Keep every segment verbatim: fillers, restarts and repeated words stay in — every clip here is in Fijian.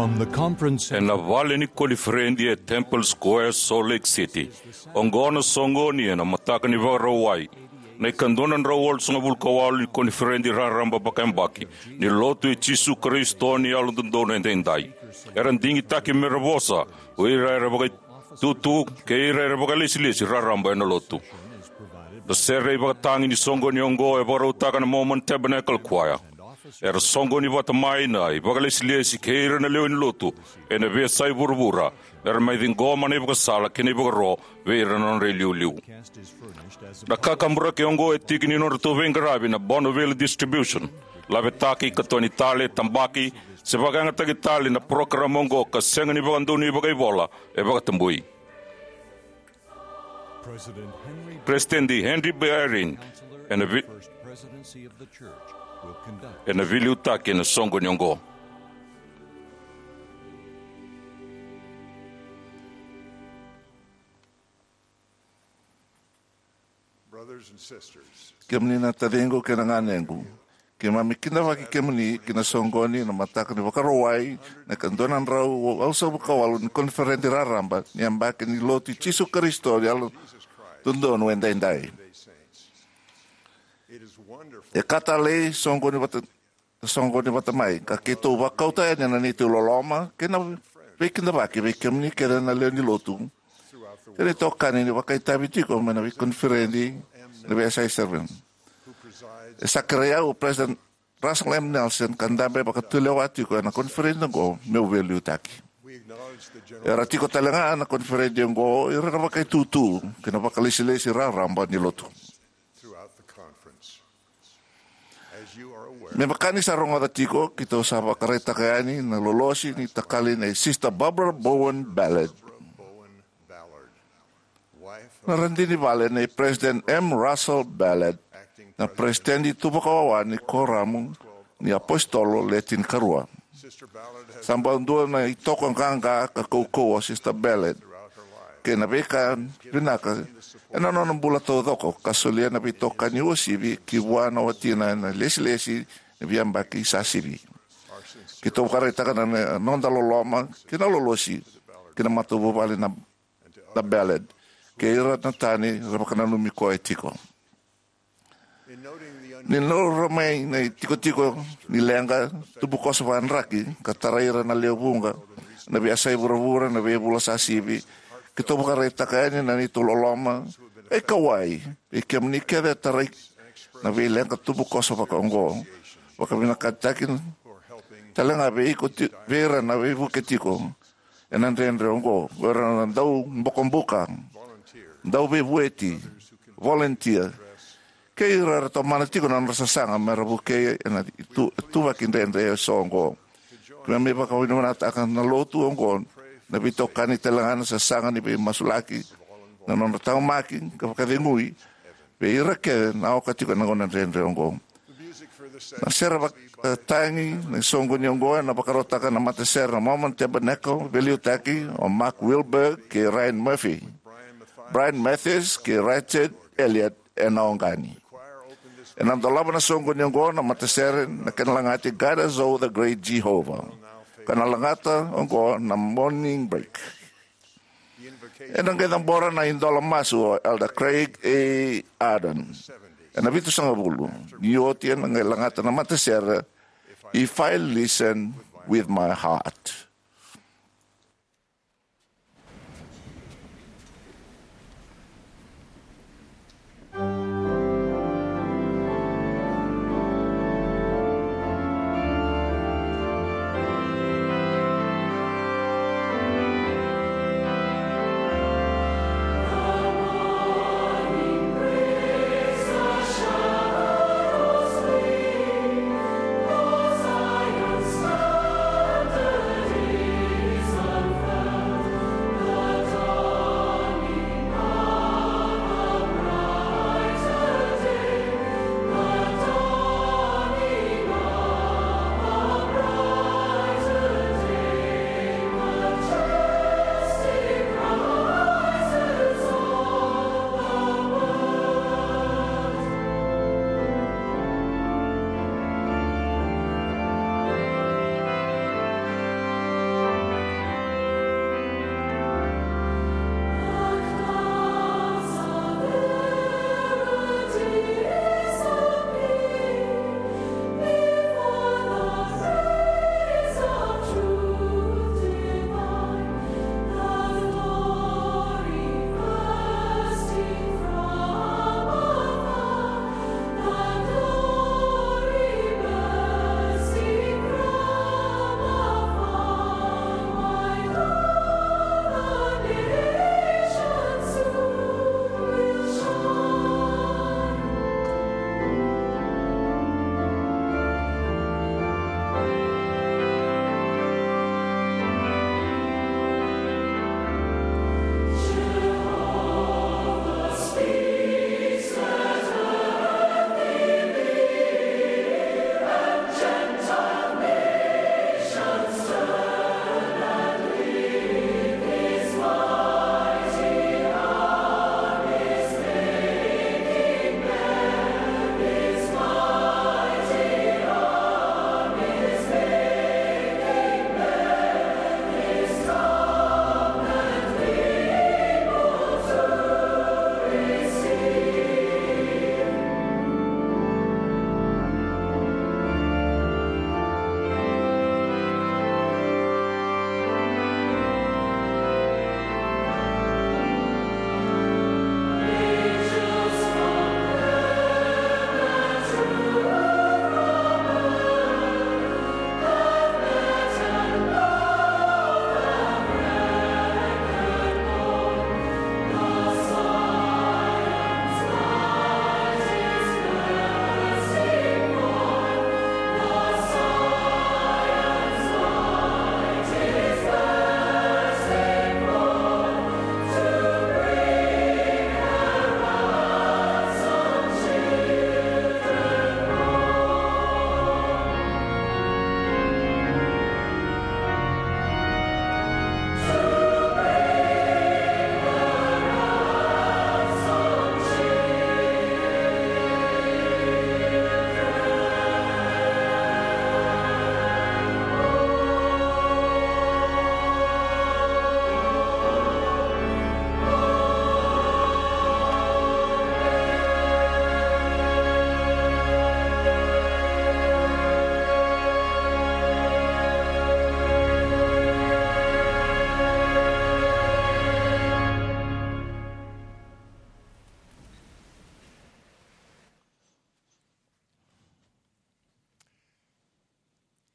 From the conference center. Ena vale ni koniferedi e Temple Square, Salt Lake City. Oqo na soqoni ena mataka ni Vakarauwai, na ikadua na drau walusagavulu ka walu ni koniferedi raraba vakayabaki ni Lotu i Jisu Karisito ni Yalododonu Edaidai. Era digitaki mera vosa o ira era vakaitutu kei ira era vakailesilesi raraba ena Lotu. Na sere ivakatagi ni soqoni oqo e vakarautaka na Mormon Tabernacle Choir. Era soqoni vata mai na ivakalesilesi kei ira na lewe ni Lotu ena veiyasai vuravura, mera mai ciqoma na ivakasala kei na ivakaro vei ira na nodra iliuliu. Na kakaburaki oqo e tiki ni nodratou veiqaravi na Bonneville Distribution. Lavetaki, katoni tale, tabaki, se vakayagataki tale na parokaramu oqo ka sega ni vakadonui vakaivola, e vakatabui. President Henry Peresitedi Henry B. Eyring ena vi- First Presidency of the Church will conduct ena veiliutaki ena soqoni oqo. Brothers and sisters, kemuni na taciqu kei na ganequ, keimami kidavaki kemuni ki na soqoni na mataka ni Vakarauwai, na ikadua na drau walusagavulu ka walu ni koniferedi raraba ni yabaki ni Lotu i Jisu Karisito ni Yalododonu Edaidai. It is wonderful. E ka talei soqoni vata, soqoni vata mai, ka keitou vakauta yani na neitou loloma kei na veikidavaki vei kemuni kece na lewe ni Lotu kei na itokani ni vakaitavi tiko mai na veikoniferedi ena veiyasai seven. E sa kerei au o President Russell M. Nelson ka dabe vakatulewa tiko ena koniferedi oqo meu veiliutaki. Era tiko tale ga na koniferedi oqo ira na vakaitutu kei na vakalesilesi raraba ni Lotu. Me vaka ni sa rogoca tiko, keitou sa vakaraitaka yani na lolosi ni takali nei Sister Barbara Bowen Ballard, na radini vale nei President M. Russell Ballard, na Presidenti tu vakawawa ni Koramu ni iApositolo Le Tinikarua. Sa bau dua na itoko qaqa ka kaukauwa o Sister Ballard kei na veika vinaka ena nona bula taucoko, ka solia na veitokani uasivi ki vua na watina ena ilesilesi ni veiyabaki sa sivi. Keitou vakaraitaka na, na noda loloma kei na lolosi ki na matavuvale na, na Ballard kei ira na tani era vakananumi koya tiko. Ni laurai mai na itikotiko ni leqa, tubukoso vakadraki, ka tarai ira na lewe vuqa ena veiyasai vuravura ena veivula sa sivi, keitou vakaraitaka yani na neitou loloma e kauwai vei kemuni kece e tarai na veileqa tubukoso vaka oqo, vakavinakataki tale ga vei iko ti-, vei ira na veivuke tiko ena dredre oqo, vei ira na daubokobuka, dauveivueti, volunteer, kei ira era tomana tiko na nodra sasaga mera vukei ena itu-, ituvaki dredre eso oqo. Keimami vakavinavinakataka na Lotu oqo, na veitokani tale ga, na sasaga ni veimasulaki, na nodra taqomaki ka vakacegui vei ira kece na oka tiko ena gauna dredre oqo. Na sere vakatagi ni soqoni oqo ena vakarautaka na matasere na Mormon Tabernacle, veiliutaki o Mark Wilberg kei Ryan Murphy, Brian Mathis kei Richard Elliott ena oqani. Ena dolava na soqoni oqo na matasere na kena lagati God Is All the Great Jehovah, ka na lagata oqo na Morning Break. Ena qai cabora na idola masu o Elder Craig A. Ardern ena vitusagavulu, ni oti ena qai lagata na matasere If I Listen With My Heart.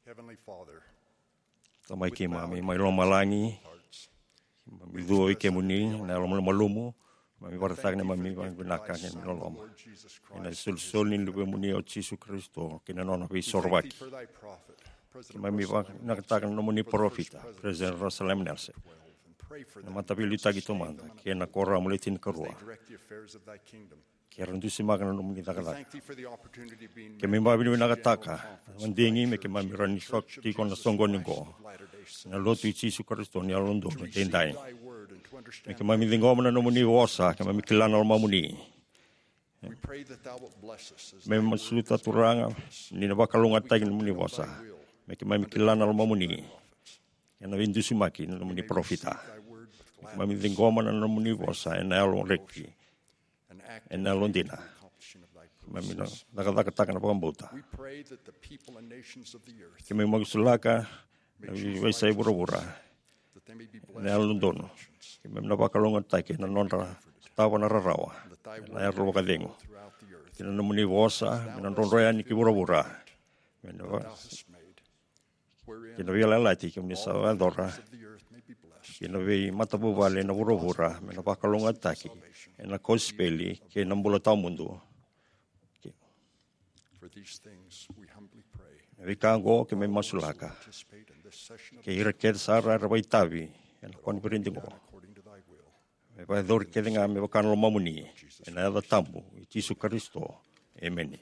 Heavenly Father, Tamai keimami mai lomalagi, keimami cua vei kemuni na yalo malumalumu, keimami vakaraitaka na neimami vakavinaka kei na loloma ena isolisoli ni Luvemuni o Jisu Karisito kei na nona veisorovaki. Keimami vakavinakataka na nomuni parofita, President Russell M. Nelson, na Mataveiliutaki Taumada kei na Kuoramu Le Tinikarua, ke ra dusimaka na nomuni cakacaka. Keimami vakavinavinakataka na madigi me keimami rawa ni sota tiko na soqoni oqo, na Lotu i Jisu Karisito ni Yalododonu Edaidai. Me keimami ciqoma na nomuni vosa, keimami kila na lomamuni. Keimami masuta, Turaga, ni na vakalougatataki na nomuni vosa, me keimami kila na lomamuni ena veidusimaki na nomuni parofita. Me keimami ciqoma na nomuni vosa ena yalo reki, ena yalodina. Keimami na cakacakataka na vakabauta. Keimami masulaka na veiyasai vuravura ena yalododonu. Keimami na vakalougatataki ena nodra sotava na rarawa, ena yadra vakacegu. Kei na nomuni vosa me na drodro yani ki vuravura, me na va kei na veiyalayalati kemuni sa vakayacora, kei na veimatavuvale ena vuravura me na vakalougatataki ena kosipeli kei na bula tawamudu. Na veika oqo keimami masulaka, kei ira kece sara era vakaitavi ena koniferedi oqo, me vakayacori kece ga me vaka na lomamuni, ena yaca tabu i Jisu Karisito. Emeni.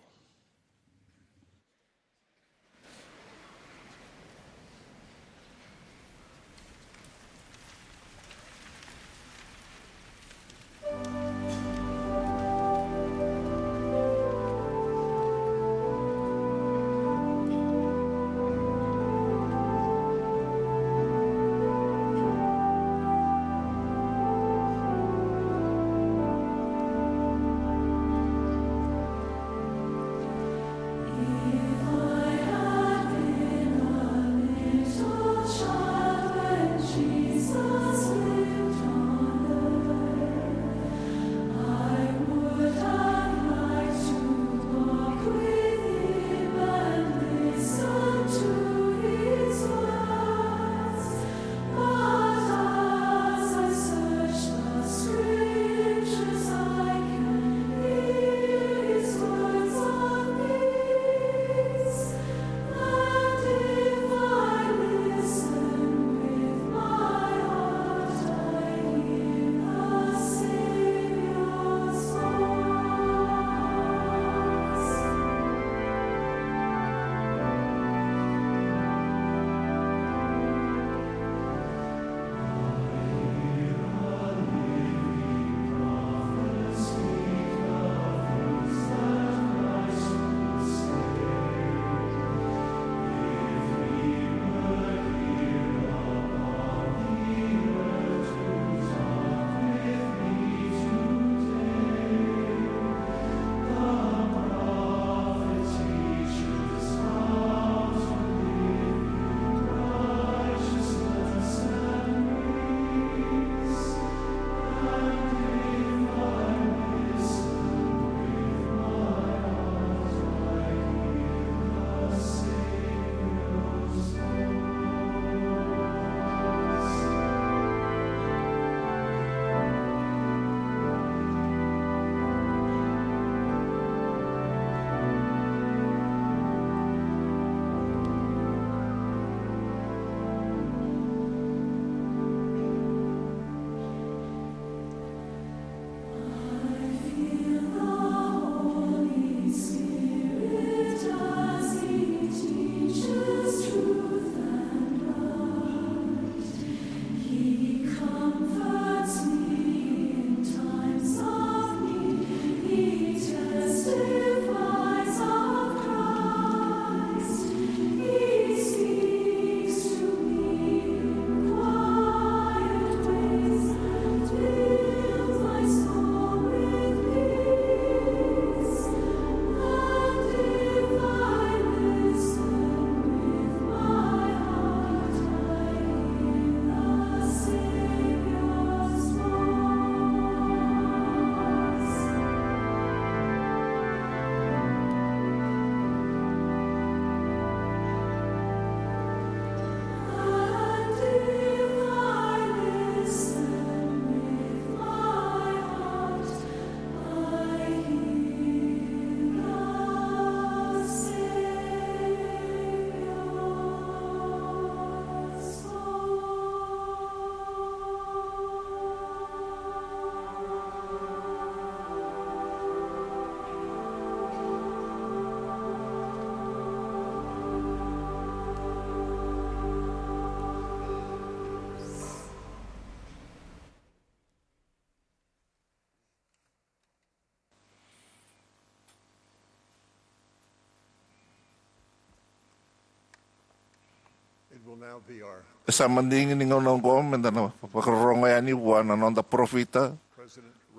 E sa madigi ni gauna oqo me da na vakarorogo yani vua na noda parofita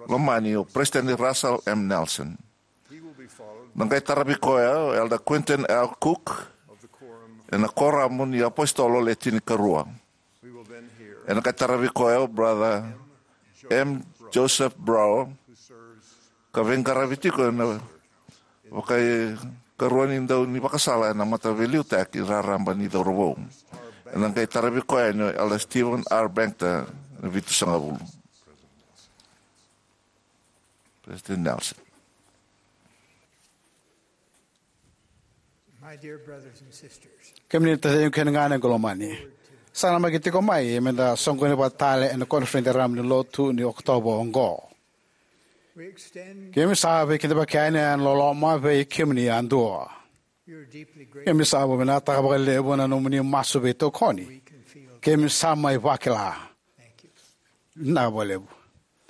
lomani, o President Russell M. Nelson. Na qai taravi koya o Elder Quentin L. Cook ena Koramu ni iApositolo Le Tinikarua. Ena qai taravi koya o Brother M. Joseph Brower, ka veiqaravi tiko ena vakaikarua ni dau ni vakasala ena Mataveiliutaki Raraba ni Cauravou. Ena qai taravi koya yani o Elder Steven R. Banker, ena vitusagavulu. President Nelson. My dear brothers and sisters, kemuni na taciqu kei na ganequ lomani, sa namaki tiko mai me da soqoni vata tale ena koniferedi raraba ni lotu ni Okotova oqo. We extend keimami sa veikidavaki yani ena loloma vei kemuni yadua. We are deeply grateful. Keimami sa vakavinavinakataka vakalevu na nomuni masu veitokoni. We can feel. Keimami sa mai vakila. Thank you. Vinaka vakalevu.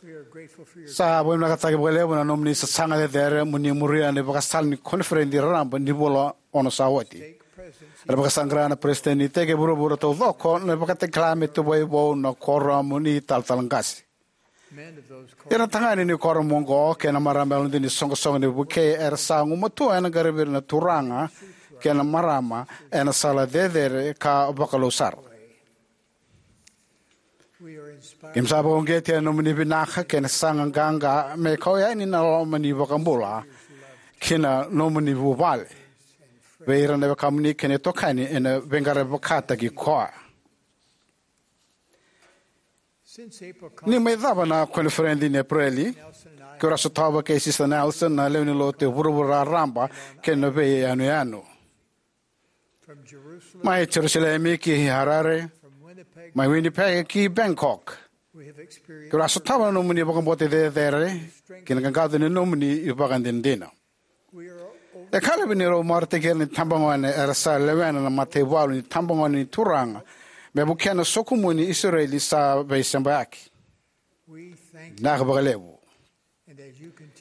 We are grateful for your. Sa vakavinavinakataki vakalevu na nomuni sasaga cecere mo ni muria na ivakasala ni koniferedi raraba ni vula ono sa oti. Stake presidency. Era vakasaqara na peresitedi ni iteki e vuravura taucoko na ivakatakila me tuvai vou na Koramu ni Talatala Qase. Men of those. Ira na tagane ni Koramu oqo kei na marama yalodina ni soqosoqo ni vukei era sa gumatua ena qaravi ira na turaga kei na marama ena sala cecere ka vakalou sara. Keimami sa vakauqeti ena nomuni vinaka kei na sasaga qaqa me kau yani na loma ni iVakabula kei na nomuni vuvale vei ira na wekamuni kei na itokani ena veiqaravi vakataki koya. Ni mai cava na koniferedi ni Epereli, keirau a sotava kei Sister Nelson na lewe ni lotu e vuravura raraba kei na veiyanuyanu. Mai Jerusalemi ki Harare, mai Winnipeg ki Bangkok, keirau a sotava na nomuni vakabauta cecere kei na qaqaco ni nomuni ivakadinadina. E ka levu ni rau marautaki ira na itabagone era sa lewena na mataivalu ni tabagone ni Turaga me vukea na sokumuni Isireli sa veisebayaki. Vinaka vakalevu.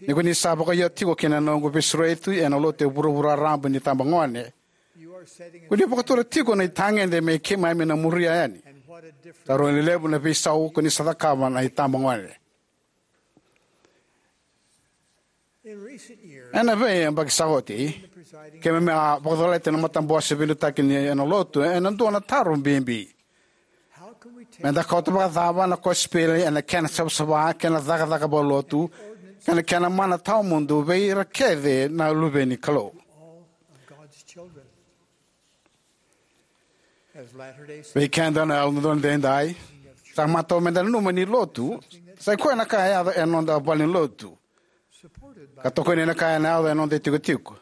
Ni ko ni sa vakaio tiko ki na noqu veisureti ena lotu e vuravura raraba ni tabagone, ko ni vakatura tiko na itagede me keimami na muria yani. Sa rui levu na veisau ko ni sa cakava na itabagone. Ena veiyabaki sa oti, keimami a vakacolati na matabose veiliutaki ni ena lotu ena dua na taro bibi. Me da kauta vakacava na kosipeli ena kena savasava kei na cakacaka vakalotu kei na kena mana tawamudu vei ira kece na luve ni Kalou? Vei keda na Yalododonu Edaidai, sa matau me da nanuma ni lotu sa i koya na ka e yaco ena noda valenilotu ka tokoni ena ka ena yaco ena noda itikotiko.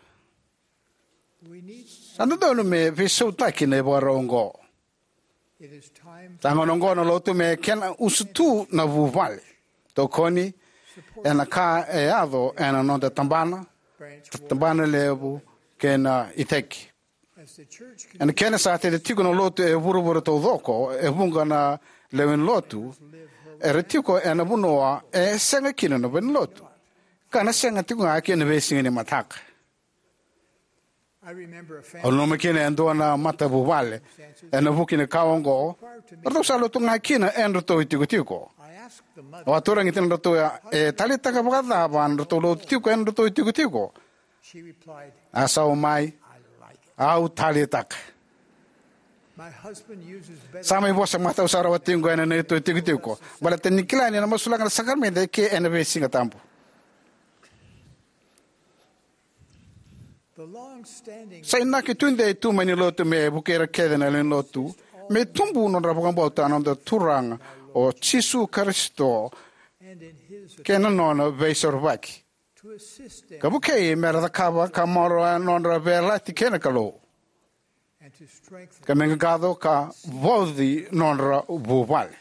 Sa dodonu me veisautaki na ivakarau oqo. Sa gauna oqo na lotu me kena usutu na vuvale, tokoni ena ka e yaco ena noda tabana, tabana levu kei na iteki. Ena kena sa tete tiko na lotu e vuravura taucoko, e vuqa na lewe ni lotu era tiko ena vanua e sega kina na valenilotu ka na sega tiko ga kina veisiga ni mataka. Au nanuma kina e dua na matavuvale ena vuku ni ka oqo, ratou sa lotu ga kina e dratou itikotiko. Au a tarogi kina na dratou, e taleitaka vakacava na dratou lotu tiko e dratou itikotiko? A sauma mai, au taleitaka. Sa mai vosa matau sara o watiqu ena neitou itikotiko baleta ni kila ni na masulaka na sakaramede e ke ena veisiga tabu. Sa inaki tudei tu mai ni lotu me vukei ira kece na lewe ni lotu me tubu nodra vakabauta na noda Turaga o Jisu Karisito kei na nona veisorovaki, ka vukei me ra cakava ka maroroya nodra veiyalayalati kei na Kalou, ka me qaqaco ka vauci nodra vuvale.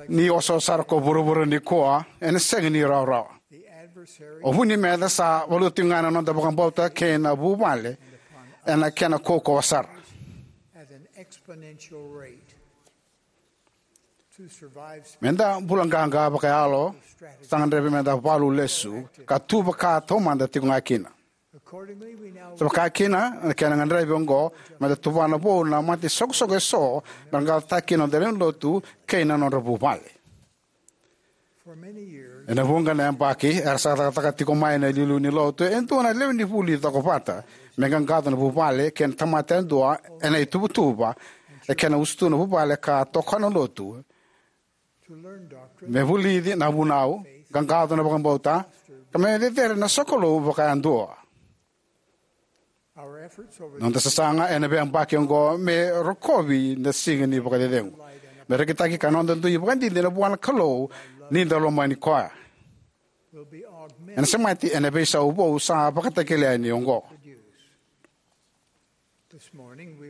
Ni osooso sara ko vuravura nikua, ena sega ni rawarawa. O vu ni meca sa valuta tiko ga na noda vakabauta kei na vuvale ena kena kaukauwa sara. Me da bula qaqa vakayalo, sa gadrevi me da valu lesu ka tu vaka taumada tiko ga kina. Sa vakakina, na kena gadrevi oqo, me da tuvana vou na mata ni soqosoqo eso me ra qaqacotaka kina na noda lewenilotu kei na nodra vuvale. Ena vuqa na yabaki era sa cakacaka tiko mai na iliuliu ni lotu e dua na lewe ni vuli cokovata me qaqaco na vuvale kei na tamata yadua ena ituvatuva, e kena usutu na vuvale ka tokona na lotu, me vulici na vunau, qaqaco na vakabauta, ka me cecere na sokalou vakayadua. Na noda sasaga ena veiyabaki oqo me rokovi na siga ni vakacecegu, me rekitaki ka noda dui vakadidi ena vua na Kalou ni da lomani koya, ena semati ena veisau vou sa vakatakila yani oqo.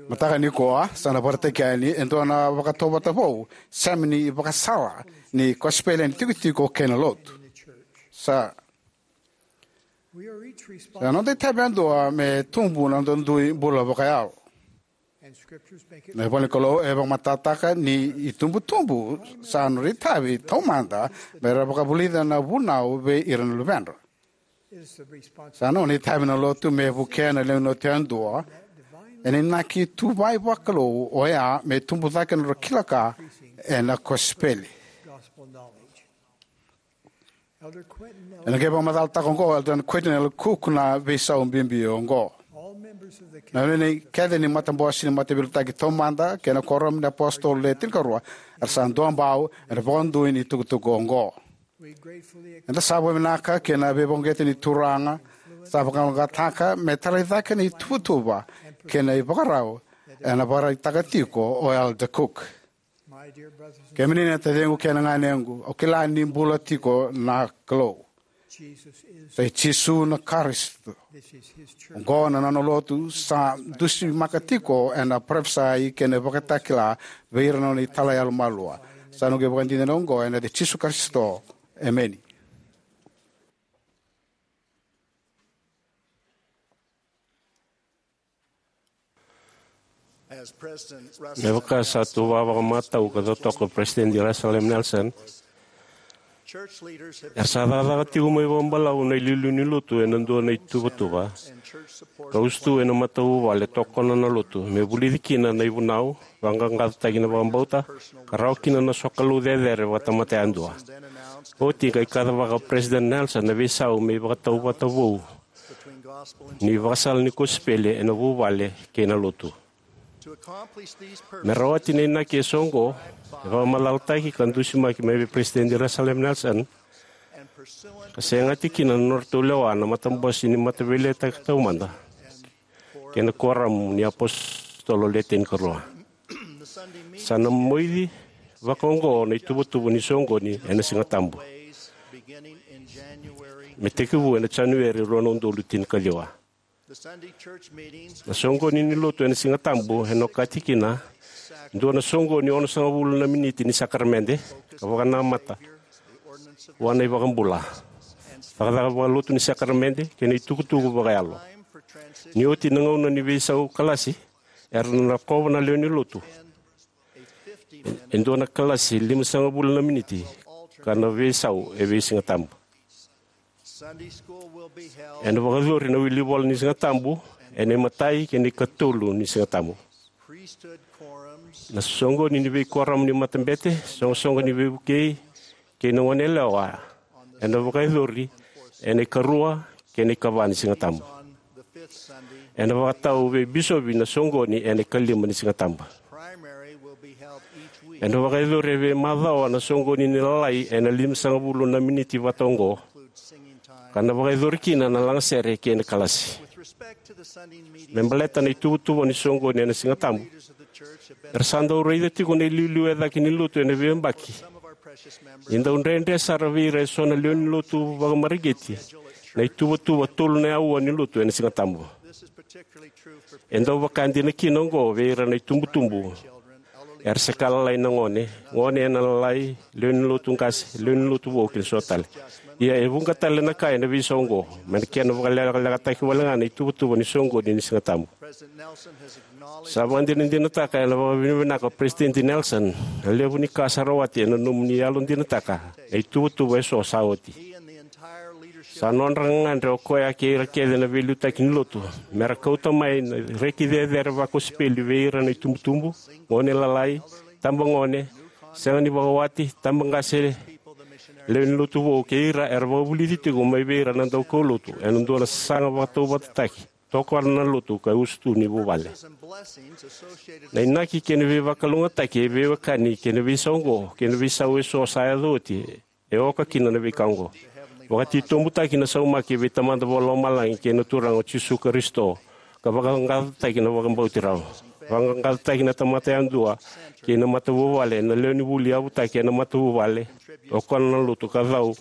Mataka nikua sa na vakaraitaki yani e dua na vakatautauvata vou, sema ni ivakasala ni kosipeli ena itikotiko kei na lotu. Sa na noda itavi yadua me tubu na noda dui bula vakayalo. Na ivola ni Kalou e vakamatatataka ni itubutubu sa nodra itavi taumada me ra vakavulica na vunau vei ira na luvedra. Sa nona itavi na lotu me vukea na lewenilotu yadua ena inaki tuvai vakalou oya me tubu cake na nodra kila ka ena kosipeli. Ena qai vakamacalataka oqo o Elder Quentin L. Cook na veisau bibi oqo. Na lewe kece ni matabose ni mataveiliutaki taumada kei na kuoramu ni apositolo le tinikarua era sa duabau ena vakadui ni tukutuku oqo. Eda sa vakavinavinaka ki na veivakauqeti ni Turaga sa vakalougatataka me talai cake na ituvatuva kei na ivakarau ena vakaraitaka tiko o Elder Cook. Kemuni na taciqu kei na ganequ, au kila ni bula tiko na Kalou. Sa i Jisu na Karisito. Oqo na nona lotu sa dusimaka tiko ena parofisai kei na ivakatakila vei ira na nona italai yalomalua. Sa noqu ivakadinadina oqo ena yaca i Jisu Karisito. Emeni. Me vaka sa tuva vakamatau ka totoka o Peresitedi Russell M. Nelson, era sa cakacaka tiko mai vakabalavu na iliuliu ni lotu ena dua na ituvatuva ka usutu ena matavuvale tokona na lotu me vulici kina na ivunau, vaqaqacotaki na vakabauta, ka rawa kina na sokalou cecere vakatamata yadua. Oti qai kacivaka o Peresitedi Nelson na veisau me ivakatautauvata vou ni ivakasala ni kosipeli ena vuvale kei na lotu. Me rawati na inaki eso oqo, e vakamacalataki ka dusimaki mai vei Peresitedi Russell M. Nelson, ka segati kina na nodratou lewa na matabose ni mataveiliutaki taumada kei na kuoramu ni apositolo le tinikarua. Sa na moici vakaoqo na ituvatuva ni soqoni ena Siga Tabu, me tekivu ena Janueri rua na udolu tinikaciwa. Na soqoni ni lotu ena Siga Tabu ena okati kina dua na soqoni onosagavulu na miniti ni sakaramede ka vakanamata vua na iVakabula, cakacaka vakalotu ni sakaramede kei na itukutuku vakayalo. Ni oti na gauna ni veisau kalasi, era na lakova na lewe ni lotu e dua na kalasi limasagavulu na miniti ka na veisau e veisiga tabu. Ena vakayacori na wili vola ni Siga Tabu ena imatai kei na ikatolu ni Siga Tabu. Na soqoni ni veikuoramu ni matabete, soqosoqo ni veivukei, kei na goneyalewa ena vakayacori ena ikarua kei na ikava ni Siga Tabu. Ena vakatau vei bisopi na soqoni ena ikalima ni Siga Tabu. Ena vakayacori e veimacawa na soqoni ni lalai ena limasagavulu na miniti vata oqo, ka na vakayacori kina na lagasere kei na kalasi. Me baleta na ituvatuva ni soqoni ena Siga Tabu, era sa dau raica tiko na iliuliu e cake ni lotu ena veiyabaki ni dau dredre sara vei ira eso na lewe ni lotu vakamareqeti na ituvatuva tolu na aua ni lotu ena Siga Tabu. E dau vaka dina kina oqo vei ira na itubutubu era se ka lalai na gone, gone ena lalai, lewe ni lotu qase, lewe ni lotu vou kei na so tale. Ia e vuqa tale na ka ena veisau oqo, mai na kena vakalekalekataki wale ga na ituvatuva ni soqoni ni Siga Tabu. Sa vakadinadinataka ena vakavinavinaka o Peresitedi Nelson na levu ni ka sa rawati ena nomuni yalodinataka na ituvatuva eso sa oti. Sa nodra gagadre o koya kei ira kece na veiliutaki ni lotu me ra kauta mai na reki cecere vakosipeli vei ira na itubutubu, gone lalai, tabagone, sega ni vakawati, tabaqase, lewe ni lotu vou, kei ira era vakavulici tiko mai vei ira na daukaulotu ena dua na sasaga vakatauvatataki, tokona na lotu ka usutu ni vuvale. Na inaki kei na veivakalougatataki e veiwekani kei na veisau oqo kei na veisau eso sa yaco oti e oka kina na veika oqo. Vakatitobutaki na saumaki vei Tamada Vakalomalagi kei na Turaga o Jisu Karisito, ka vaqaqacotaki na vakabauti rawa. Vaqaqacotaki na tamata yadua kei na matavuvale, na lewe ni vuli yavutaki ena matavuvale, tokona na lotu ka cau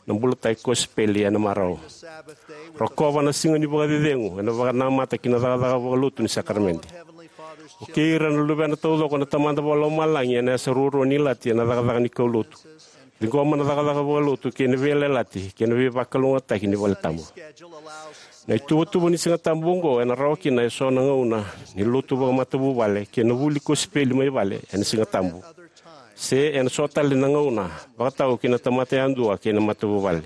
na bulataki kosipeli ena marau. Rokova na siga ni vakacecegu ena vakanamata ki na cakacaka vakalotu ni sakaramede. Vukei ira na luvena taucoko na Tamada Vakalomalagi ena yasa ruarua ni ilati ena cakacaka ni kaulotu. Ciqoma na cakacaka vakalotu kei na veiyalayalati kei na veivakalougatataki ni valetabu. Na ituvatuva ni Sigatabu oqo ena rawa kina eso na gauna ni lotu vakamatavuvale kei na vuli kosipeli mai vale ena Sigatabu, se ena so tale na gauna, vakatau ki na tamata yadua kei na matavuvale.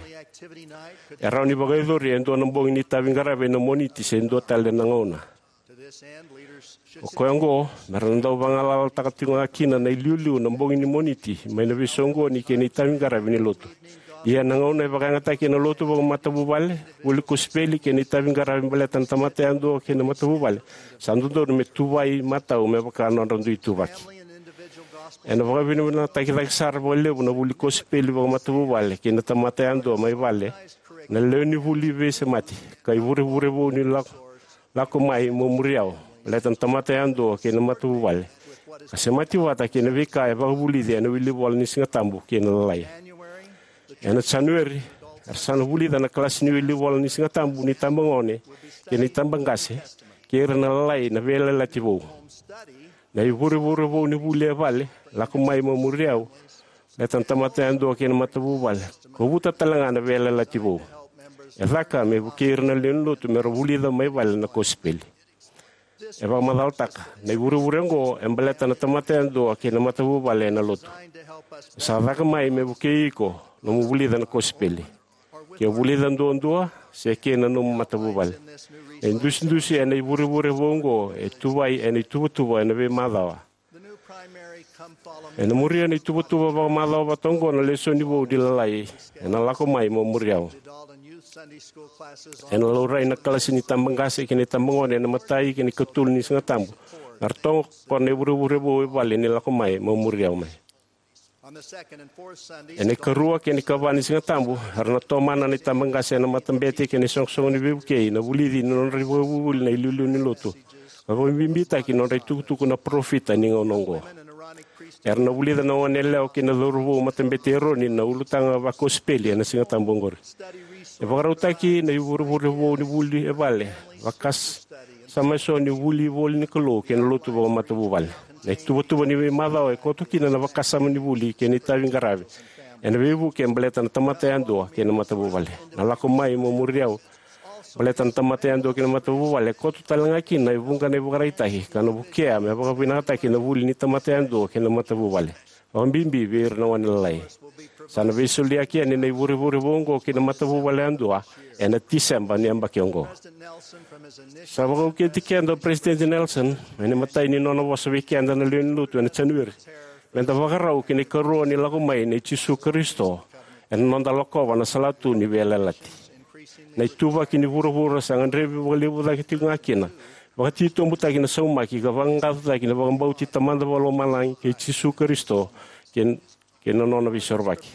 E rawa ni vakayacori e dua na bogi ni itaviqaravi ena Moniti se dua tale na gauna. O koya oqo me ra na dau vagalalataka tiko ga kina na iliuliu na bogi ni Moniti mai na veisoqoni kei na itaviqaravi ni lotu. Ia na gauna e vakayagataki ena lotu vakamatavuvale, vuli kosipeli kei na itaviqaravi baleta na tamata yadua kei na matavuvale, sa dodonu me tuvai matau me vaka nodra dui ituvaki. Ena vakavinavinakataki cake sara vakalevu na vuli kosipeli vakamatavuvale kei na tamata yadua mai vale, na lewe ni vuli veisemati, ka ivurevure vou ni lako, lako mai mo muri au, baleta na tamata yadua kei na matavuvale, ka semati vata kei na veika e vakavulici ena wilivola ni Sigatabu kei na Lalai. Ena Janueri, era sa na vulica na kalasi ni wilivola ni Sigatabu ni tabagone kei na tabaqase kei ira na Lalai na veiyalayalati vou. Na ivurevure vou ni vuli e vale, lako mai mo muri au, baleta na tamata yadua kei na matavuvale, kovuta tale ga na veiyalayalati vou. E caka me vukei ira na lewe ni lotu me ra vulica mai vale na kosipeli. E vakamacalataka, na ivurevure oqo e baleta na tamata yadua kei na matavuvale ena lotu. Sa caka mai me vukei iko nomu vulica na kosipeli. Ke o vulica duadua se kei na nomu matavuvale. Na idusidusi ena ivurevure vou oqo e tuvai ena ituvatuva ena veimacawa. Ena muria na ituvatuva vakamacawa vata oqo na lesoni vou ni Lalai, ena lako mai mo muri au. Ena laurai na kalasi ni tabaqase kei na tabagone ena imatai kei na ikatolu ni Sigatabu, me ra tokona na ivurevure vou e vale ni lako mai mo muri au mai. Ena ikarua kei na ikava ni Sigatabu, era na tomana na itabaqase ena matabete kei na isoqosoqo ni veivukei na vulici ni nodra ivakavuvuli na iliuliu ni lotu, ka vakabibitaki nodra itukutuku na parofita ni gauna oqo. Era na vulica na goneyalewa kei na cauravou matabete i Eroni na ulutaga vakosipeli ena Sigatabu oqori. E vakarautaki na ivurevure vou ni vuli e vale, vakasama eso ni vuli voli ni Kalou kei na lotu vakamatavuvale. Na ituvatuva ni veimacawa e koto kina na vakasama ni vuli kei na itaviqaravi ena veivuke baleta na tamata yadua kei na matavuvale. Na lako mai mo muri au, baleta na tamata yadua kei na matavuvale, e koto tale ga kina e vuqa na ivakaraitaki ka na vukea me vakavinakataki na vuli ni tamata yadua kei na matavuvale, vakabibi vei ira na gone lalai. Sa na veisoliyaki yani na ivurevure vou oqo ki na matavuvale yadua ena Tiseba ni yabaki oqo. Sa vakauqeti keda o Peresitedi Nelson ena imatai ni nona vosa vei keda na lewe ni lotu ena Janueri, meda vakarau ki na ikarua ni lako mai nei Jisu Karisito ena noda lakova na salatu ni veiyalayalati. Na ituvaki ni vuravura sa gadrevi vakalevu cake tiko ga kina, vakatitobutaki na saumaki ka vaqaqacotaki na vakabauti Tamada Vakalomalagi kei Jisu Karisito kei, kei na nona veisorovaki.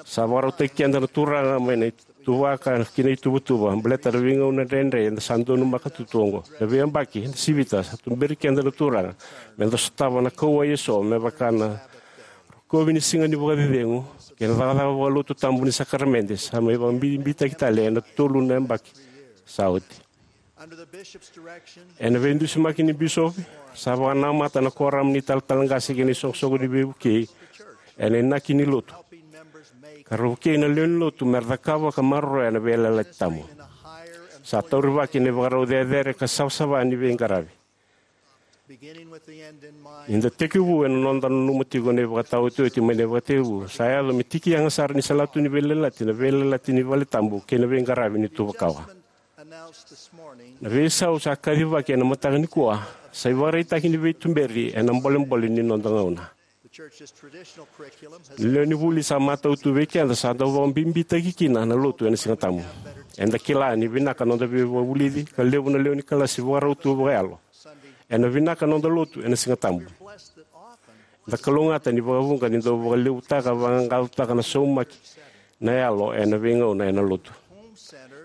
Sa vakarautaki keda na Turaga mai na ituvaka ki na ituvatuva baleta na veigauna dredre eda sa donumaka tu oqo. Na veiyabaki eda sivita sa tuberi keda na Turaga meda sotava na kauwai eso me vaka na rokovi ni siga ni vakacecegu kei na cakacaka vakalotu tabu ni sakaramede sa mai vakabibitaki tale ena tolu na yabaki sa oti. Ena veidusimaki ni bisopi, sa vakanamata na Korama ni Talatala Qase kei na isoqosoqo ni veivukei ena inaki ni lotu, ka ra vukei na lewe ni lotu me ra cakava ka maroroya na veiyalayalati tabu. Sa taurivaki na ivakarau cecere ka savasava ni veiqaravi. Ni da tekivu ena noda nanuma tiko na ivakataotioti mai na ivakatekivu, sa yaco me tiki yaga sara ni salatu ni veiyalayalati na veiyalayalati ni valetabu kei na veiqaravi ni tuvakawa. Na veisau sa kacivaki ena mataka nikua sa ivakaraitaki ni veituberi ena bolebole ni noda gauna. Na lewe ni vuli sa matau tu vei keda sa dau vakabibitaki kina na lotu ena Sigatabu. Eda kila ni vinaka noda veivakavulici ka levu na lewe ni kalasi vakarau tu vakayalo. Ena vinaka noda lotu ena Sigatabu. Eda kalougata ni vakavuqa ni dau vakalevutaka vaqaqacotaka na saumaki na yalo ena veigauna ena lotu.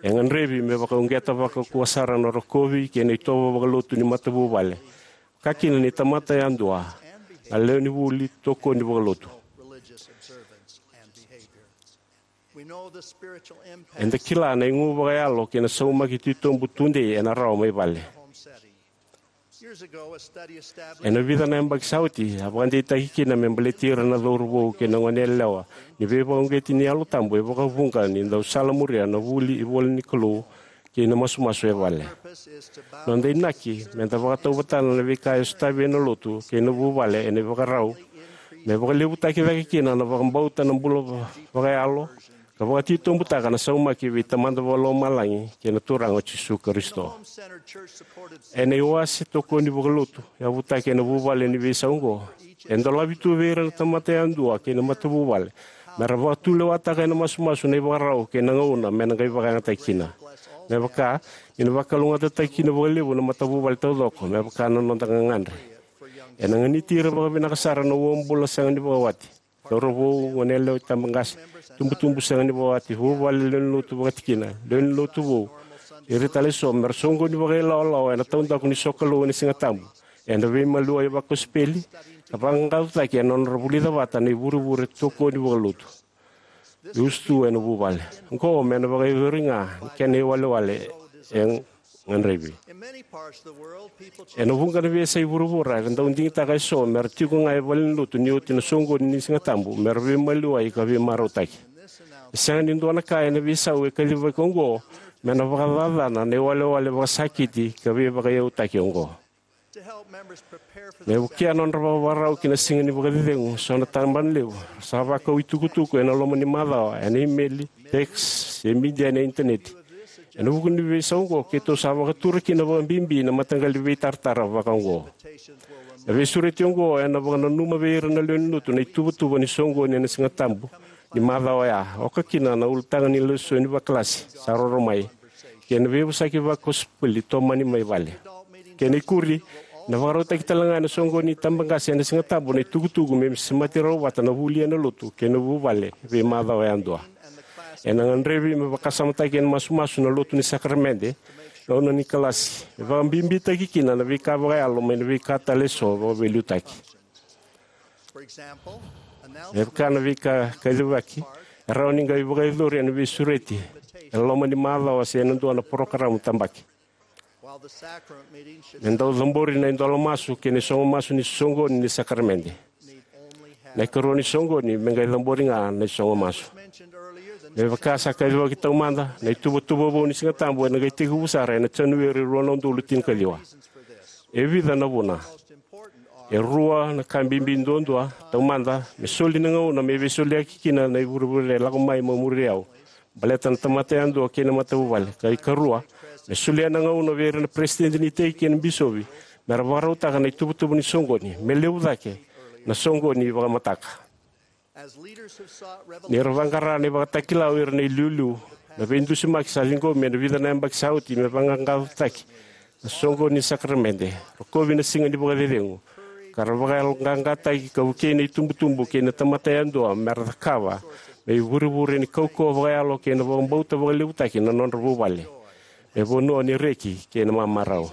E gadrevi me vakauqeta vakaukauwa sara na rokovi kei na itovo vakalotu ni matavuvale, ka kina ni tamata yadua, na lewe ni vuli, tokoni vakalotu. Eda kila na igu vakayalo kei na saumaki titobu tudei ena rawa mai vale. Ena vica na yabaki sa oti, a vakadeitaki kina me baleti ira na cauravou kei na goneyalewa ni veivakauqeti ni Yalo Tabu e vakavuqa ni dau salamuria na vuli ivolanikalou kei na masumasu e vale. Noda inaki me da vakatauvatana na veika e sotavi ena lotu kei na vuvale ena ivakarau, me vakalevutaki cake kina na vakabauta, na bula va- vakayalo, ka vakatitobutaka na saumaki vei Tamada Vakalomalagi kei na Turaga o Jisu Karisito. Ena iwase tokoni vakalotu yavutaki ena vuvale ni veisau oqo, e dolavi tu vei ira na tamata yadua kei na matavuvale me ra vakatulewataka ena masumasu na ivakarau kei na gauna me na qai vakayagataki kina. Me vaka, ni na vakalougatataki kina vakalevu na matavuvale taucoko me vaka na noda gagadre. Ena ganiti ira vakavinaka sara na uabula sega ni vakawati, cauravou, goneyalewa, itabaqase, tubutubu sega ni vakawati, vuvale, lewenilotu vakatikina, lewenilotu vou, ira tale eso, me ra soqoni vakailawalawa ena taudaku ni sokalou ena Sigatabu. Ena veimaliwai vakosipeli ka vaqaqacotaki ena nodra vulica vata na ivurevure tokoni vakalotu. E usutu ena vuvale oqo me na vakayacori ga ni kena iwalewale e gadrevi. Ena vuqa na veiyasai vuravura era dau digitaka eso me ra tiko ga e valenilotu ni oti na soqoni ni Sigatabu me ra veimaliwai ka veimarautaki. E sega ni dua na ka ena veisau e kacivaki oqo me na vakacacana na iwalewale vakasakiti ka veivakaiyautaki oqo. Me vukea nodra vakavakarau ki na siga ni vakacecegu, so na tabanalevu sa vakau itukutuku ena loma ni macawa ena imeli, text, se media ena initaneti. Ena vuku ni veisau oqo, keitou sa vakatura kina vakabibi na mataqali veitaratara vaka oqo. Na veisureti oqo ena vakananuma vei ira na lewenilotu na ituvatuva ni soqoni ena Sigatabu ni macawa oya, oka kina na ulutaga ni lesoni vakalasi sa roro mai kei na veivosaki vakosipeli tomani mai vale. Kena ikuri, na vakarautaki tale ga ena soqoni ni tabaqase ena Sigatabu na itukutuku me semati rawa vata na vuli ena lotu kei na vuvale veimacawa yadua. Ena gadrevi me vakasamataki ena masumasu na lotu ni sakaramede, gauna ni kalasi, me vakabibitaki kina na veika vakayalo mai na veika tale eso vakaveiliutaki. Me vaka na veika kacivaki, e rawa ni qai vakayacori ena veisureti ena loma ni macawa se ena dua na parokaramu tabaki. Me dau cabori na idola masu kei na isogo masu ni soqoni ni sakaramede. Na ikarua ni soqoni me qai cabori ga na isogo masu. Me vaka sa kacivaki taumada, na ituvatuva vou ni Sigatabu ena qai tekivu sara ena Janueri rua na udolu tinikaciwa. E vica na vuna. E rua na ka bibi duadua. Taumada, me soli na gauna me veisoliyaki kina na ivurevure e lako mai mo muri au, baleta na tamata yadua kei na matavuvale. Ka ikarua, me solia na gauna vei ira na peresitedi ni iteki kei na bisopi me ra vakarautaka na ituvatuva ni soqoni me levu cake na soqoni vakamataka. Ni ra vaqara na ivakatakila o ira na iliuliu, na veidusimaki sa ciqomi ena vica na yabaki sa oti me vaqaqacotaki na soqoni ni sakaramede, rokovi na siga ni vakacecegu, ka ra vakayaloqaqataki ka vukei na itubutubu kei na tamata yadua me ra cakava me ivurevure ni kaukauwa vakayalo kei na vakabauta vakalevutaki na nodra vuvale, me vanua ni reki kei na mamarau.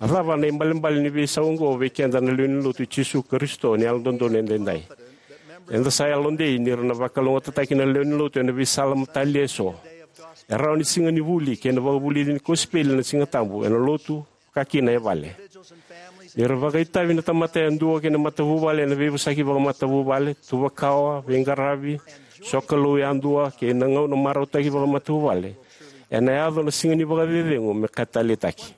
A cava na ibalebale ni veisau oqo vei keda na lewe ni Lotu i Jisu Karisito ni Yalododonu Edaidai? Eda sa yalodei ni ra na vakalougatataki na lewe ni Lotu ena veisala matalia eso. E rawa ni siga ni vuli kei na vakavulici ni kosipeli na Sigatabu ena lotu, ka kina e vale. Ni ra vakaitavi na tamata yadua kei na matavuvale ena veivosaki vakamatavuvale, tuvakawa, veiqaravi, sokalou yadua, kei na gauna marautaki vakamatavuvale, ena yaco na siga ni vakacecegu me ka taleitaki.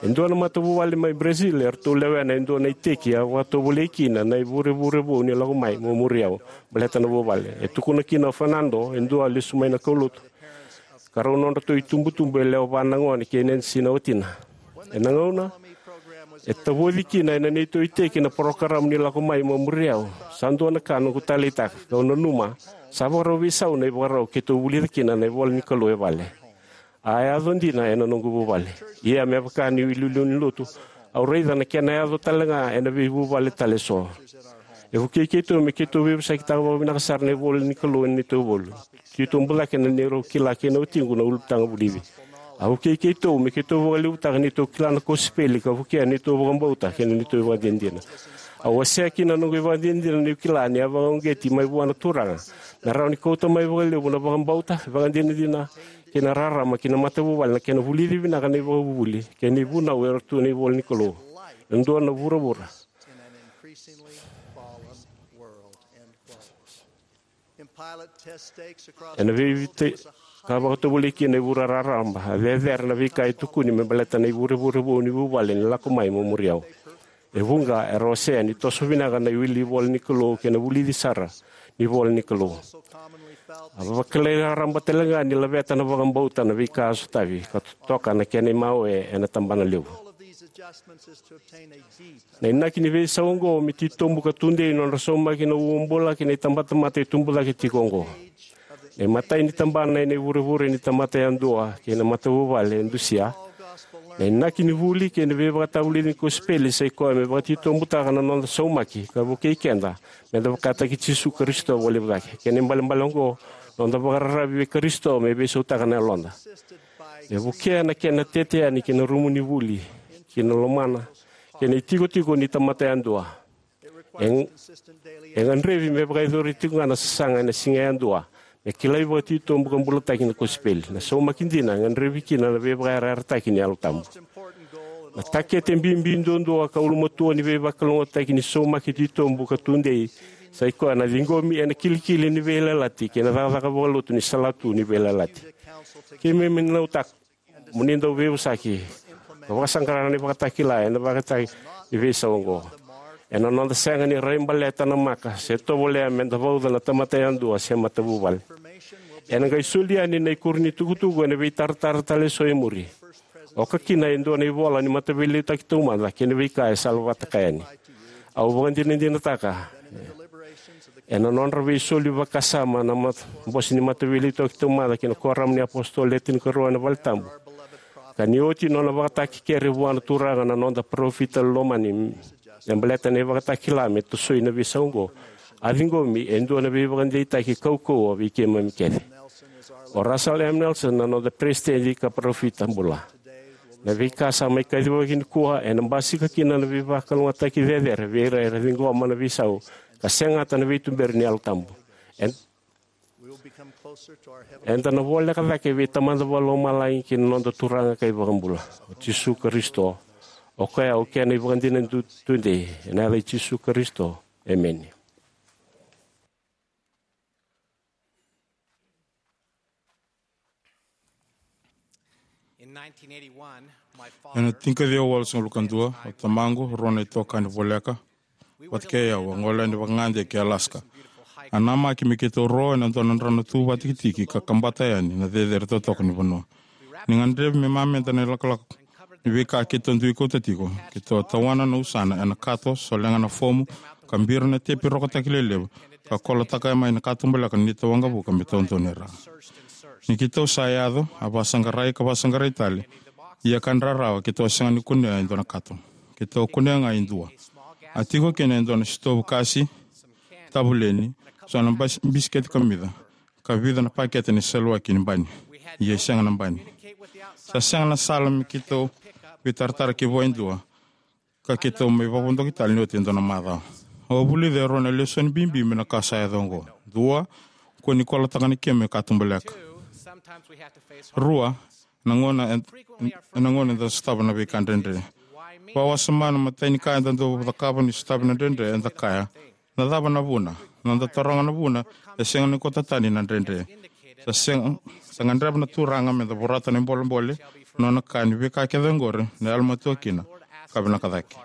E dua na matavuvale mai Brazil, eratou lewena e dua na iteki a vakatovolei kina na ivurevure vou ni Lako Mai Mo Muri Au baleta na vuvale. E tukuna kina o Fernando, e dua lesu mai na kaulotu, ka rau nodratou itubutubu e lewe va na gone kei Nancy na watina. Ena gauna e tavoci kina ena neitou iteki na parokaramu ni Lako Mai Mo Muri Au, sa dua na ka noqu taleitaka, kau nanuma sa vakarau veisau na ivakarau keitou vulica kina na ivola ni Kalou e vale. A yaco dina ena noqu vuvale. Ia me vaka niu iliuliu ni lotu, au raica na kena yaco tale ga ena veivuvale tale eso. E vukei keitou me keitou veivosakitaka vakavinaka sara na ivola ni Kalou ena neitou vuvale. Keitou bucake na neirau kila kei na watiqu na ulutaga vulici. A vukei keitou me keitou vakalevutaka neitou kila na kosipeli ka vukea neitou vakabauta kei na neitou ivakadinadina. Au wasea kina na noqu ivakadinadina niu kila ni a vakauqeti mai vua na Turaga me rawa ni kauta mai vakalevu na vakabauta, ivakadinadina kei na rarama ki na matavuvale na kena vulici vinaka na ivakavuvuli kei na ivunau era tu ena ivola ni Kalou. E dua na vuravura ena veivita ka vakatovolei kina e vura raraba, a cecere na veika e tukuni me baleta na ivurevure vou ni vuvale ni Lako Mai Mo Muri Au. E vuqa era wasea ni toso vinaka na iwili ivola ni Kalou kei na vulici sara ni ivola ni Kalou. A vakilai raraba tale ga ni laveta na vakabauta na veika a sotavi ka totoka na kena imawe ena tabana levu. Na inaki ni veisau oqo me titobu ka tudei nodra saumaki na uabula kei na itabatamata e tubu cake tiko oqo. Na imatai ni tabana ena ivurevure ni tamata yadua kei na matavuvale e dusia. Na inaki ni vuli kei na veivakatavulici ni kosipeli sa i koya me vakatitobutaka na noda saumaki ka vukei keda me da vakataki Jisu Karisito vakalevu cake. Kei na ibalebale oqo, noda vakararavi vei Karisito me veisautaka na yaloda. E vukea na kena tete yani ki na rumu ni vuli, ki na lomana kei na itikotiko ni tamata yadua. E, e gadrevi me vakayacori tiko ga na sasaga ena siga yadua me kilai vakatitobu ka bulataki na kosipeli. Na saumaki dina e gadrevi kina na veivakayarayarataki ni Yalo Tabu. Na takete bibi duadua ka ulumatua ni veivakalougatataki ni saumaki titobu ka tudei sa i koya na ciqomi ena kilikili ni veiyalayalati kei na cakacaka vakalotu ni salatu ni veiyalayalati. Keimami nanuma mo ni dau veivosaki ka vakasaqara na ivakatakila ena vakataki ni veisau oqo. Ena noda sega ni rai baleta na maka se tovolea me da vauca na tamata yadua se matavuvale. Ena qai soli yani na ikuri ni tukutuku ena veitaratara tale eso e muri. Oka kina e dua na ivola ni mataveiliutaki taumada kei na veika e salavata ka yani. Au vakadinadinataka ena nodra veisoli vakasama na mat-, bose ni mataveiliutaki taumada ki na Kuoramu ni iApositolo Le Tinikarua ena Valetabu, ka ni oti nona vakatakekere vua na Turaga na noda parofita lomani me baleta na ivakatakila me tosoi na veisau oqo, a ciqomi e dua na veivakadeitaki kaukauwa vei keimami kece. O Russell M. Nelson na noda peresitedi ka parofita bula. Na veika sa mai kacivaki nikua ena basika kina na veivakalougatataki cecere vei ira era ciqoma na veisau ka segata na veituberi ni Yalo Tabu. Ed-, eda na voleka cake vei Tamada Vakalomalagi kei na noda Turaga ka iVakabula, o Jisu Karisito. O koya au kena ivakadinadina tu-, tudei, ena yaca i Jisu Karisito. Emeni. In nineteen eighty-one, my father Ena tinikaciwa walusagavulu ka dua, o tamaqu, rua na itokani voleka vata kei au, a gole yani vakagade ki Alaska. A namaki me keitou ro ena dua na drano tu vakatikitiki ka kabata yani na cecere totoka ni vanua. Ni gadrevi me mameda na ilakolako ni veika keitou dui kauta tiko, keitou a tawana na usana ena kato, solega na fomu, ka bira na tepi rokotaki lelevu, ka kolotaka mai na katubaleka ni neitou waqavuka me taudonu e ra. Ni keitou sa yaco, a vakasaqarai ka vakasaqarai tale, ia ka drarawa keitou a sega ni kunea e dua na kato. Keitou kunea ga e dua. A tiko kina e dua na sitovu kasi, tavuleni, so na bas-, bisikete kamica, ka vica na pakete ni seluaki ni bani. Ia e sega na bani. Sa sega na sala me keitou veitaratara kivua e dua, ka keitou mai vakavodoki tale ni oti e dua na macawa. Au a vulica e rua na lesoni bibi mai na ka sa yaco oqo. Dua, kua ni kolotaka na kemu e katubaleka. Rua, na gauna ed-, na gauna eda sotava na veika dredre. Vakawasoma na imatai ni ka eda dau cakava ni sotavi na dredre, eda kaya, na cava na vuna? Na noda taroga na vuna, e sega ni kauta tani na dredre. Sa sega, sa gadreva na Turaga meda vorata na ibolebole, nona kaya ni veika kece oqori na yalomatua kina ka vinaka cake.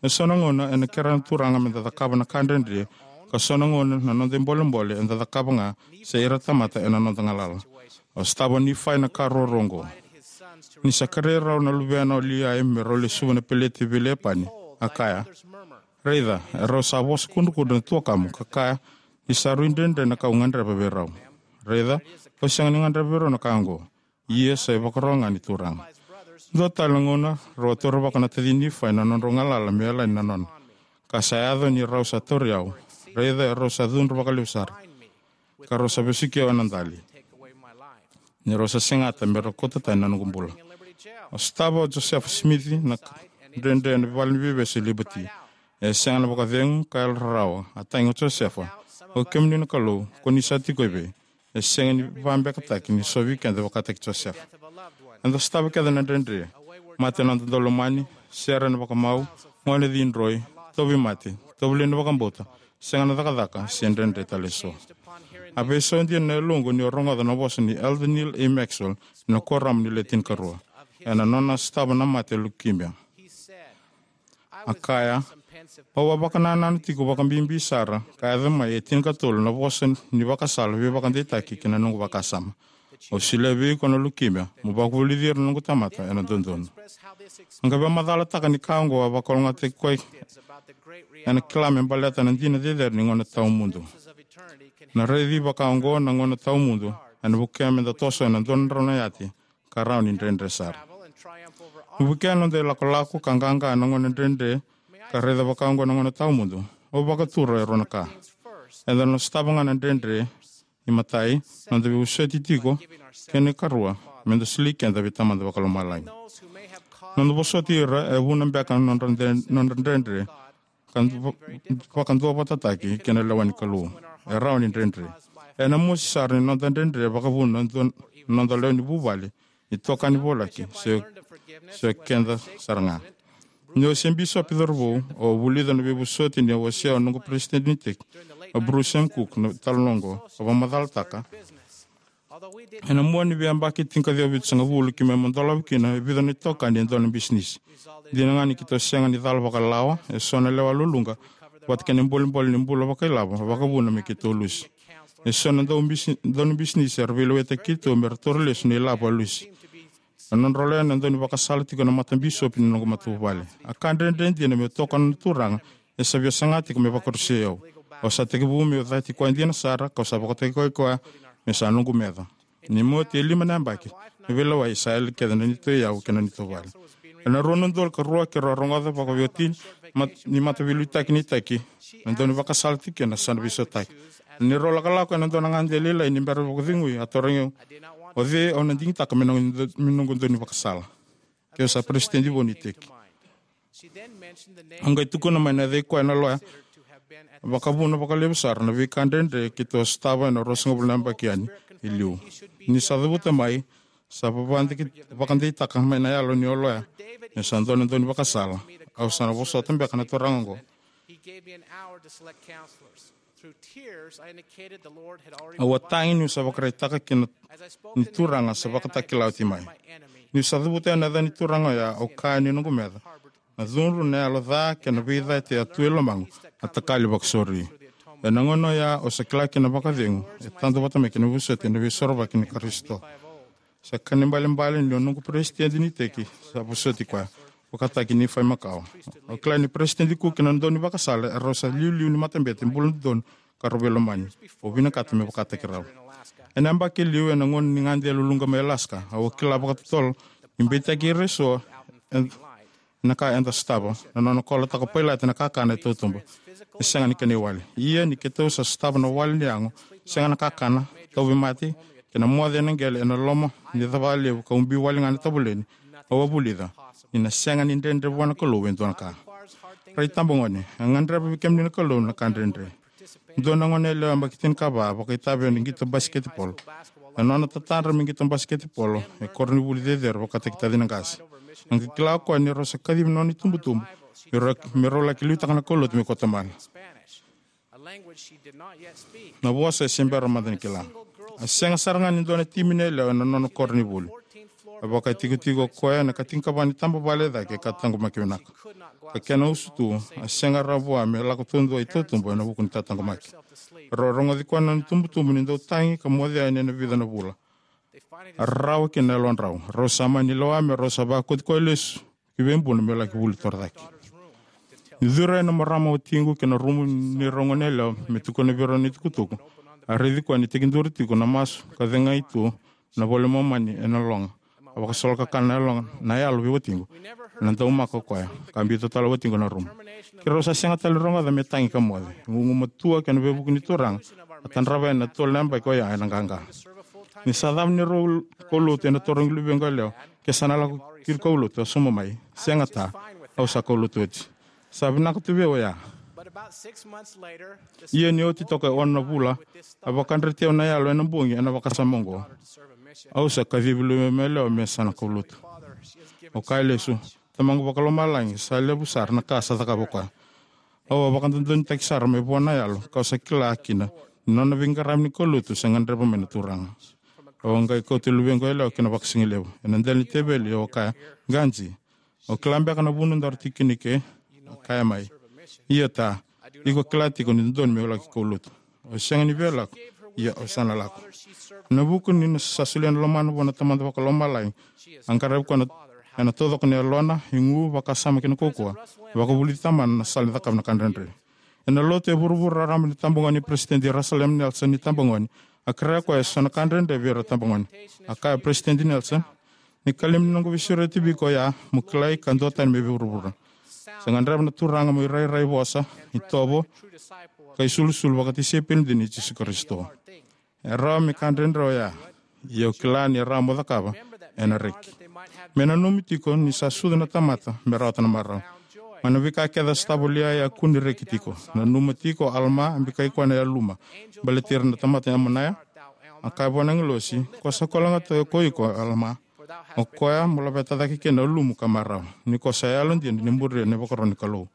E so na gauna ena kerea na Turaga meda cakava na ka dredre, ka so na gauna na noda ibolebole eda cakava ga se ira tamata ena noda galala. A sotava o Nifai na ka ruarua oqo. Ni sa kerei rau na luvena o Liai me rau lesuva na peleti vei Lepani, a kaya, "Raica, e rau sa vosa kudrukudru na tuakamu ka kaya ni sa rui dredre na ka au gadreva vei rau. Raica, au sega ni gadreva vei rau na ka oqo. Ia sa ivakaro ga ni Turaga." Dua tale na gauna, rau a taurivaka na taci Nifai na nodrau galala me yalani na nona. Ka sa yaco ni rau sa tauri au. Raica, e rau sa cudru vakalevu sara, ka rau sa vesuki au ena dali, ni rau sa segata me rau kauta tani na noqu bula. A sotava o Josefa Simici na ka dredre ena vale ni veivesu e Liberty. E sega na vakacegu ka yalo rarawa. A tagi o Josefa, "O kemuni na Kalou, ko ni sa tiko evei?" E sega ni vabekataki ni so vei keda vakataki Josefa. Eda sotava kece na dredre. Mate na noda daulomani, sere ena vakamau, gone cidroi, tauvimate, tovolei na vakabauta, sega na cakacaka, se dredre tale eso. A veisau dina na yaloqu niu rogoca na vosa ni Elder Neal A. Maxwell ena kuoramu ni Le Tinikarua ena nona sotava na mate leukemia. A kaya, "Au a vakanananu tiko vakabibi sara ka yaco mai e tinikatolu na vosa ni vakasala veivakadeitaki ki na noqu vakasama. Au solia vei iko na leukemia, mo vakavulici ira na noqu tamata ena dodonu." A qai vakamacalataka ni ka oqo a vakalougatataki koya ena kila me baleta na dina cecere ni gauna tawamudu. Na raici vaka oqo na gauna tawamudu ena vukea meda toso ena dua na drau na yati ka rawa ni dredre sara. Ni vukea na noda ilakolako ka qaqa na gauna dredre, ka raica vaka oqo na gauna tawamudu, au vakatura e rua na ka. Eda na sotava ga na dredre. Imatai, noda veivosoti tiko, kei na ikarua, meda soli keda vei Tamada Vakalomalagi. Noda vosoti ira e vuna beka na nodra dre-, nodra dredre, ka va-, vakaduavatataki kei na lewa ni Kalou. E rawa ni dredre. Ena mosi sara ni noda dredre vakavuna na noda lewe ni vuvale, itokani, voleka se, se keda sara ga. Niu se bisopi cauravou, au vulica na veivosoti niu wasea o noqu peresitedi ni iteki, o Bruce M. Cook, na talanoa oqo. A vakamacalataka, ena mua ni veiyabaki tinikaciwa vitusagavulu ki me madolavu kina e vica na itokani e dua na bisinisi. Dina ga ni keitou sega ni cala vakalawa, e so na lewa luluqa vata kei na bolebole ni bula vakailavo a vakavuna me keitou lusi. E so na dau bisi-, dau ni bisinisi era veilewaitaki keitou me ra taura lesu na ilavo a lusi. Na nodrau lewa na dau ni vakasala tiko na matabisopi ni noqu matavuvale. A ka dredre dina meu tokona na Turaga, e sa via saga tiko me vakarusai au. Au sa tekivu meu cati koya dina sara, kau sa vakatokai koya me sa noqu meca. Ni oti e lima na yabaki na veilewai, sa yali kece na neitou iyau kei na neitou vale. Ena rua na udolu ka rua keirau a rogoca vakaveiwatini mat-, ni mataveiliutaki ni iteki, na dau ni vakasala tiko kina sa na veisautaki. Ni rau lakolako ena dua na gade lailai ni bera vakacegui, a tarogi au, "O cei au na digitaka me noqu, me noqu dau ni vakasala?" Keitou sa peresitedi vou ni iteki. Au qai tukuna mai na yacai koya na loya vakavuna vakalevu sara na veika dredre keitou a sotava ena ruasagavulu na yabaki yani i liu. Ni sa cavuta mai, sa vavadiki-, vakadeitaka mai na yalo ni loya me sa dua na dau ni vakasala. Au sa na vosota beka na turaga oqo. Au a tagi niu sa vakaraitaka kina ni Turaga sa vakatakila oti mai. Niu sa cavuta ena yaca ni turaga oya, au kaya ni noqu meca, na cudru, na yalo ca kei na veicati a tu e lomaqu a takali vakasauri. Ena gauna oya au sa kila kina vakacegu e tadu vata mai kei na vosoti ena Veisorovaki ni Karisito. Sa ka ni balebale ni o noqu peresitedi ni iteki sa vosoti koya, vakataki Nifai makawa. Au kila ni Peresitedi Cook kei na dau ni vakasala erau sa iliuliu ni matabete bula dodonu ka rau veilomani. Au vinakata me vakataki rau. Ena yabaki e liu, ena gauna ni gade luluqa mai Alaska, au a kila vakatotolo ni beitaki ira eso e na ka eda sotava, na nona kolotaka o Pailate na kakana e tautuba. E sega ni kena iwali. Ia ni keitou sa sotava na wali ni yago, sega na kakana, tauvimate, kei na moce ena qele ena loma ni cava levu ka ubi wale ga na tavoleni, au a vulica ni na sega ni dredre vua na Kalou e dua na ka. Rai tabagone, e gadreva vei kemuni na Kalou na ka dredre. Dua na gone yalewa yabaki tinikava a vakaitavi ena qito basiketipolo. Ena nona tatadra me qito basiketipolo e koronivuli cecere vakataki tacina qase, a qai kila o koya ni rau sa kacivi na nona itubutubu me rau, me rau laki liutaka na kaulotu me kauta mate. Na vosa e se bera mada ni kila. A sega sara ga ni dua na timi ni yalewa ena nona koronivuli. A vakatikotiko o koya ena ka tinikava ni taba vale e cake ka taqomaki vinaka. Ka kena usutu, a sega rawa vua me lako taudua i tautuba ena vuku ni tataqomaki. Rau rogoci koya na nona itubutubu ni dau tagi ka moce yani ena vica na vula. A rarawa kina na yalodrau. Rau sa mani lewa me rau sa vakoti koya lesu ki veibuna me laki vuli torocake. Ni curu yani na marama watiqu ki na rumu ni rau goneyalewa me tukuna vei rau na itukutuku, a raici koya ni tekiduru tiko na masu ka cegai tu na iVola i Momani ena loga. A vakasolokakana na yalo, na yalo vei watiqu. Na daumaka o koya ka biuta tale o watiqu na rumu. Keirau sa sega tale ni rogoca me tagi ka moce. Gugumatua kei na veivuke ni Turaga, a tadrava yani na tolu na yabaki oya ena qaqa. Ni sa cava ni rau kaulotu ena tarogi luvequ yalewa ke sa na lako ki kaulotu, a sauma mai, "Sega, ta, au sa kaulotu oti." Sa vinaka tu vei au oya. Ia ni oti toka e ono na vula, a vakadreti au na yalo ena bogi ena vakasama oqo, "Au sa kacivi luvequ yalewa me sa na kaulotu." Au kaya lesu, "Tamaqu Vakalomalagi, sa levu sara na ka sa cakava o koya. Au a vakadodonutaki sara mai vua na yalo, kau sa kila kina ni nona veiqaravi ni kaulotu sa gadreva mai na Turaga." Au a qai kauta luvequ yalewa ki na vakasigalevu. Ena dela ni teveli au a kaya, "Qai, au kila beka na vanua daru tiko kina eke?" A kaya mai, "Ia, ta, iko kila tiko ni dodonu meu laki kaulotu. Au sega ni via lako, ia au sa na lako." Ena vuku ni sa solia na lomana vua na Tamada Vakalomalagi, a qaravi koya ena taucoko ni yalona, igu, vakasama kei na kaukauwa, vakavulici tamana na sala ni cakava na ka dredre. Ena lotu e vuravura raraba ni tabagone ni Peresitedi Russell M. Nelson ni tabagone, a kerea koya eso na ka dredre vei ira tabagone. A kaya o Peresitedi Nelson, "Ni kalima ni noqu veisureti vei iko oya, mo kilai ka duatani mai vei vuravura. Sa gadreva na Turaga mo irairai vosa, itovo, ka isulusulu vakatisaipeli dina i Jisu Karisito." E rawa me ka dredre oya, ia au kila ni e rawa mo cakava, ena reki. Me nanumi tiko ni sa sucu na tamata me rawata na marau. Mai na veika kece a sotava o Liai, a kune reki tiko. Nanuma tiko o Alama, a bikai koya na yaluma baleti ira na tamata i Amonaia. A kaya vua na agilosi, "Ko sa koya ga tu ko iko, Alama. O koya mo laveta cake kina na yaluma ka marau, ni ko sa yalodina ni muria na ivakaro ni Kalou."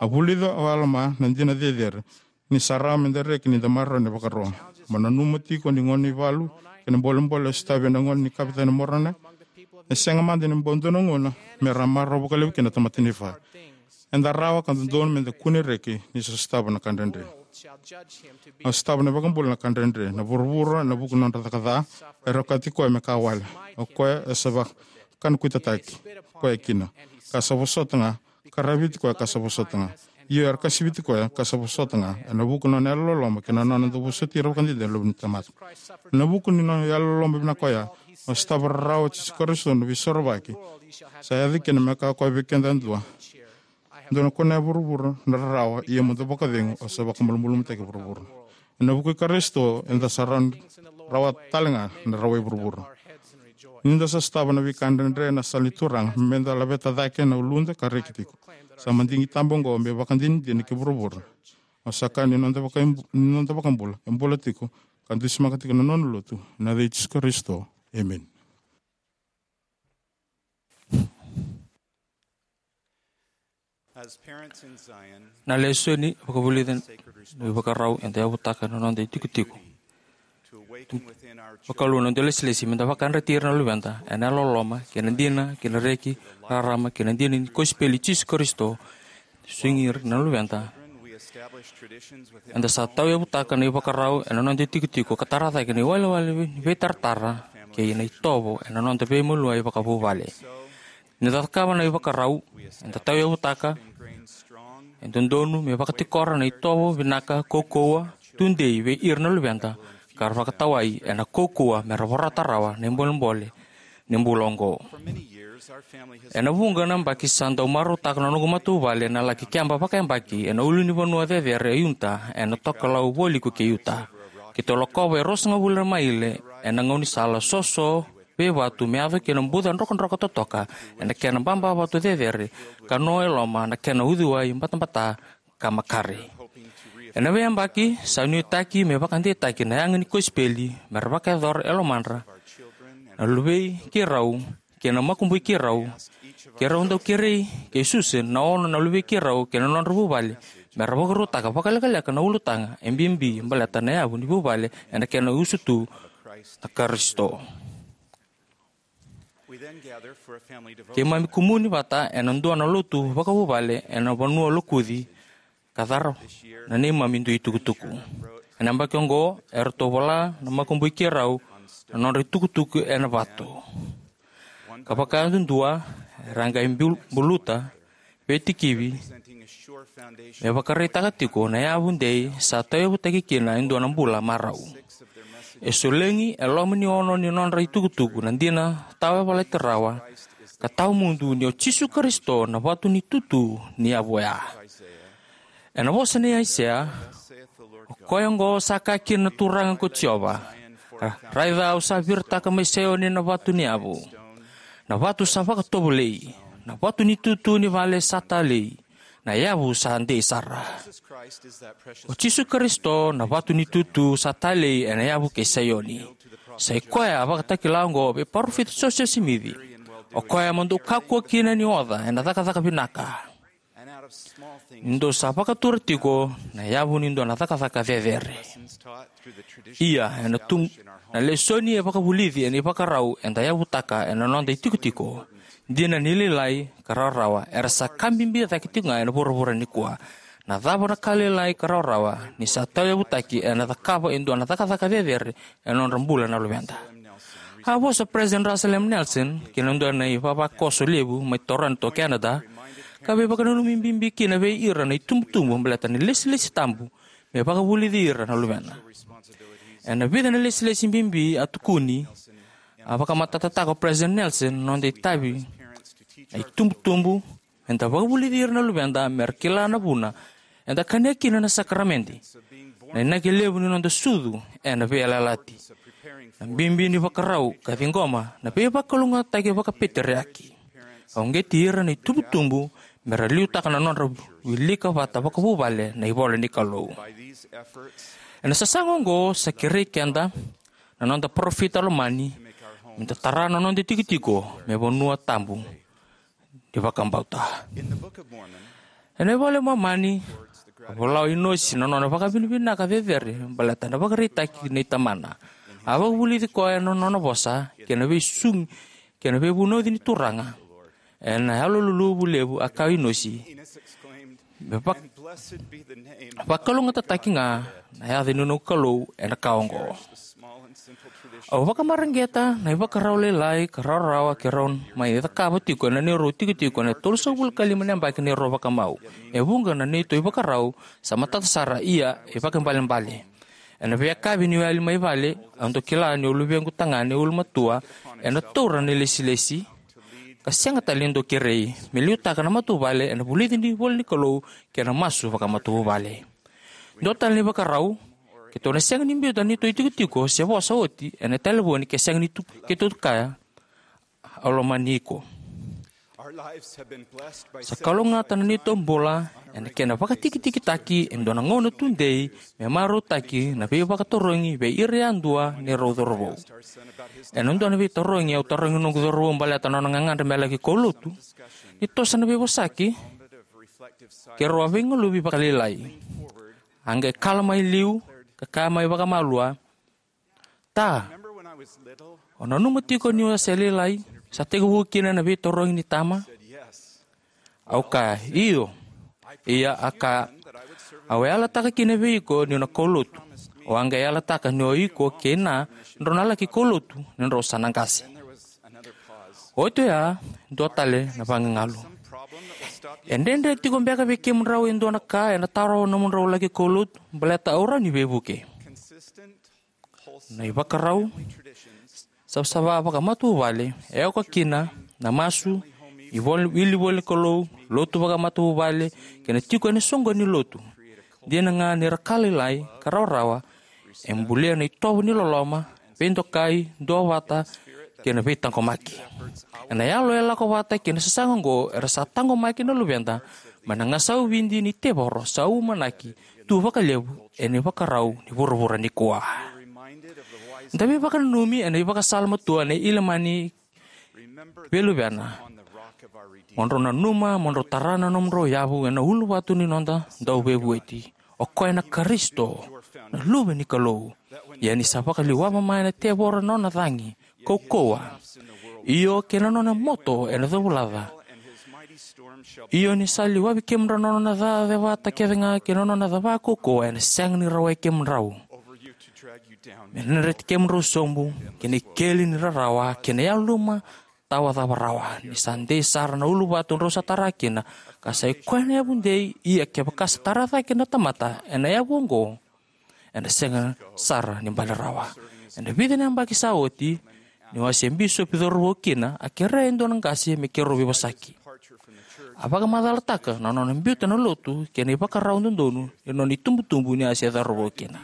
A vulica o Alama na dina cecere ni sa rawa me da reki ni da marau ena ivakaro. Mo nanuma tiko ni gauna ni valu kei na bolebole e sotavi ena gauna ni kavetani Moronai, e sega mada ni bau dua na gauna me ra marau vakalevu kina na tamata Nifai. Eda rawa ka dodonu me da kune reki ni sa sotava na ka dredre. A sotava na iVakabula na ka dredre. Na vuravura, ena vuku ni nodra caka ca, era okati koya me ka wale. O koya e sa vakanakuitataki koya kina, ka sa vosota ga, ka raviti koya ka sa vosota ga. Io, era kasiviti koya ka sa vosota ga, ena vuku ni nona yalololoma kei na nona dau vosoti ira vakadede na luve ni tamata. Ena vuku ni nona yalololoma vinaka oya, a sotava rarawa o Jisu Karisito na Veisorovaki. Sa yaco kina me kaya o koya vei keda yadua, "Dou na kunea e vuravura na rarawa, ia mo dou vakacegu, au sa vakamalumalumutaki vuravura." Ena vuku i Karisito, eda sa rawa, rawa tale ga na rawa i vuravura. Ni da sa sotava na veika dredre ena sala ni Turaga, me da laveta cake na uluda ka reki tiko. Sa madigi taba oqo me vakadinadina ki vuravura. Au sa kaya ni noda vaka-, ni noda iVakabula e bula tiko ka dusimaka tiko na nona lotu, ena yaca i Jisu Karisito. Emeni. As parents in Zion, na lesoni vakavulici na ivakarau eda yavutaka na noda itikotiko. To awaken within our children. Vakalou na noda ilesilesi me da vakadreti ira na luveda ena yalololoma kei na dina, kei na reki, rarama kei na dina ni kosipeli i Jisu Karisito, sugi ira na luveda. Eda sa tauyavutaka na ivakarau ena noda itikotiko ka tara cake na iwalewale ni veitaratara kei na itovo ena noda veimaliwai vakavuvale. Ni da cakava na ivakarau eda tauyavutaka, e dodonu me vakatikora na itovo vinaka, kaukauwa, tudei vei ira na luveda, ka ra vakatawai ena kaukauwa me ra vorata rawa na ibolebole ni bula oqo. Ena vuqa na yabaki sa dau marautaka na noqu matavuvale na laki keba vakayabaki ena ulunivanua cecere e Utah, ena tokalau vualiku kei Utah. Keitou lakova e ruasagavulu na maile ena gaunisala soso veivatu me yaco ki na buca drokadroka totoka ena kena baba vatu cecere, ka no e loma na kena uciwai batabata ka makare. Ena veiyabaki sa nuitaki me vakadeitaki na yaga ni kosipeli me ra vakayacora e lomadra na luvei keirau kei na makubui keirau. Keirau dau kerei kei Susan, na ono na luvei keirau, kei na nodra vuvale me ra vakarautaka vakalekaleka na ulutaga e bibi baleta na yavu ni vuvale ena kena usutu na Karisito. Keimami kumuni vata ena dua na lotu vakavuvale ena vanua lokuci ka cara na neimami dui tukutuku. Ena yabaki oqo eratou vola na makubui keirau na nodra itukutuku ena vatu. Ka vakayadudua era a qai bul- buluta veitikivi me vakaraitaka tiko na yavu dei sa tauyavutaki kina e dua na bula marau. E solegi e loma ni ono ni nodra itukutuku na dina tawayavalati rawa ka tawamudu ni o Jisu Karisito na vatu ni tutu ni yavu oya. Ena vosa nei Aisea, o koya oqo sa kaya kina na Turaga ko Jiova: Raica, au sa viritaka mai Saioni na vatu ni yavu, na vatu sa vakatovolei, na vatu ni tutu ni vale sa talei, na yavu sa dei sara. O Jisu Karisito na vatu ni tutu sa talei ena yavu kei Saioni. Sa i koya a vakatakila oqo vei Parofita Josefa Simici: O koya mo dou kakua kina ni oca ena cakacaka vinaka, ni dou sa vakatura tiko na yavu ni dua na cakacaka cecere. Ia, ena tu na lesoni e vakavulici ena ivakarau eda yavutaka ena noda itikotiko, dina ni lailai ka rawarawa era sa ka bibi cake tiko ga ena vuravura nikua. Na cava na ka lailai ka rawarawa ni sa tauyavutaki ena cakava e dua na cakacaka cecere ena nodra bula na luveda? A vosa President Russell M. Nelson ki na dua na ivavakoso levu mai Toronto, Canada, ka veivakananumi bibi kina vei ira na itubutubu baleta na ilesilesi tabu me vakavulici ira na luvena. Ena vica na ilesilesi bibi a tukuni, a vakamatatataka o President Nelson na noda itavi na itubutubu meda vakavulici ira na luveda mera kila na vuna eda kania kina na sakaramede, na inaki levu ni noda sucu ena veiyalayalati, na bibi ni vakarau ka ciqoma na veivakalougatataki vakapeteriaki, ka uqeti ira na itubutubu mera liutaka na nodra wilika vata vakavuvale na ivola ni Kalou. Ena sasaga oqo sa kerei keda na noda parofita lomani meda tara na noda itikotiko me vanua tabu ni vakabauta. Ena iVola i Momani, a vola o Inosi na nona vakavinavinaka cecere baleta na ivakaraitaki nei tamana. A vakavulici koya ena nona vosa kei na veisugi kei na veivunauci ni Turaga. Ena yaloluluvu levu a kaya o Inosi, me vak- vakalougatataki ga na yaca ni noqu Kalou ena ka oqo. Au vakamareqeta na ivakarau lailai ka rawarawa keirau mai cakava tiko ena neirau itikotiko ena tolusagavulu ka lima na yabaki neirau vakamau. E vuqa na neitou ivakarau sa matata sara, ia e vakaibalebale. Ena veiyakavi niu yali mai vale, au dau kila ni o luvequ tagane ulumatua ena taura na ilesilesi, ka sega tale ni dau kerei, me liutaka na matavuvale ena vulici ni ivola ni Kalou kei na masu vakamatavuvale. Dua tale na ivakarau, keitou na sega ni biuta na neitou itikotiko se vosa oti ena talevoni ke sega ni tu, keitou kaya, "Au lomani iko." Sa kalougata na neitou bula ena kena vakatikitikitaki e dua na gauna tudei me marautaki na veivakatarogi vei ira yadua neirau cauravou. Ena dua na veitarogi au tarogi noqu cauravou baleta na nona gagadre me laki kaulotu, ni toso na veivosaki, keirau a veigaluvi vakalailai. A qai kala mai liu ka kaya mai vakamalua, "Ta, o nanuma tiko niu a se lailai, sa tekivu kina na veitarogi ni tama?" Au kaya, "Io." Ia a kaya, "Au a yalataka kina vei iko niu na kaulotu. Au a qai yalataka ni o iko kei na drau na laki kaulotu ni drau sa na qase." Oti oya, dua tale na vagagalu. "E dredre tiko beka vei kemudrau e dua na ka ena tarova nomudrau laki kaulotu baleta au rawa ni veivuke?" Na ivakarau savasava vakamatavuvale e oka kina na masu, ivol- wilivola ni Kalou, lotu vakamatavuvale, kei na tiko ena soqoni ni lotu. Dina ga ni ra ka lailai ka rawarawa, e bulia na itovo ni loloma, veidokai, duavata, kei na veitaqomaki. Ena yalo e lako vata kei na sasaga oqo era sa taqomaki na luveda mai na gasau vidi ni tevoro sa umanaki tu vakalevu ena ivakarau ni vuravura nikua. Da veivakananumi ena ivakasala matua nei Ilamani vei luvena: "Mo drau nanuma mo drau tara na nomudrau yavu ena uluvatu ni noda Dauveivueti, o koya na Karisito, na Luve ni Kalou. Ia ni sa vakaliwava mai na tevoro na nona cagi, kaukauwa, Io, kei na nona moto ena covulaca. Io, ni sa liwavi kemudrau na nona cacevata kece ga kei na nona cava kaukauwa, ena sega ni rawai kemudrau. Me na dreti kemudrau sobu kei na ikeli ni rarawa kei na yaluma tawa cava rawa. Ni sa dei sara na uluvatu drau sa tara kina, ka sa i koya na yavu dei, ia kevaka sa tara cake na tamata ena yavu oqo, ena sega sara ni bale rawa. Ena vica na yabaki sa oti, niu a se bisopi cauravou kina, a kerea e dua na qase me keirau veivosaki. A vakamacalataka na nona biuta na lotu kei na ivakarau dodonu ni nona itubutubu ni a se cauravou kina.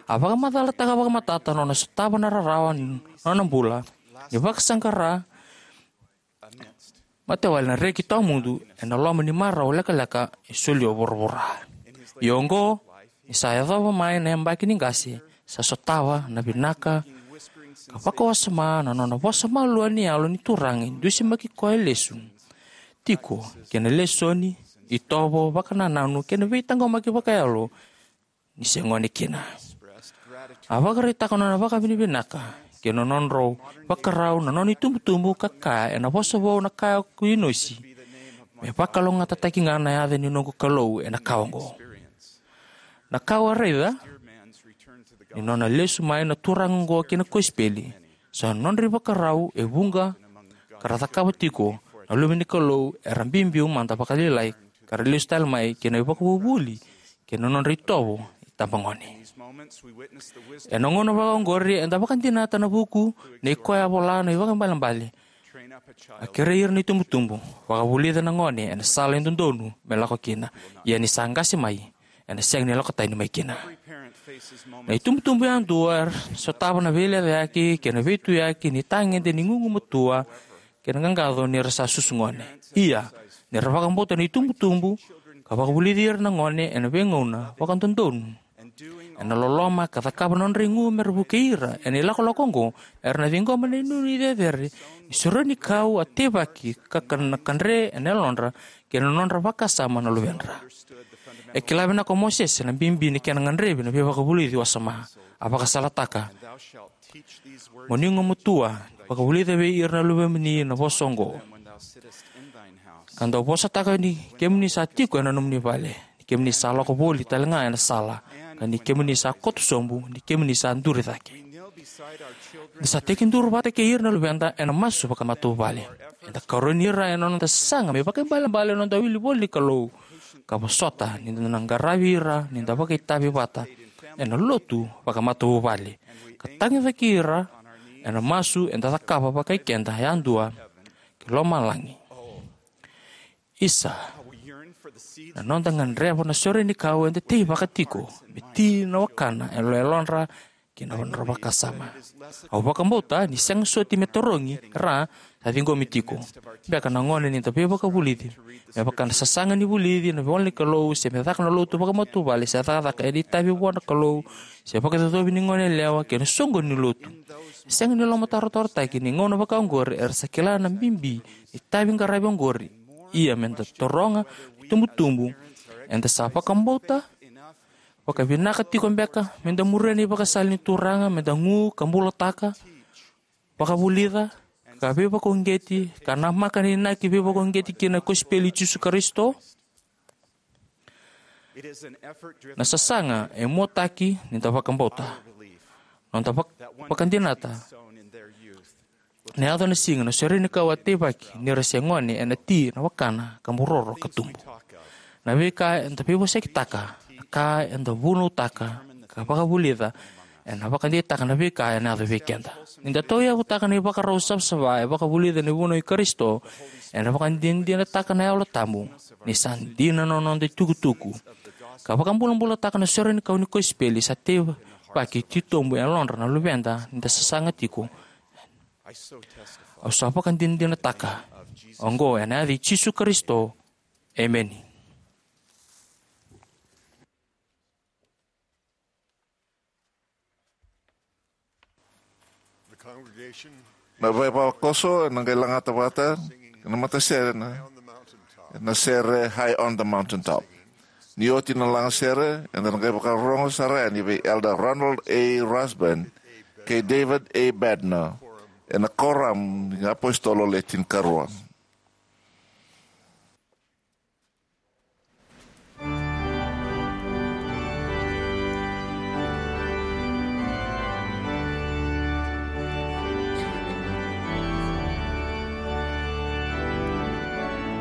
A vakamacalataka vakamatata na nona sotava na rarawa ni nona bula, ni vakasaqara matewale na reki tawamudu ena loma ni marau lekaleka e solia o vuravura. Ia oqo, ni sa yacova mai na yabaki ni qase, sa sotava na vinaka ka vakawasoma na nona vosa malua ni Yalo ni Turaga e dusimaki koya lesu tiko kei na lesoni, itovo, vakanananu kei na veitaqomaki vakayalo ni se gone kina. A vakaraitaka na nona vakavinavinaka kei na nodrau vakarau na nona itubutubu ka kaya ena vosa vou na kaya ko Inosi, me vakalougatataki ga na yaca ni noqu Kalou ena ka oqo. Na ka au a raica ni nona lesu mai na turaga oqo ki na kosipeli, sa nodra ivakarau e vuqa ka ra cakava tiko na luve ni Kalou era biubiu mada vakalailai ka ra lesu tale mai kei na ivakavuvuli kei na nodra itovo itabagone. Ena gauna vaka oqori eda vakadinata na vuku nei koya a vola na ivakaibalebale. A kerei ira na itubutubu, vakavulica na gone ena sala e dodonu me lako kina, ia ni sa qase mai, ena sega ni lako tani mai kina. Na itubutubu yadua era sotava na veilecayaki kei na veituyaki ni tagede ni gugumatua kei na qaqaco ni ra sa susu gone. Ia, ni ra vakabauta na itubutubu ka vakavulici ira na gone ena veigauna vakadodonu, ena loloma ka cakava na nodra igu me ra vukei ira ena ilakolako oqo, era na ciqoma na inuinui cecere ni sorenikau a teivaki ka ka na kadre ena yalodra kei na nodra vakasama na luvedra. E kila vinaka o Mosese na bibi ni kena gadrevi na veivakavulici wasoma. A vakasalataka, "Mo ni gumatua, vakavulica vei ira na luvemuni na vosa oqo, ka dau vosataka ni kemuni sa tiko ena nomuni vale, ni kemuni sa lako voli tale ga ena sala, ka ni kemuni sa koto sobu, ni kemuni sa duri cake." Ni sa tekiduru vata kei ira na luveda ena masu vakamatavuvale, eda karoni ira ena noda sasaga me vakaibalebale na noda wili voli ni Kalou, ka vosota ni da na qaravi ira ni da vakaitavi vata ena lotu vakamatavuvale, ka tagicaki ira ena masu eda cakava vakai keda yadua ki lomalagi. Isa, na noda gadreva na sorenikau eda teivaka tiko me ti na wakana e yalodra kei na nodra vakasama. Au vakabauta ni sega soti me tarogi, ra sa ciqomi tiko beka na gone ni da veivakavulici, me vaka na sasaga ni vulici na ivola ni Kalou, se me caka na lotu vakamatavuvale, se cakacaka ena itavi vua na Kalou, se vakaicocovi ni gone yalewa kei na soqoni ni lotu. E sega ni lomatarotarotaki ni gauna vaka oqori era sa kila na bibi ni itavi qaravi oqori. Ia me da taroga na itubutubu, eda sa vakabauta vakavinaka tiko beka me da muria na ivakasala ni Turaga, me da gu ka bulataka, vakavulica, ka veivakauqeti, ka namaka na inaki veivakauqeti ki na kosipeli i Jisu Karisito? Na sasaga e muataki ni da vakabauta. Noda vak-, vakadinata na yaco na siga na sorenikau a teivaki ni ra se gone ena ti na wakana ka buroro ka tubu. Na veika eda veivosakitaka, na ka eda vunautaka ka vakavulica, ena vakadeitaka na veika ena yaco vei keda. Ni da tauyavutaka na ivakarau savasava e vakavulica na ivunau i Karisito, ena vakadinadinataka na Yalo Tabu ni sa dina na noda itukutuku, ka vakabulabulataka na sorenikau ni kosipeli sa teivaki titobu e yalodra na luveda ni da sasaga tiko. Au sa vakadinadinataka oqo ena yaca i Jisu Karisito. Emeni. Na vaivakoso ena qai lagata vata na matasere na, na sere High on the Mountaintop. Ni oti na lagasere, eda na qai vakarorogo sara yani vei Elder Ronald A. Rasband kei David A. Bednar ena Koram ni Apositolo Le Tinikarua.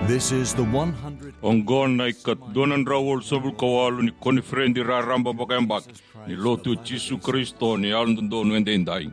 This is the one hundred. Oqo na ikadua na drau walusagavulu ka walu ni koniferedi raraba vakayabaki ni Lotu i Jisu Karisito ni Yalododonu Edaidai.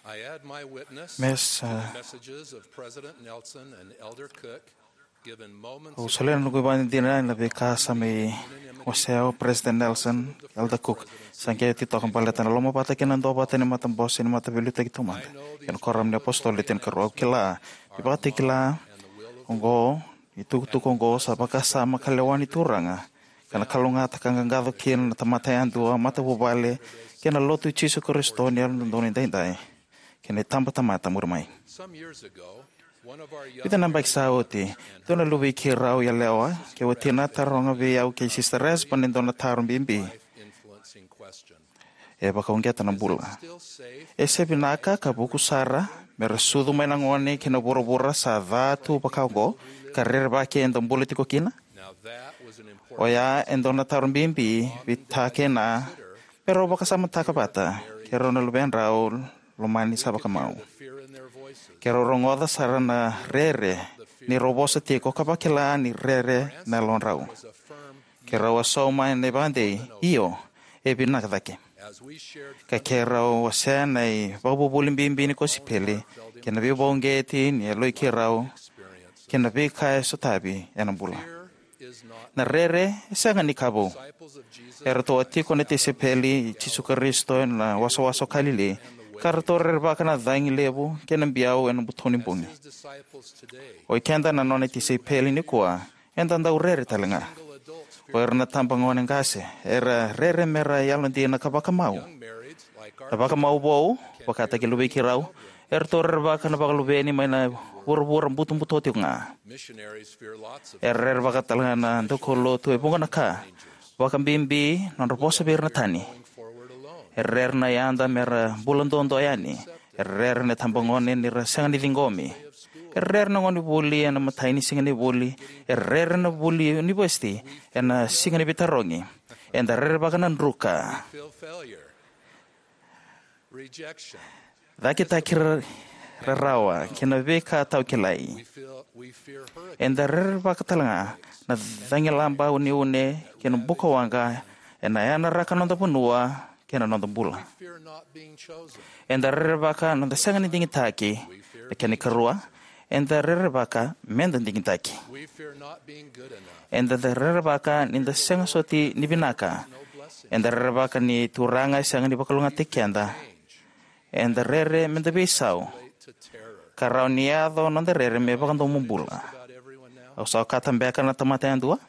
I add my witness to the messages of President Nelson and Elder Cook, given moments ago. Au solia na noqu ivakadinadina ena veika sa mai wasea o President Nelson, Elder Cook. Sa qai oti toka baleta na lomavata kei na duavata ni matabose ni Mataveiliutaki Taumada kei na Koram ni Apositolo Le Tinikarua. Au kila ni ivakatakila oqo, ni tukutuku oqo sa vakasama ka lewa ni Turaga, ka na kalougata ka qaqaco kina na tamata yadua, matavuvale kei na Lotu i Jisu Karisito ni Yalododonu Edaidai kei na itabatamata muri mai. Vica na yabaki sa oti, dua na luvei keirau yalewa kei watina a taroga vei au kei Sister Esba na dua na taro bibi e vakauqeta na bula. E se vinaka ka vuku sara me ra sucu mai na gone ki na vuravura sa ca tu vaka oqo ka rerevaki eda bula tiko kina? Oya e dua na taro bibi vei Ta kei Na me rau vakasamataka vata kei rau na luvedrau lomani sa vakamau. Keirau rogoca sara na rere ni rau vosa tiko ka vakila ni rere na yalodrau. Keirau a sauma ena ivakadei, io, e vinaka cake. Ka keirau wasea na ivakavuvuli bibi ni kosipeli kei na veivakauqeti ni yaloi keirau kei na veika e sotavi ena bula. Na rere e sega ni ka vou. Eratou a tiko na tisaipeli i Jisu Karisito ena wasawasa o Kalili, ka ratou rerevaka na cagi levu kei na biau ena butoni bogi. O ikeda na nona tisaipeli nikua, eda dau rere tale ga. O ira na tabagone qase era rere me ra yalodina ka vakamau. Na vakamau vou, vakataki luvei keirau, eratou rerevaka na vakaluveni mai na vuravura butobuto tiko ga. Era rerevaka tale ga na daukaulotu e vuqa na ka, vakabibi nodra vosa vei ira na tani. Era rere na yada me ra bula duadua yani, E rere na itabagone ni ra sega ni ciqomi. E rere na gonevuli ena imatai ni siga ni vuli. E rere na vuli univesiti ena siga ni veitarogi. Eda rerevaka na druka, cakitaki ra-, rarawa kei na veika taukilai. Eda rerevaka talega na cagilaba uneune kei na bukawaqa ena yanaraka noda vanua kei na noda bula. Eda rerevaka noda sega ni digitaki. Na kena ikarua, eda rerevaka meda digitaki. Eda rerevaka nida sega soti ni vinaka. Eda rerevaka ni Turaga e sega ni vakalougatataki keda. Eda rere meda veisau, ka rawa ni yaco noda rere me vakadomobula. Au sa okata beka na tamata yadua?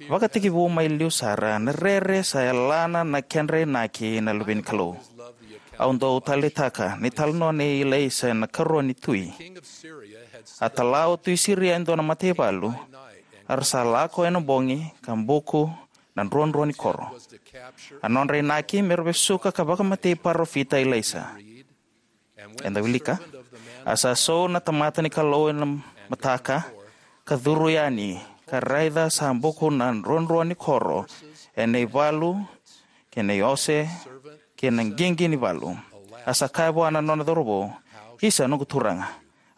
Vakatekivu mai liu sara, na rere sa yalana na kedra inaki na luve ni Kalou. Au dau taleitaka na italanoa nei Ilaisa na ikarua ni tui. A tala o tui Siria e dua na mataivalu, a ra sa lako ena bogi ka buku na druadrua ni koro. A nodra inaki me ra vesuka ka vakamatei parofita Ilaisa. Eda wilika: A sa sou na tamata ni Kalou ena mataka, ka curu yani, ka raica sa buku na druadrua ni koro ena ivalu kei na iose kei na qiqi ni valu. A sa kaya vua na nona cauravou: Isa, noqu turaga,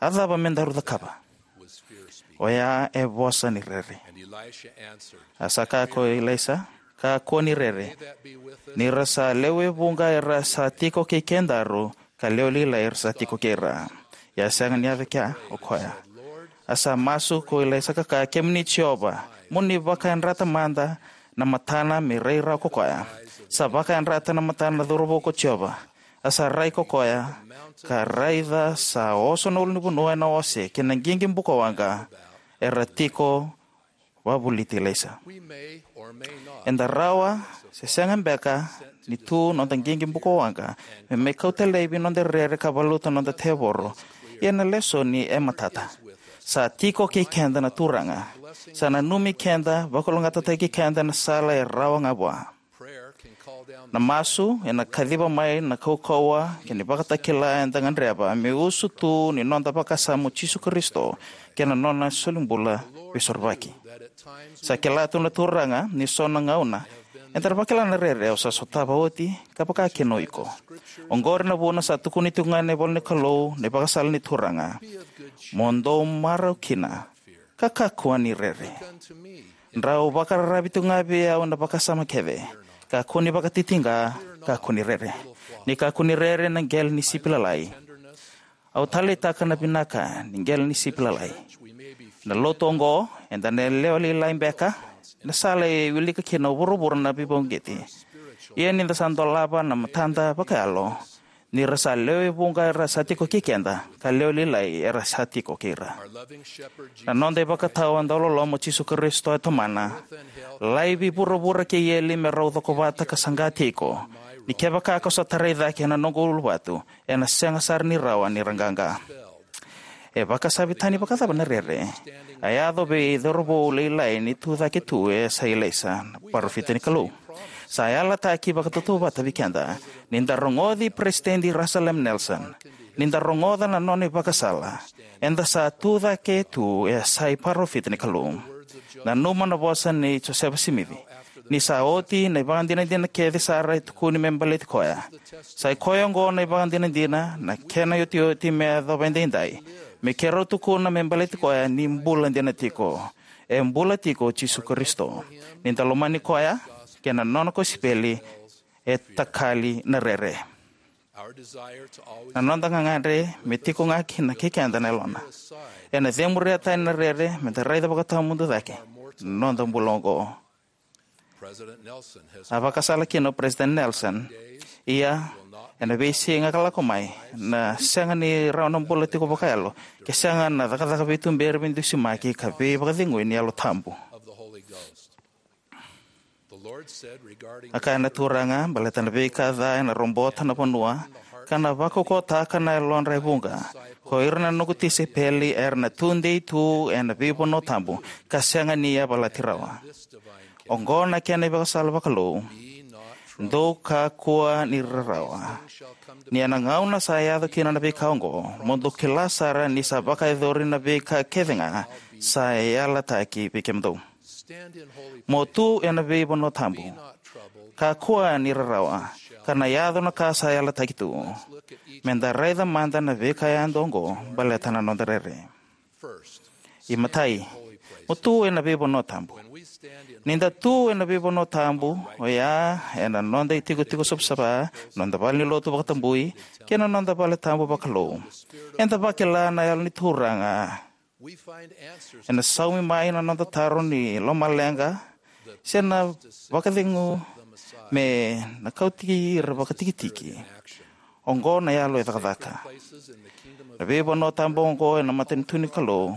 a cava me daru cakava? Oya e vosa ni rere. A sa kaya ko Ilaisa: Kakua ni rere. Ni ra sa lewe vuqa era sa tiko kei kedaru, ka lewe lailai era sa tiko kei ira. Ia a sega ni yaco kea o koya. A sa masu ko Ilaisa ka kaya: Kemuni Jiova, mo ni vakayadrata mada na matana me rai rawa ko koya. Sa vakayadrata na matana na cauravou ko Jiova. A sa rai ko koya, ka raica sa oso na ulunivanua ena ose kei na qiqi bukawaqa era tiko wavoliti Ilaisa. Eda rawa se sega beka ni tu noda qiqi bukawaqa me mai kauta laivi noda rere ka valuta noda tevoro. Ia na lesoni e matata. Sa tiko kei keda na Turaga. Sa nanumi keda, vakalougatataki keda na sala e rawa ga vua. Na masu ena kaciva mai na kaukauwa kei na ivakatakila eda gadreva me usutu ni noda vakasama o Jisu Karisito kei na nona solibula veisorovaki. Sa kila tu na Turaga ni so na gauna eda na vakila na rere au sa sotava oti, ka vaka kina o iko. Oqori na vuna sa tukuni tiko ga ena ivola ni Kalou na ivakasala ni Turaga: Mo dou marau kina, ka kakua ni rere. Drau vakararavi tu ga vei au na vakasama kece. Kakua ni vakatitiqa, kakua ni rere. Ni kakua ni rere na qele ni sipi lalai. Au taleitaka na vinaka ni qele ni sipi lalai. Na lotu oqo, eda na lewe lailai beka, na sala e wilika kina o vuravura na veivakauqeti. Ia ni da sa dolava na matada vakayalo, ni ra sa lewe vuqa era sa tiko kei keda, ka lewe lailai era sa tiko kei ira. Na noda ivakatawa dauloloma o Jisu Karisito e tomana: Laivi vuravura kei eli me rau cokovata ka saqa tiko, ni kevaka ko sa tarai cake ena noqu uluvatu, ena sega sara ni rawa ni ra qaqa. E vakasavi tani vakacava na rere a yaco vei cauravou lailai ni tu cake tu e yasai Ilaisa, na parofita ni Kalou? Sa yalataki vakatautauvata vei keda. Ni da rogoci Peresitedi Russell M. Nelson, ni da rogoca na nona ivakasala, eda sa tu cake tu e yasai parofita ni Kalou. Nanuma na vosa nei Josefa Simici: Ni sa oti na ivakadinadina kece sara e tukuni me baleti koya, sai koya oqo na ivakadinadina, na kena iotioti me yacova edaidai, me keirau tukuna me baleti koya ni bula dina tiko. E bula tiko o Jisu Karisito. Ni da lomani koya kei na nona kosipeli, e takali na rere. Na noda gagadre me tiko ga kina kei keda na yalona. Ena cemuria tani na rere me da raica vakatawamudu cake na noda bula oqo. A vakasala kina o Peresitedi Nelson: Ia, ena veisiga ka lako mai, na sega ni rawa na bula tiko vakayalo ke sega na cakacaka veituberi, veidusimaki ka veivakacegui ni Yalo Tabu. A kaya na Turaga baleta na veika ca ena robota na vanua, ka na vakaukauwataka na yalodra e vuqa: Ko ira na noqu tisaipeli era na tudei tu ena veivanua tabu, ka sega ni yavalati rawa. Oqo na kena ivakasala vakalou: Dou kakua ni rarawa. Ni ena gauna sa yaco kina na veika oqo, mo dou kila sara ni sa vakayacori na veika kece ga sa yalataki vei kemudou. Mo tu ena veivanua tabu. Kakua ni rarawa, ka na yaco na ka sa yalataki tu. Meda raica mada na veika yadua oqo baleta na noda rere. Imatai, mo tu ena veivanua tabu. Ni da tu ena veivanua tabu, oya ena noda itikotiko savasava, noda valenilotu vakatabui, kei na noda vale tabu vakalou, eda vakila na Yalo ni Turaga ena saumi mai na noda taro ni lomaleqa, se na vakacegu me na kauti ira vakatikitiki. Oqo na yalo e cakacaka. Na veivanua tabu oqo ena matanitu ni Kalou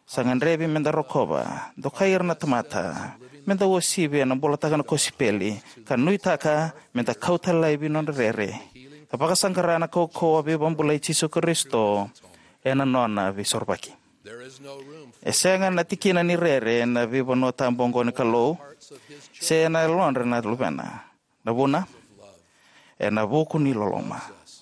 sa gadrevi meda rokova, dokai ira na tamata, meda uasivi ena bulataka na kosipeli, ka nuitaka meda kauta laivi nodra rere, ka vakasaqara na kaukauwa veivakabulai i Jisu Karisito ena nona veisorovaki. E sega na tikina ni rere ena veivanua tabu oqo ni Kalou, se ena yalodra na luvena. Na vuna, ena vuku ni loloma.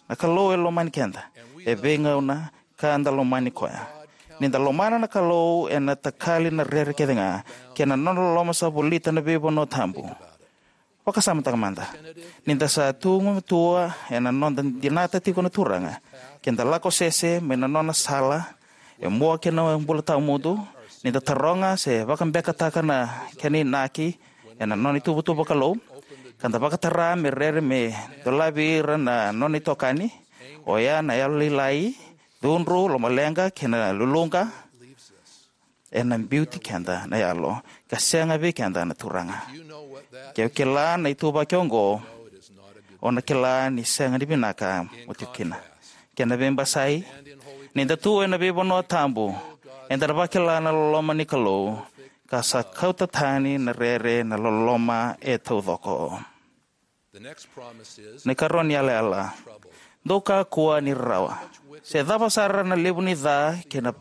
Na Kalou e lomani keda, e veigauna ka da lomani koya. Ni da lomana na Kalou, ena takali na rere kece ga, kei na nona loloma sa volita na veivanua tabu. Vakasamataka mada. Ni da sa tu gumatua ena noda dinata tiko na Turaga, ke da lako sese mai na nona sala e mua kei na bula tawamudu, ni da taroga se vakabekataka na kena inaki ena nona ituvatuva vakalou, ka da vakatara me rere me dolavi ira na nona itokani, oya na yalolailai, cudru, lomaleqa kei na luluqa, ena biuti keda na yalo, ka sega vei keda na Turaga. Ke o kila na ituvaki oqo, o na kila ni sega ni vinaka mo tiko kina. Kena veibasai, ni da tu ena veivanua tabu, eda na vakila na loloma ni Kalou, ka sa kauta tani na rere na loloma e taucoko. Na ikarua ni yalayala. Dou kakua ni rarawa. Se cava sara na levu ni ca kei na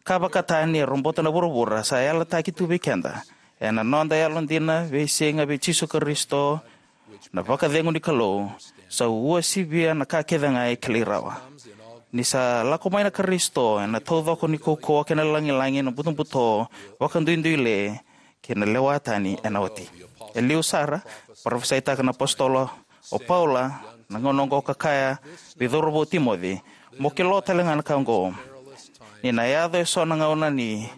ka vakatani e robota na vuravura, sa yalataki tu vei keda ena noda yalodina veisiga vei Jisu Karisito, na vakacegu ni Kalou, sa uasivia na ka kece ga e kilai rawa. Ni sa lako mai na Karisito, ena taucoko ni kaukauwa kei na lagilagi, na butobuto vakaduiduile, kei na lewa tani ena oti. E liu sara, parofisaitaka na apositolo o Paula na gauna oqo ka kaya vei cauravou Timoci, mo kila tale ga na ka oqo, ni na yaco eso na gauna ni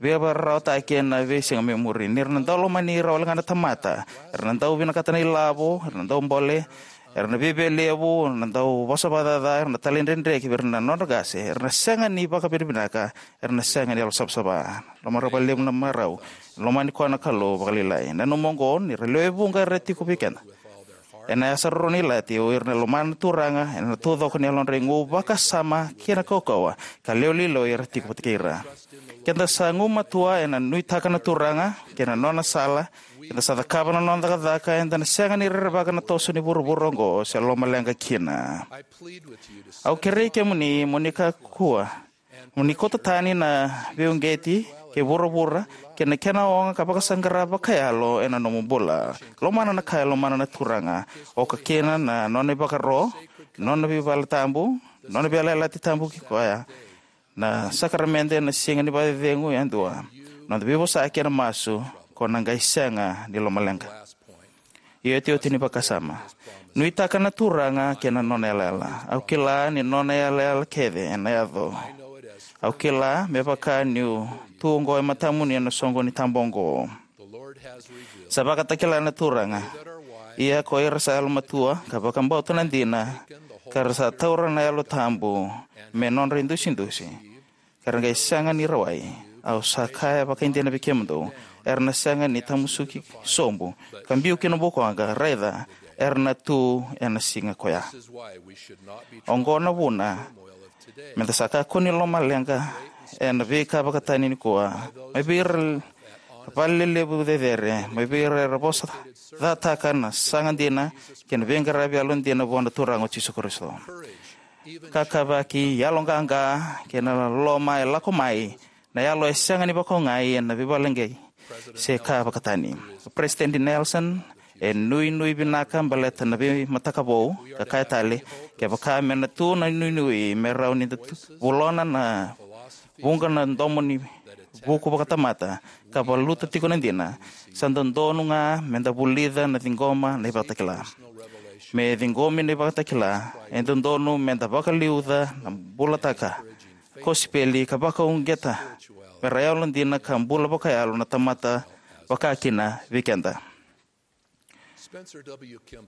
veivakararawataki ena veisiga me muri, ni ra na dau lomani ira wale ga na tamata, era na dau vinakata na ilavo, era na dau bole, era na viavialevu, era na dau vosa vakacaca, era na talaidredre ki vei ira na nodra qase, era na sega ni vakavinavinaka, era na sega ni yalosavasava. Lomani ira vakalevu na marau, lomani koya na Kalou vakalailai. Nanuma oqo, ni ra lewe vuqa era tiko vei keda ena yasa roro ni ilati, o ira na lomana na Turaga ena taucoko ni yalodra igu, vakasama kei na kaukauwa, ka lewe lailai era tiko vata kei ira. Keda sa gumatua ena nuitaka na Turaga kei na nona sala, keda sa cakava na nona cakacaka, eda na sega ni rerevaka na toso ni vuravura oqo se lomaleqa kina. Au kerei kemuni mo ni kakua mo ni kauta tani na veiuqeti kei vuravura kei na kena oga ka vakasaqara vakayalo ena nomu bula. Lomana na ka e lomana na Turaga, oka kina na nona ivakaro, nona veivaletabu, nona veiyalayalati tabu kei koya, na sakaramede, na siga ni vakacecegu yadua, noda veivosaki ena masu, ko na qai sega ni lomaleqa. Io, iotioti ni vakasama. Nuitaka na Turaga kei na nona yalayala. Au kila ni nona yalayala kece ena yaco. Au kila me vaka niu tu oqo e matamuni ena soqoni tabu oqo. Sa vakatakila na Turaga. Ia ko ira sa yalomatua ka vakabauta na dina, ka ra sa taura na Yalo Tabu me nodra idusidusi, ka ra qai sega ni rawai. Au sa kaya vakaidina vei kemudou, era na sega ni tamusuki sobu ka biu ki na bukoqa, raica, era na tu ena siga koya. Oqo na vuna meda sa kakua ni lomaleqa ena veika vakatani nikua, mai vei ira vale lelevu cecere, mai vei ira era vosa cataka na saga dina kei na veiqaravi yalodina vua na Turaga o Jisu Karisito. Kakavaki, yaloqaqa kei na loloma e lako mai, na yalo e sega ni vakaogai ena veivakaleqai se ka vakatani. O Peresitedi Nelson E nuinui vinaka baleta na veimataka vou, ka kaya tale, kevaka me na tu na nuinui, me rawa ni da tu, volona na vuqa na domo ni vuku vakatamata, ka valuta tiko na dina, sa dodonu ga me da vulica na ciqoma na ivakatakila. Me ciqomi na ivakatakila, e dodonu me da vakaliuca na bulataka kosipeli ka vakauqeta me ra yalodina ka bula vakayalo na tamata vakakina vei keda.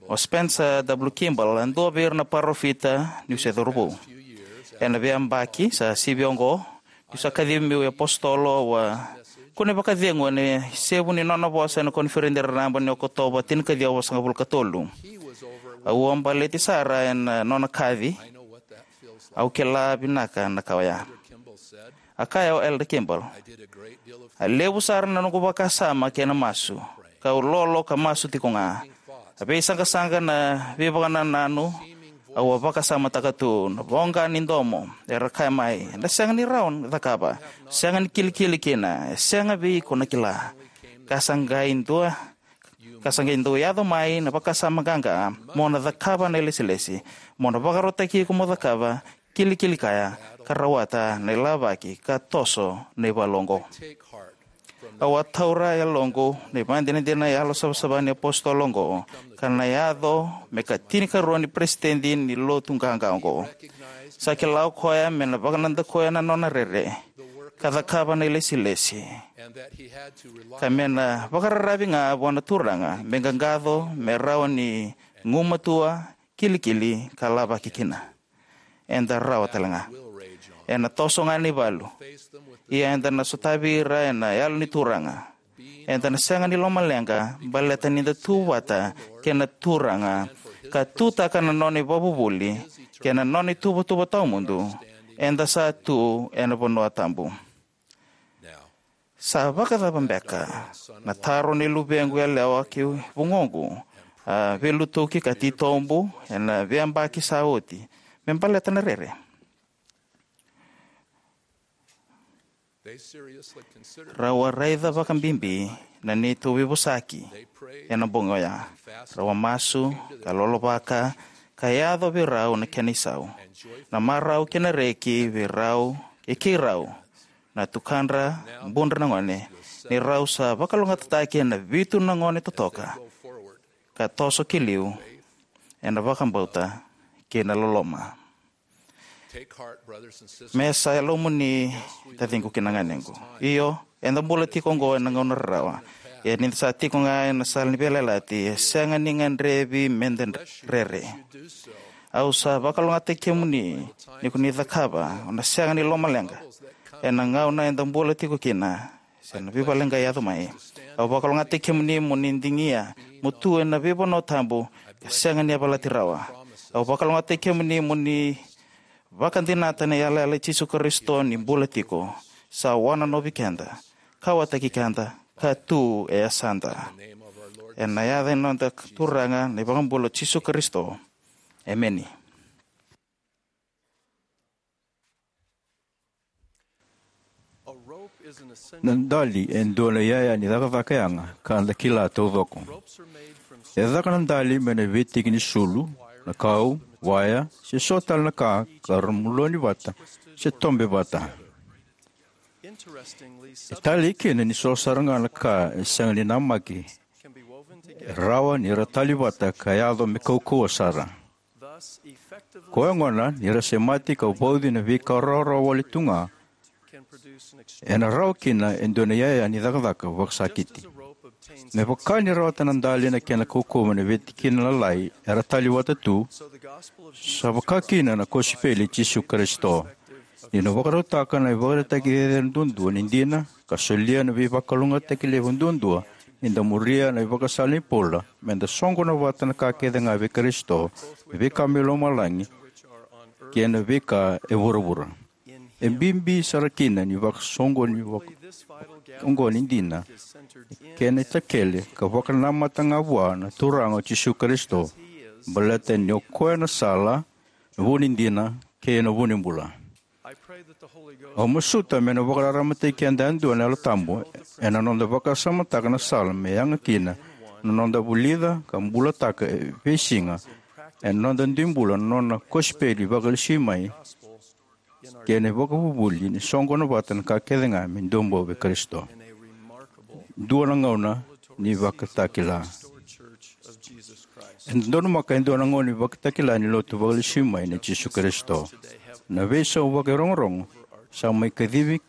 O Spencer W. Kimball, e dua vei ira na parofita niu se cauravou. Ena veiyabaki sa sivi oqo, niu sa kacivi meu iapositolo, au a kunei vakacegu ena isevu ni nona vosa ena koniferedi raraba ni Okotova tinikaciwa vasagavulu ka tolu. Au a baleti sara ena nona kaci. Au kila vinaka na ka oya. A kaya o Elder Kimball, a levu sara na noqu vakasama kei na masu, kau lolo ka masu tiko ga. A veisaqasaqa na veivakanananu, au a vakasamataka tu na voqa ni domo era kaya mai, eda sega ni rawa ni cakava, sega ni kilikili kina, e sega vei iko na kila. Ka sa qai dua, ka sa qai dau yaco mai na vakasama qaqa, mo na cakava na ilesilesi, mo na vakarautaki iko mo cakava, kilikili kaya, ka rawata na ilavaki ka toso na ivalu oqo. Au a taura e yaloqu na ivakadinadina yalosavasava ni apositolo oqo, ka na yaco me ka tinikarua ni peresitedi ni lotu qaqa oqo. Sa kila o koya me na vakanadakuya na nona rere ka cakava na ilesilesi, ka me na vakararavi ga vua na Turaga me qaqaco me rawa ni gumatua, kilikili ka lavaki kina. Eda rawa tale ga. Ena toso ga na ivalu. Ia eda na sotavi ira ena Yalo ni Turaga. Eda na sega ni lomaleqa baleta ni da tu vata kei na Turaga, ka tutaka na nona ivakavuvuli kei na nona ituvatuva tawamudu. Eda sa tu ena vanua tabu. Sa vakacava beka na taro ni luvequ yalewa kei vugoqu, a, veilutaki ka titobu ena veiyabaki sa oti me baleta na rere? Rau a raica vakabibi na neitou veivosaki ena bogi oya. Rau a masu, ka lolovaka, ka yaco vei rau na kena isau, na marau kei na reki vei rau, e keirau, na tukadra, budra na gone, ni rau sa vakalougatataki ena vitu na gone totoka, ka toso ki liu ena vakabauta kei na loloma. Me sa yalomuni, taciqu kei na ganequ. Io, eda bula tiko oqo ena gauna rarawa. Ia ni da sa tiko ga ena sala ni veiyalayalati, e sega ni gadrevi me da rere. Au sa vakalougatataki kemuni, ni ko ni cakava, o na sega ni lomaleqa ena gauna eda bula tiko kina, se na veivakaleqai yaco mai. Au vakalougatataki kemuni mo ni digia mo tu ena veivanua tabu ka sega ni yavalati rawa. Au vakalougatataki kemuni mo ni vakadinata na yalayala i Jisu Karisito ni bula tiko, sa wananovi keda, kauwaitaki keda, ka tu e yasada. Ena yaca ni noda Turaga na iVakabula o Jisu Karisito. Emeni. Na dali e dua na iyaya ni cakacaka yaga ka da kila taucoko. E caka na dali mai na veitiki ni sulu, na kau, waya, se so tale na ka ka ra muloni vata se tobe vata. E talei kina ni so sara ga na ka e sega ni namaki, e rawa ni ra tali vata ka yaco me kaukauwa sara. Koya gona ni ra semati ka vauci na veika rawarawa wale tu ga, ena rawa kina e dua na iyaya ni cakacaka vakasakiti. Me vaka ni rawata na dali na kena kaukauwa mai na veitikina lalai era tali vata tu, sa vaka kina na kosipeli i Jisu Karisito. Ni na vakarautaka na ivakaraitaki cecere duadua ni dina, ka solia na veivakalougatataki levu duadua, ni da muria na ivakasala ni Paula, me da soqona vata na ka kece ga vei Karisito, na veika mai lomalagi kei na veika e vuravura. E bibi sara kina ni vakasoqoni vaka-, oqo ni dina, kena itakele ka vakanamata ga vua na Turaga o Jisu Karisito, baleta ni o koya na sala, na vu ni dina, kei na vu ni bula. Au masuta me na vakararamataki keda yadua na Yalo Tabu ena noda vakasamataka na sala me yaga kina na noda vulica ka bulataka e veisiga ena noda dui bula na nona kosipeli vakalesui mai kei na ivakavuvuli ni soqona vata na ka kece ga me dua bau vei Karisito. Dua na gauna ni vakatakila. E donumaka e dua na gauna ni vakatakila ni lotu vakalesui mai nei Jisu Karisito. Na veisau vakairogorogo sa mai kacivi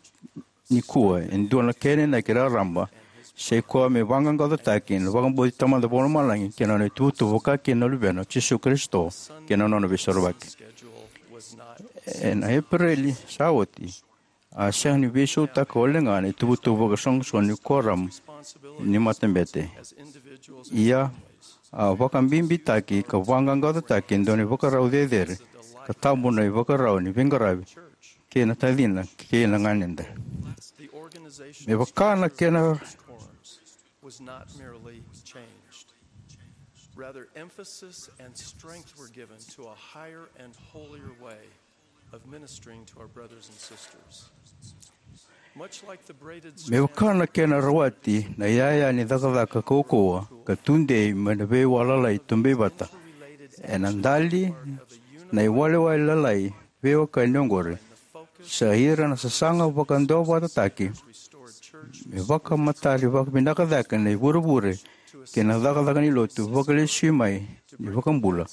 nikua e dua na kena inaki raraba, sa i koya me vaqaqacotaki na vakabauti Tamada Vakalomalagi kei na nona ituvatuva vakakina na Luvena o Jisu Karisito kei na nona veisorovaki. Ena Epereli sa oti, a sega ni veisautaka wale ga na ituvatuva vakasoqosoqo ni koram ni matabete. Ia, a vakabibitaki ka vaqaqacotaki e dua na ivakarau cecere ka tabu na ivakarau ni veiqaravi kei na tacina kei na ganeda. Me vaka na kena Rather, emphasis and strength were given to a higher and holier way of ministering to our brothers and sisters. Much like the braided Me vaka na kena rawati na iyaya ni cakacaka kaukauwa ka tudei mai na veiwalalai tubei vata, ena dali na iwalewale lalai veiwekani oqori, sa ira na sasaga vakaduavatataki me vakamatari vakavinaka cake na ivurevure kei na cakacaka ni lotu vakalesui mai ni vakabula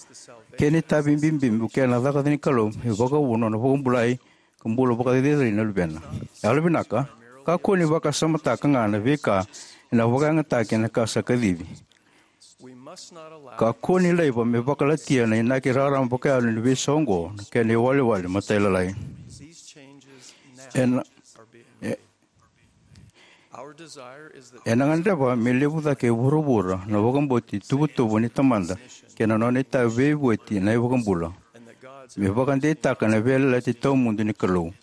kei na itavi bibi me vukea na cakacaka ni Kalou me vakavuna na vakabulai ka bula vakacerecerei na Luvena. Yalovinaka, kakua ni vakasamataka ga na veika ena vakayagataki ena ka sa kacivi. Kakua ni laiva me vakalatia na inaki rarama vakayalo ni veisau oqo na kena iwalewale matailalai. Ena, e, ena gadreva me levu cake e vuravura na vakabauti tuvatuva ni Tamada kei na nona itavi veivueti na iVakabula me vakadeitaka na veiyalayalati tawamudu ni Kalou.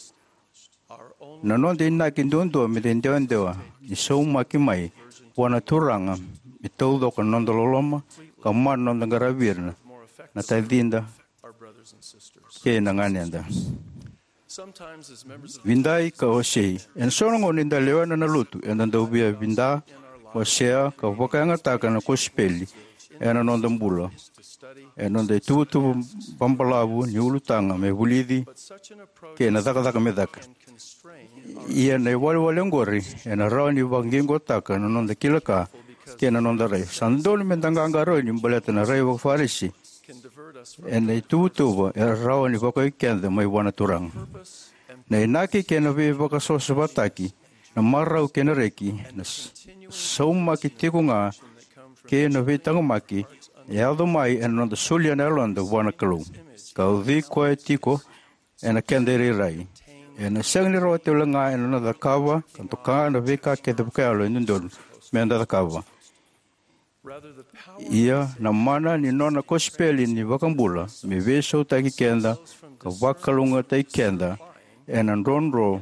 Na noda inaki duadua me da idewadewa ni saumaki mai vua na Turaga me taucoko na noda loloma ka mana na noda qaravi ira na tacida kei na ganeda. Vidai ka wasei. Ena so na gauna ni da lewena na lotu, eda dau via vida, wasea ka vakayagataka na kosipeli ena noda bula, ena noda ituvatuva babalavu ni ulutaga me vulici kei na cakacaka me caka. Ia na iwalewale oqori ena rawa ni vakaqiqotaka na noda kila ka kei na noda rai. Sa dodonu me da qaqarauni baleta na rai vakaFarisi ena ituvatuva e rawa ni vakaoi keda mai vua na Turaga. Na inaki kei na veivakasavasavataki, na marau kei na reki, na s-, saumaki tiko ga kei na veitaqomaki e yaco mai ena noda solia na yaloda vua na Kalou ka ucui koya tiko ena keda irairai. Ena sega ni rawa tale ga ena noda cakava ka doka na veika kece vakayalo e dodonu me da cakava. Ia na mana ni nona kosipeli ni vakabula me veisautaki keda ka vakalougatataki keda ena drodro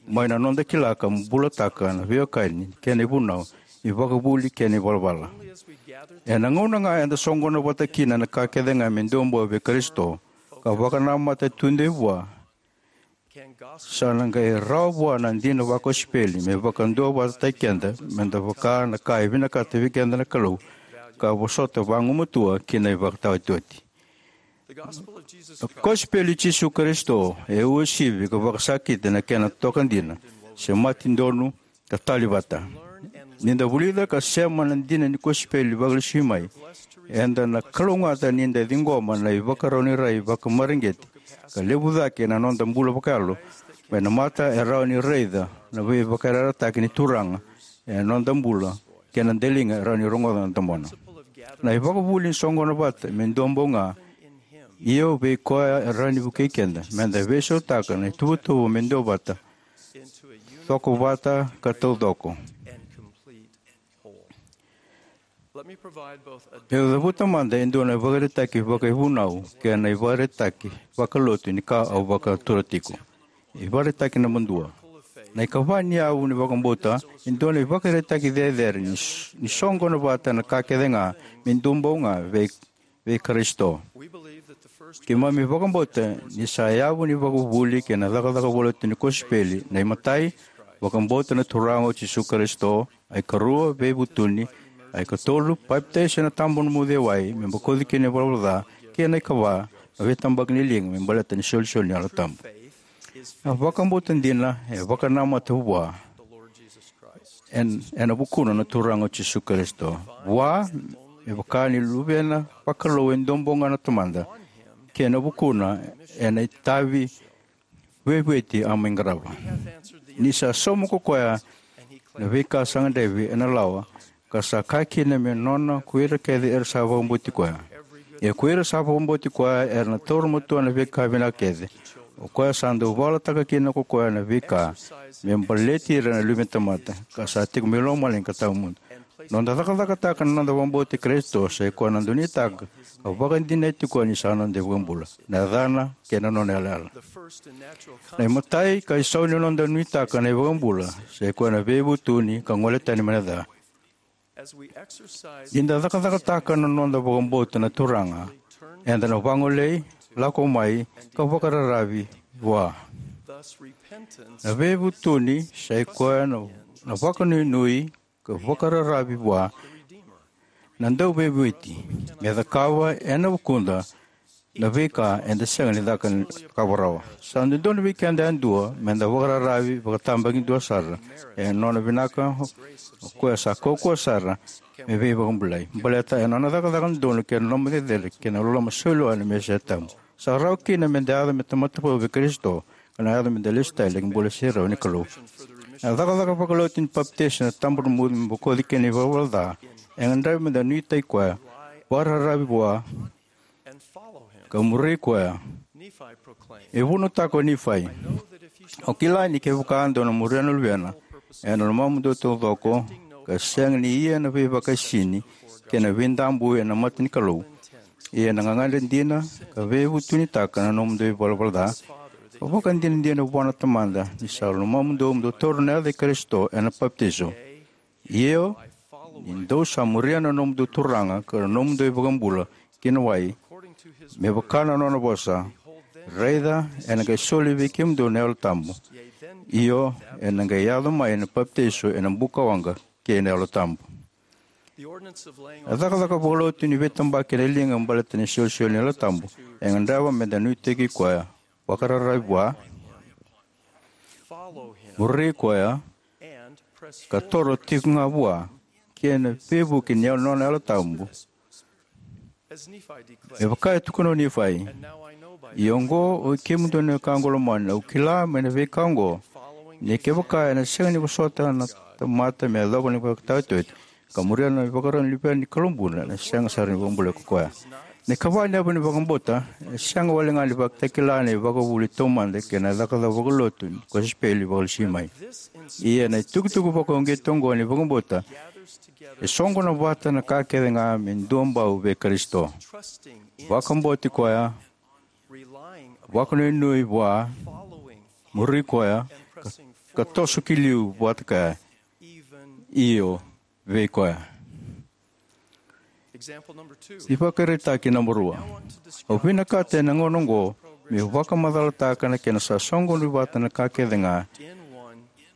mai na noda kila ka bulataka na veiwekani kei na ivunau, ivakavuvuli kei na ivalavala. Ena gauna ga eda soqona vata kina na ka kece ga me dua bau vei Karisito ka vakanamata tudei vua, sa na qai rawa vua na dina vakosipeli me vakaduavatataki keda me da vaka na ka e vinakata vei keda na Kalou ka vosota vagumatua ki na ivakataotioti. Na kosipeli i Jisu Karisito e uasivi ka vakasakiti na kena toka dina, semati donu, ka tali vata. Ni da vulica ka sema na dina ni kosipeli vakalesui mai, eda na kalougata ni da ciqoma na ivakarau ni rai vakamareqeti ka levu cake ena noda bula vakayalo mai na mata e rawa ni raica na veivakayarayarataki ni Turaga ena noda bula kei na daliga e rawa ni rogoca na domona. Na ivakavuvuli ni soqona vata me dua bau ga, ia vei koya e rawa ni vukei keda me da veisautaka na ituvatuva me dua vata, coko vata ka taucoko. Meu cavuta mada e dua na ivakaraitaki vakaivunau kei na ivakaraitaki vakalotu ni ka au vakatura tiko. Ivakaraitaki naba dua. Na ikava ni yavu ni vakabauta e dua na ivakaraitaki cecere ni s-, ni soqona vata na ka kece ga me dua bau ga vei, vei Karisito. Keimami vakabauta ni sa yavu ni vakavuvuli kei na cakacaka vakalotu ni kosipeli, na imatai, vakabauta na Turaga o Jisu Karisito, a ikarua, veivutuni, Na ikatolu, papitaiso ena tabanimudu e wai me bokoci kina na ivalavala ca. Kei na ikava, na veitabaki ni liga me baleta na isolisoli ni Yalo Tabu. Na vakabauta dina e vakanamata vua en, ena vukuna na Turaga o Jisu Karisito. Vua, me vaka ni Luvena vakalou e dua bau ga na Tamada, kei na vukuna ena itavi veivueti a mai qarava. Ni sa sauma ko koya na veika sa gadrevi ena lawa, ka sa kaya kina me nona ko ira kece era sa vakabauti koya. Ia ko ira sa vakabauti koya era na taura matua na veika vinaka kece. O koya sa dau vakayalataka kina ko koya na veika me baleti ira na luve ni tamata, ka sa tiko mai lomalagi ka tawamudu. Noda cakacakataka na noda vakabauti Karisito, sa i koya na donuitaka ka vakadinati koya ni sa noda iVakabula, na yacana kei na nona yalayala. Na imatai ka isau ni noda nuitaka na iVakabula, sa i koya na veivutuni ka gole tani mai na ca. Ni da cakacakataka na noda vakabauta na Turaga, eda na vagolei, lako mai, ka vakararavi vua. Na veivutuni sa i koya na, na vakanuinui ka vakararavi vua na Dauveivueti, me cakava ena vukuda na veika eda sega ni caka, cakava rawa. Sa dodonu vei keda yadua meda vakararavi vakatabakidua sara ena nona vinaka, o koya sa kaukauwa sara me veivakabulai. Baleta ena nona cakacaka dodonu kei na loloma cecere kei na loloma saulewa na Mesaia tabu, sa rawa kina meda yaco me tamata vou vei Karisito, ka na yaco meda lesu tale ki bula serau ni Kalou. Na cakacaka vakalotu ni papitaiso ena tabanimudu me bokoci kina na ivalavala ca e gadrevi meda nuitaki koya, vakararavi vua, ka muri koya. E vunautaka o Nifai: Au kila ni kevaka dou na muria na Luvena ena lomamudou taucoko, ka sega ni ia na veivakaisini kei na veidabui ena mata ni Kalou, ia na gagadre dina ka veivutunitaka na nomudou ivalavala ca, ka vakadinadina vua na Tamada ni sa lomamudou mo dou taura na yaca i Karisito ena papitaiso, io, ni dou sa muria na nomudou Turaga ka na nomudou iVakabula ki na wai, me vaka na nona vosa, raica, ena qai soli vei kemudou na Yalo Tabu, io, ena qai yaco mai na papitaiso ena bukawaqa kei na Yalo Tabu. Na cakacaka vakalotu ni veitabaki ena liga baleta na isolisoli ni Yalo Tabu e gadreva meda nuitaki koya, vakararavi vua, muri koya, ka toro tiko ga vua, kei na veivuke ni nona Yalo Tabu. Me vaka e tukuna o Nifai: Ia oqo, oi kemudou na wekaqu lomani, au kila mai na veika oqo, ni kevaka ena sega ni vosota na tamata me yacova na ivakataotioti, ka muria na ivakarau ni Luvena ni Kalou bula, ena sega sara ni vakabulai ko koya. Na ikava ni yavu ni vakabauta e sega walega ni vakatakila na ivakavuvuli taumada kei na cakacaka vakalotu ni kosipeli vakalesui mai. Ia na itukutuku vakauqeti oqo ni vakabauta e soqona vata na ka kece ga me duabau vei Karisito. Vakabauti koya, vakanuinui vua, muri koya, ka, ka toso ki liu vata kaya, io, vei koya. Ivakaraitaki naba rua. Au vinakata ena gauna oqo meu vakamacalataka na kena sa soqoni vata na ka kece ga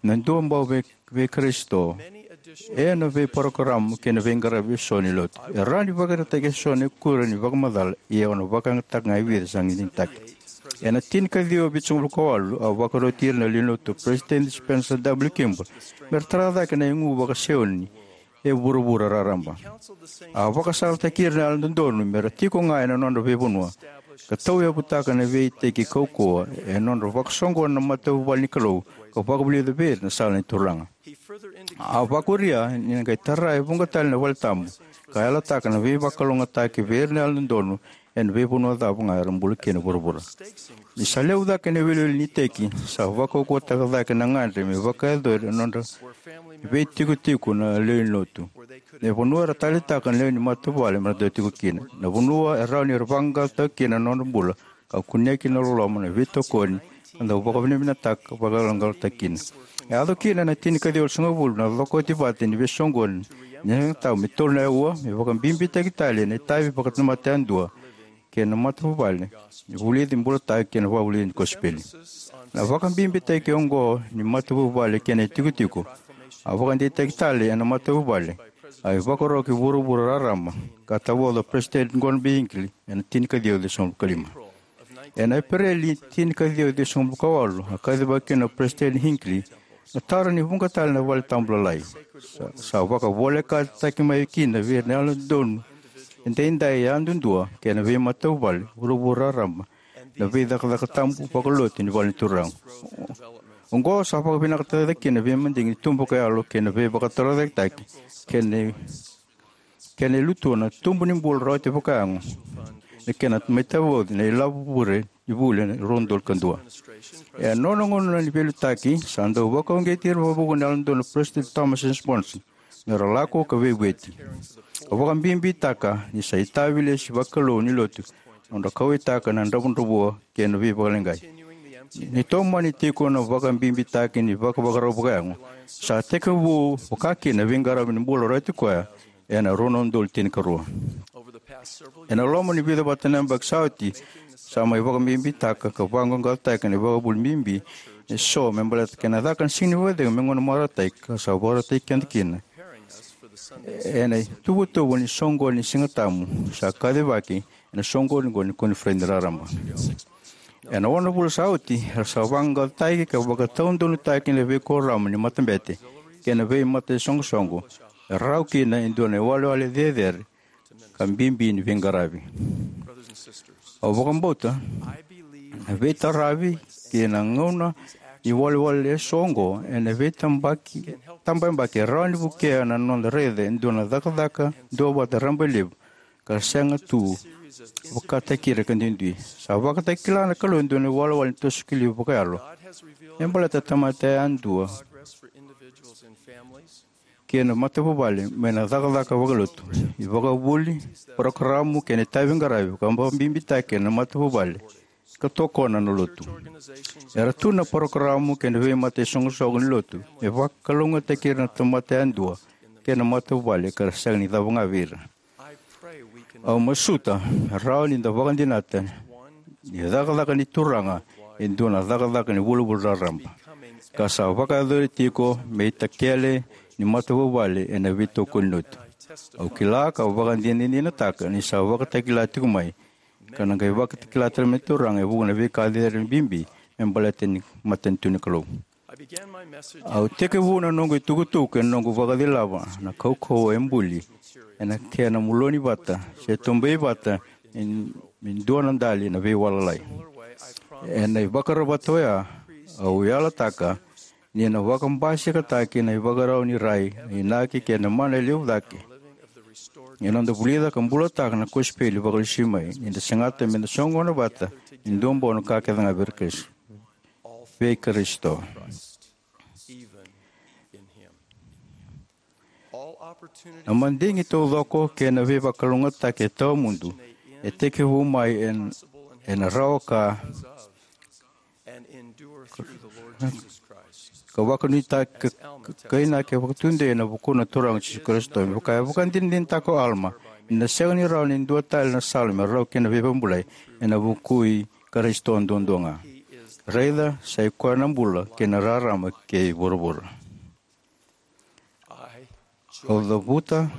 na duabau vei, vei Karisito ena veiparokaramu kei na veiqaravi eso ni lotu. E rawa ni vakaraitaki eso na ikuri ni vakamacala, ia au na vakayagataka ga e vica sa digitaki. Ena tinikaciwa vitusagavulu ka walu, au vakaroti ira na lewe ni lotu o Peresitedi Spencer W. Kimball me ra tara cake na igu vaka-Saioni e vuravura raraba. A vakasalataki ira na Yalododonu me ra tiko ga ena nodra veivanua, ka tauyavutaka na veiiteki kaukauwa ena nodra vakasoqona na matavuvale ni Kalou, ka vakavulica vei ira na sala ni Turaga. A vakuria ni na qai tara e vuqa tale na valetabu, ka yalataka na veivakalougatataki vei ira na Yalododonu ena veivanua cava ga era bula kina e vuravura. Ni sa levu cake na iwiliwili ni iteki, sa vakaukauwataka cake na gagadre me vakayacori ena nodra veitikotiko na lewe ni lotu. Na vanua era taleitaka na lewe ni matavuvale me ra dau tiko kina. Na vanua e rawa ni ra vaqaqacotaka kina na nodra bula, ka kunea kina na loloma, na veitokoni, ka dau vakavinavinakataka, vakayaloqaqataka kina. E yaco kina na tinikaciwa walusagavulu na cokoti vata ni veisoqoni ni yagatau me tolu na aua, me vakabibitaki tale na itavi vakatamata yadua kei na matavuvale, ni vulici, bulataki kei na vakavulici ni kosipeli. Na vakabibitaki oqo ni matavuvale kei na itikotiko a vakadeitaki tale ena matavuvale A ivakarau ki vuravura raraba ka tavoca o President Gordon B. Hinckley ena tinikaciwa ciwasagavulu ka lima. Ena Epereli tinikaciwa ciwasagavulu ka walu, a kacivaka kina o President Hinckley na tara ni vuqa tale na valetabu lalai. Sa, sa vakavolekataki mai kina vei ira na yalododonu edaidai yadudua kei na veimatavuvale vuravura raraba na veicakacaka tabu vakalotu ni vale ni Turaga. Oqo sa vakavinakataka kina na veimadigi ni tubu vakayalo kei na veivakatorocaketaki kei na, kei na ilutua na tubu ni bula rawati vakayago, na kena mai tavoci na ilavo vure ni vuli ena rua na udolu ka dua. E a nona gauna ni veiliutaki sa dau vakauqeti ira vakavuqa na yalododonu o President Thomas S. Monson me ra lako ka veivueti. Ka vakabibitaka ni sa itavi lesu vakalou ni lotu na nodra kauwaitaka na dravudravua kei na veivakaleqai. Ni tomani tiko na vakabibitaki ni vakavakarau vakayago, sa tekivu vakakina na veiqaravi ni bula rawati koya ena rua na udolu tinikarua. Ena loma ni vica vata na yabaki sa oti, sa mai vakabibitaka ka vaqaqacotaka na ivakavuvuli bibi eso me baleta kena caka na Siga ni Vakacecegu me gauna vakarautaki ka sa vakarautaki keda kina ena ituvatuva ni soqoni ni Sigatabu sa kacivaki ena soqoni oqo ni koniferedi raraba. Ena ono na vula sa oti, era sa vaqaqacotaki ka vakataudonutaki na veikuoramu ni matabete kei na veimatasoqosoqo e rawa kina e dua na iwalewale cecere ka bibi ni veiqaravi. Au vakabauta na veitaravi kei na gauna ni iwalewale eso oqo ena veitabaki, tabayabaki e rawa ni vukea na noda raica e dua na cakacaka duavata rabailevu ka sega tu vakataki ira ka duidui. Sa vakatakila na Kalou e dua na iwalewale ni toso ki liu vakayalo me baleta na tamata yadua kei na matavuvale mai na cakacaka vakalotu, ivakavuvuli, parokaramu kei na itaviqaravi ka vakabibitaki ena matavuvale ka tokona na lotu. Era tu na parokaramu kei na veimatasoqosoqo ni lotu me vakalougatataki ira na tamata yadua kei na matavuvale ka ra sega ni cava ga vei ira. Au masuta me rawa ni da vakadinata ni cakacaka ni Turaga e dua na cakacaka ni vulavula raraba ka sa vakayacori tiko me itakele ni matavuvale ena veitokoni ni lotu. Au kila ka vakadinadinataka ni sa vakatakila tiko mai ka na qai vakatakila tale mai na Turaga e vuqa na veika cecere bibi me baleta na matanitu ni Kalou. Au tekivu na noqu itukutuku ena noqu vakacilava na kaukauwa e buli ena kena muloni vata se tubei vata me, me dua na dali na veiwalalai. Ena ivakarau vata oya, au yalataka ni na vakabasikataki na ivakarau ni rai, na inaki kei na mana e levu cake ena noda vulica ka bulataka na kosipeli vakalesui mai, ni da segata me da soqona vata e dua bau na ka kece ga vei Karisito, vei Karisito. Na madigi taucoko kei na veivakalougatataki e tawamudu e tekivu mai en-, ena rawa ka, ka vakanuitaki ka, ka, ka inaki vakatudei ena vukuna na Turaga o Jisu Karisito. Me vaka e vakadinadinataka o Alama, ni na sega ni rawa ni dua tale na sala me rawa kina na veivakabulai ena vuku i Karisito duadua ga. Raica, sa i koya na bula kei na rarama kei vuravura. Au cavuta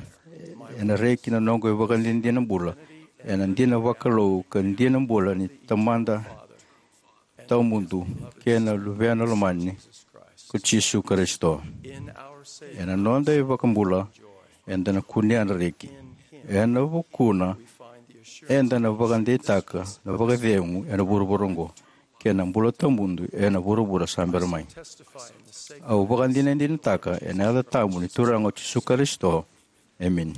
ena reki na noqu ivakadinadina bula ena dina vakalou ka dina bula ni Tamada tawamudu kei na Luvena lomani ko Jisu Karisito. Ena noda iVakabula eda na kunea na reki. Ena vukuna eda na vakadeitaka na vakacegu ena vuravura oqo kei na bula tawamudu ena vuravura sa bera mai. Au vakadinadinataka ena yaca tabu ni Turaga o Jisu Karisito. Emeni.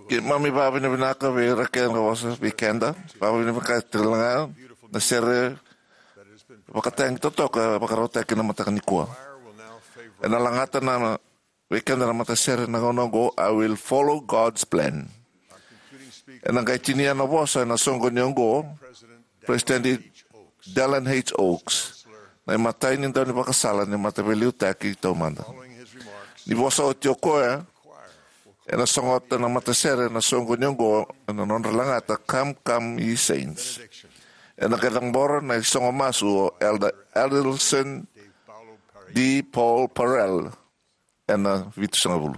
Keimami vakavinavinaka vei ira kece na vosa vei keda. Vakavinavinaka tale ga na sere vakatagi totoka vakarautaki na mataka nikua. Ena lagata na vei keda na matasere na gauna oqo, I Will Follow God's Plan. Ena qai tinia na vosa ena soqoni oqo, President Dallin H. Oaks, na imatai ni daunivakasala ni mataveiliutaki taumada. Ni vosa oti o koya, ena sogota na matasere na soqoni oqo ena nodra lagata Come, Come, Ye Saints. Ena qai cabora na isogo masu o Elder Adelson D. Paul Parrell ena vitusagavulu.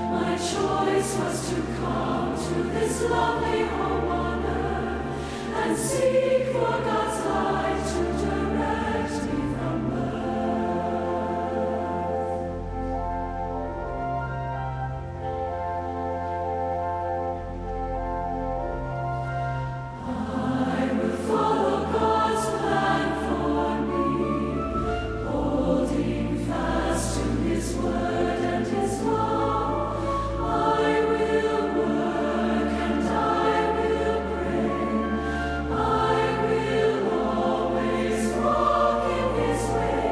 My choice was to come to this lovely home on earth and seek for God's light to direct me from birth. I will follow God's plan for me, holding fast to His word and His law. I will work and I will pray. I will always walk in His way,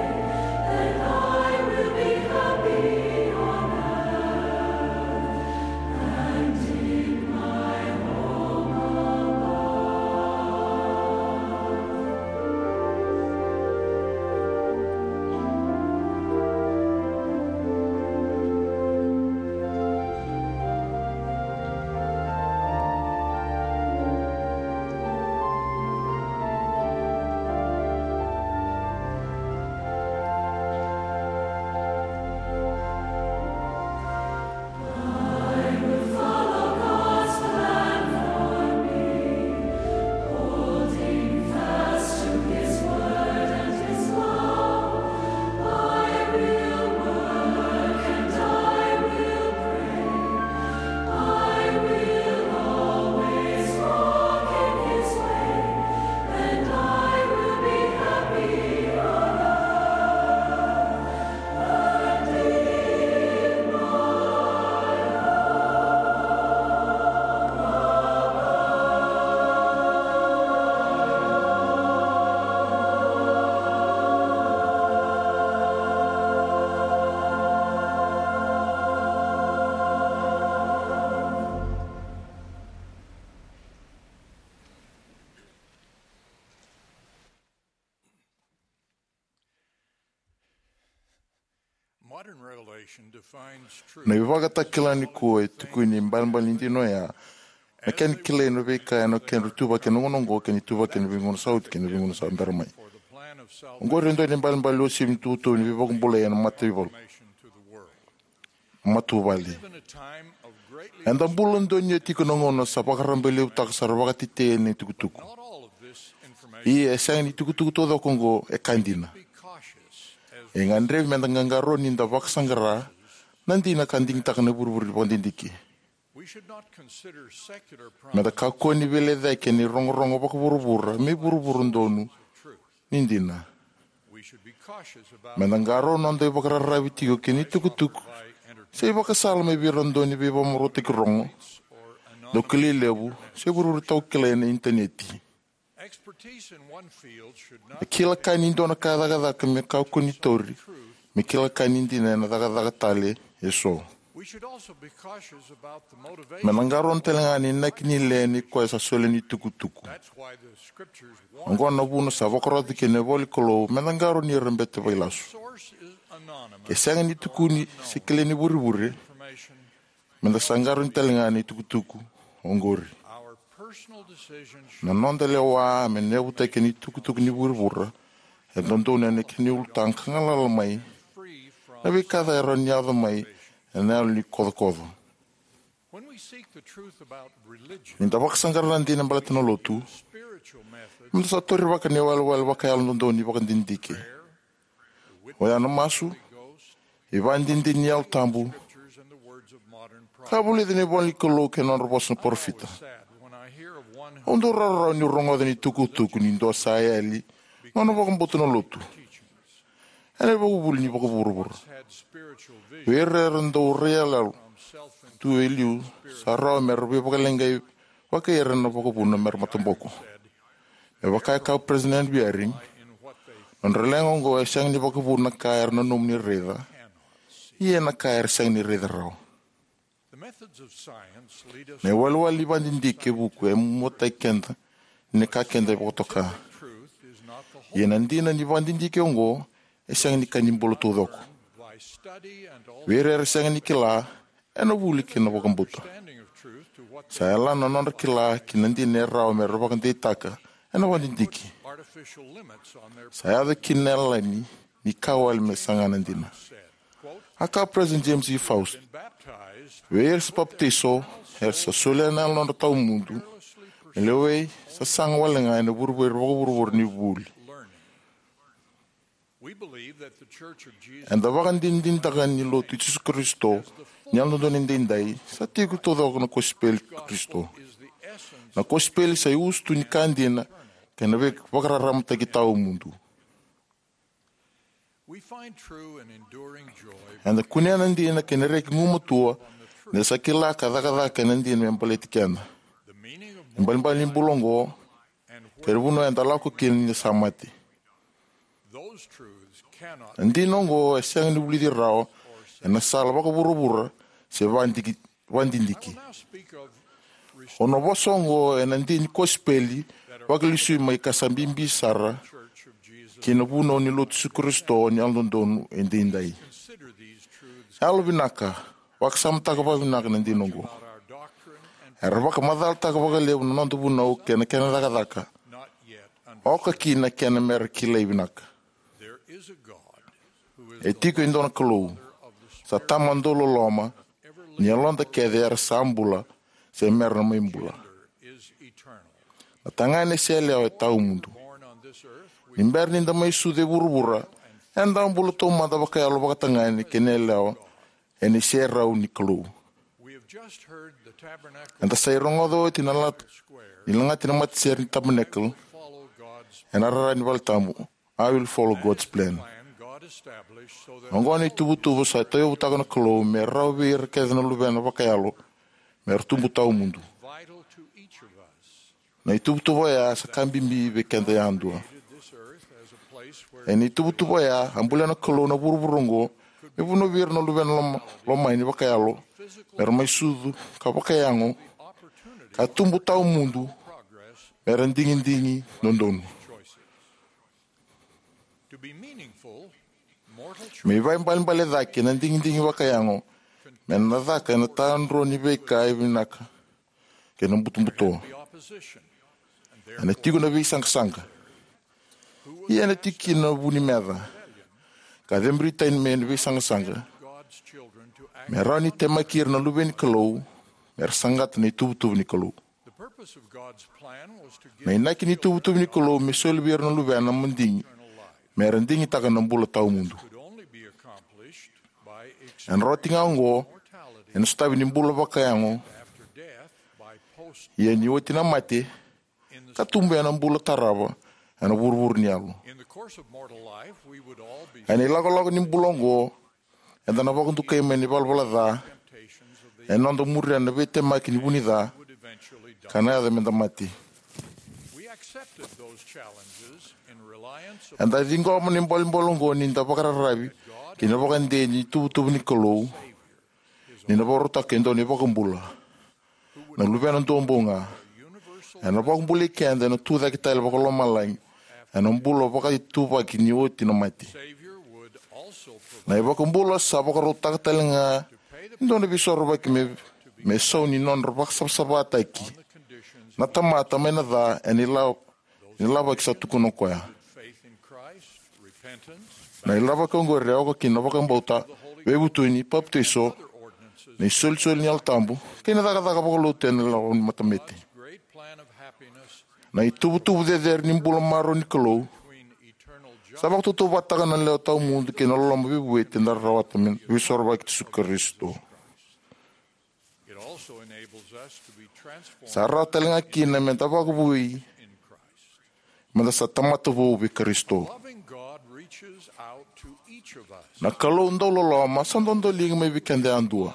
then I will be happy on earth and in my home above. I will follow God's plan for me, holding fast to His word and His law. I will work and I will pray. I will always walk in His way, and I will be happy on earth. Modern revelation defines truth. Na ivakatakila nikua e tukuni ibalebale ni dina oya na kena kilai na veika ena kena ituvaki ena gauna oqo kei na ituvaki ena veigauna sa oti kei na veigauna sa bera mai. Oqori e dua na ibalebale uasivi ni tukutuku ni veivakabulai ena mataivalu, matavuvale. Eda bula donuya tiko na gauna sa vakarabailevutaka sara vakatetei na itukutuku. Ia e sega ni tukutuku taucoko oqo e ka dina. E gadrevi meda qaqarauni da vakasaqara na dina ka digitaka na ivurevure ni vakadidike. Meda kakua ni veilecayaki ena irogorogo vakavuravura me ivurevure donu ni dina. Meda qaqarauni noda ivakararavi tiko kei na itukutuku se ivakasala mai vei ira dau ni veivakamarautaki rogo, daukilai levu, se ivurevure taukilai ena initaneti. Expertise in one field should not. E kila ka ni dua na ka e cakacaka me kakua ni tauri me kila ka ni dina ena cakacaka tale eso. We should also be cautious about the motivation. Meda qaqarauni tale ga ena inaki ni lewe ni koya sa solia na itukutuku. That's why the scriptures warn. Oqo na vuna sa vakarota kina na ivola ni Kalou meda qaqarauni ira bete vakailasu. Source is anonymous. Ke sega ni tukuni se kilai ni vurevure, information. Meda sa qaqarauni tale ga na itukutuku oqori. Our personal decisions should. Na noda lewa me na yavutaki na itukutuku ni vurevure e dodonu ena kena ulutaga ka galala mai na veika ca e rawa ni yaco mai ena yalo ni kocokoco. When we seek the truth about religion, ni da vakasaqara na dina baleta na lotu, spiritual method, meda sa taurivaka na iwalewale vakayalo dodonu ni vakadidike. Oya na masu, ivakadinadina ni Yalo Tabu, ka vulica na ivola ni Kalou kei na nodra vosa na parofita. Au dau rawarawa niu rogoca na itukutuku ni dua sa yali nona vakabauta na lotu ena ivakavuvuli ni vakavuravura. Vei ira era dau rai yaloyalo tu e liu, sa rawa mera veivakaleqai vakai ira na vakavuna mera mataboko. Me vaka e kaya o Peresitedi Henry B. Eyring, Nodra leqa oqo e sega ni vakavuna na ka era nanuma ni raica, ia na ka era sega ni raica rawa. Na iwalewale ni vakadidike e vuku e muataki keda ni ka keda vakatoka. Ia na dina ni vakadidike oqo e sega ni ka ni bula taucoko. Vei ira era sega ni kila, ena vuli ki na vakabauta. Sa yalana na nodra kila ki na dina e rawa me ra vakadeitaka ena vakadidike. Sa yaco kina na yalani ni ka wale me saga na dina. A kaya o President James E. Faust, vei ira sa papitaiso, era sa solia na yalodra tawamudu me lewai sasaga wale ga ena vurevure vakavuravura ni vuli. Eda vakadinadinataka ni Lotu i Jisu Karisito ni Yalododonu Edaidai sa tiko taucoko na kosipeli i Karisito. Na kosipeli sa iusutu ni ka dina kei na veivakararamataki tawamudu. Eda kunea na dina kei na reki gumatua ni da sa kila ka cakacaka ena dina me baleti keda. Na ibalebale ni bula oqo kei na vanua eda lako kina ni da sa mate. Na dina oqo e sega ni vulici rawa ena sala vakavuravura se vakadidike. Au na vosa oqo ena dina ni kosipeli vakalesui mai ka sa bibi sara ki na vunau ni Lotu i Jisu Karisito ni Yalododonu Edaidai. Yalovinaka, vakasamataka vakavinaka na dina oqo. Era vakamacalataka vakalevu na noda vunau kei na kena cakacaka, oka kina na kena me ra kilai vinaka. E tiko e dua na Kalou, sa Tama dauloloma, ni yaloda kece era sa bula se me ra na mai bula. Na tagane se yalewa e tawamudu. Ni bera ni da mai sucu e vuravura, eda a bula taumada vakayalo vakatagane kei na yalewa ena iserau ni Kalou. Eda sa rogoca oti na lata ni lagati na matasere ni Tabernacle ena rara ni valetabu, "I will follow God's plan." Oqo na ituvatuva sa tauyavutaka na Kalou me rawa vei ira kece na luvena vakayalo me ra tubu tawamudu. Na ituvatuva oya sa ka bibi vei keda yadua. Ena ituvatuva oya a bulia na Kalou na vuravura oqo me vanua vei ira na luvena loma, lomani vakayalo me ra mai sucu ka vakayago ka tubu tawamudu me ra digidigi dodonu. Me ivaibalebale cake na digidigi vakayago me na caka ena tadrua ni veika e vinaka kei na butobuto. Ena tiko na veisaqasaqa. Ia ena tiko kina na vu ni meca ka ceburi tani mai na veisaqasaqa me rawa ni temaki ira na luve ni Kalou me ra saqata na ituvatuva ni Kalou. Na inaki ni ituvatuva ni Kalou me soli vei ira na luvena madigi me ra digitaka na bula tawamudu. Ena roti ga oqo ena sotavi ni bula vakayago, ia ni oti na mate, ka tubu ena bula tarava ena vuravura ni yalo. Ena ilakolako ni bula oqo, eda na vakadukai mai na ivalavala ca ena noda muria na veitemaki ni vu ni ca ka na yaco me da mate. Eda ciqoma na ibalebale oqo ni da vakararavi ki na vakadei ni ituvatuva ni Kalou, ni na vakarautaka e dua na iVakabula, na Luvena duabau ga, ena vakabulai keda ena tucake tale vakalomalagi ena bula vakaituvaki ni oti na mate. Na iVakabula sa vakarautaka tale ga e dua na veisorovaki me, me sau ni nodra vakasavasavataki na tamata mai na ca ena ila, ni lavaki sa tukuna o koya. Na ilavaki oqori e oka kina na vakabauta, veivutuni, papitaiso, na isolisoli ni Yalo Tabu, kei na cakacaka vakalotu ena loma ni matabete. Na ituvatuva cecere ni bula marau ni Kalou sa vakatautauvatataka na lewa tawamudu kei na loloma veivueti eda rawata mai na veisorovaki i Jisu Karisito. Sa rawa tale ga kina me da vakavoui, me da sa tamata vou vei Karisito. Na Kalou dauloloma sa dodoliga mai vei keda yadua.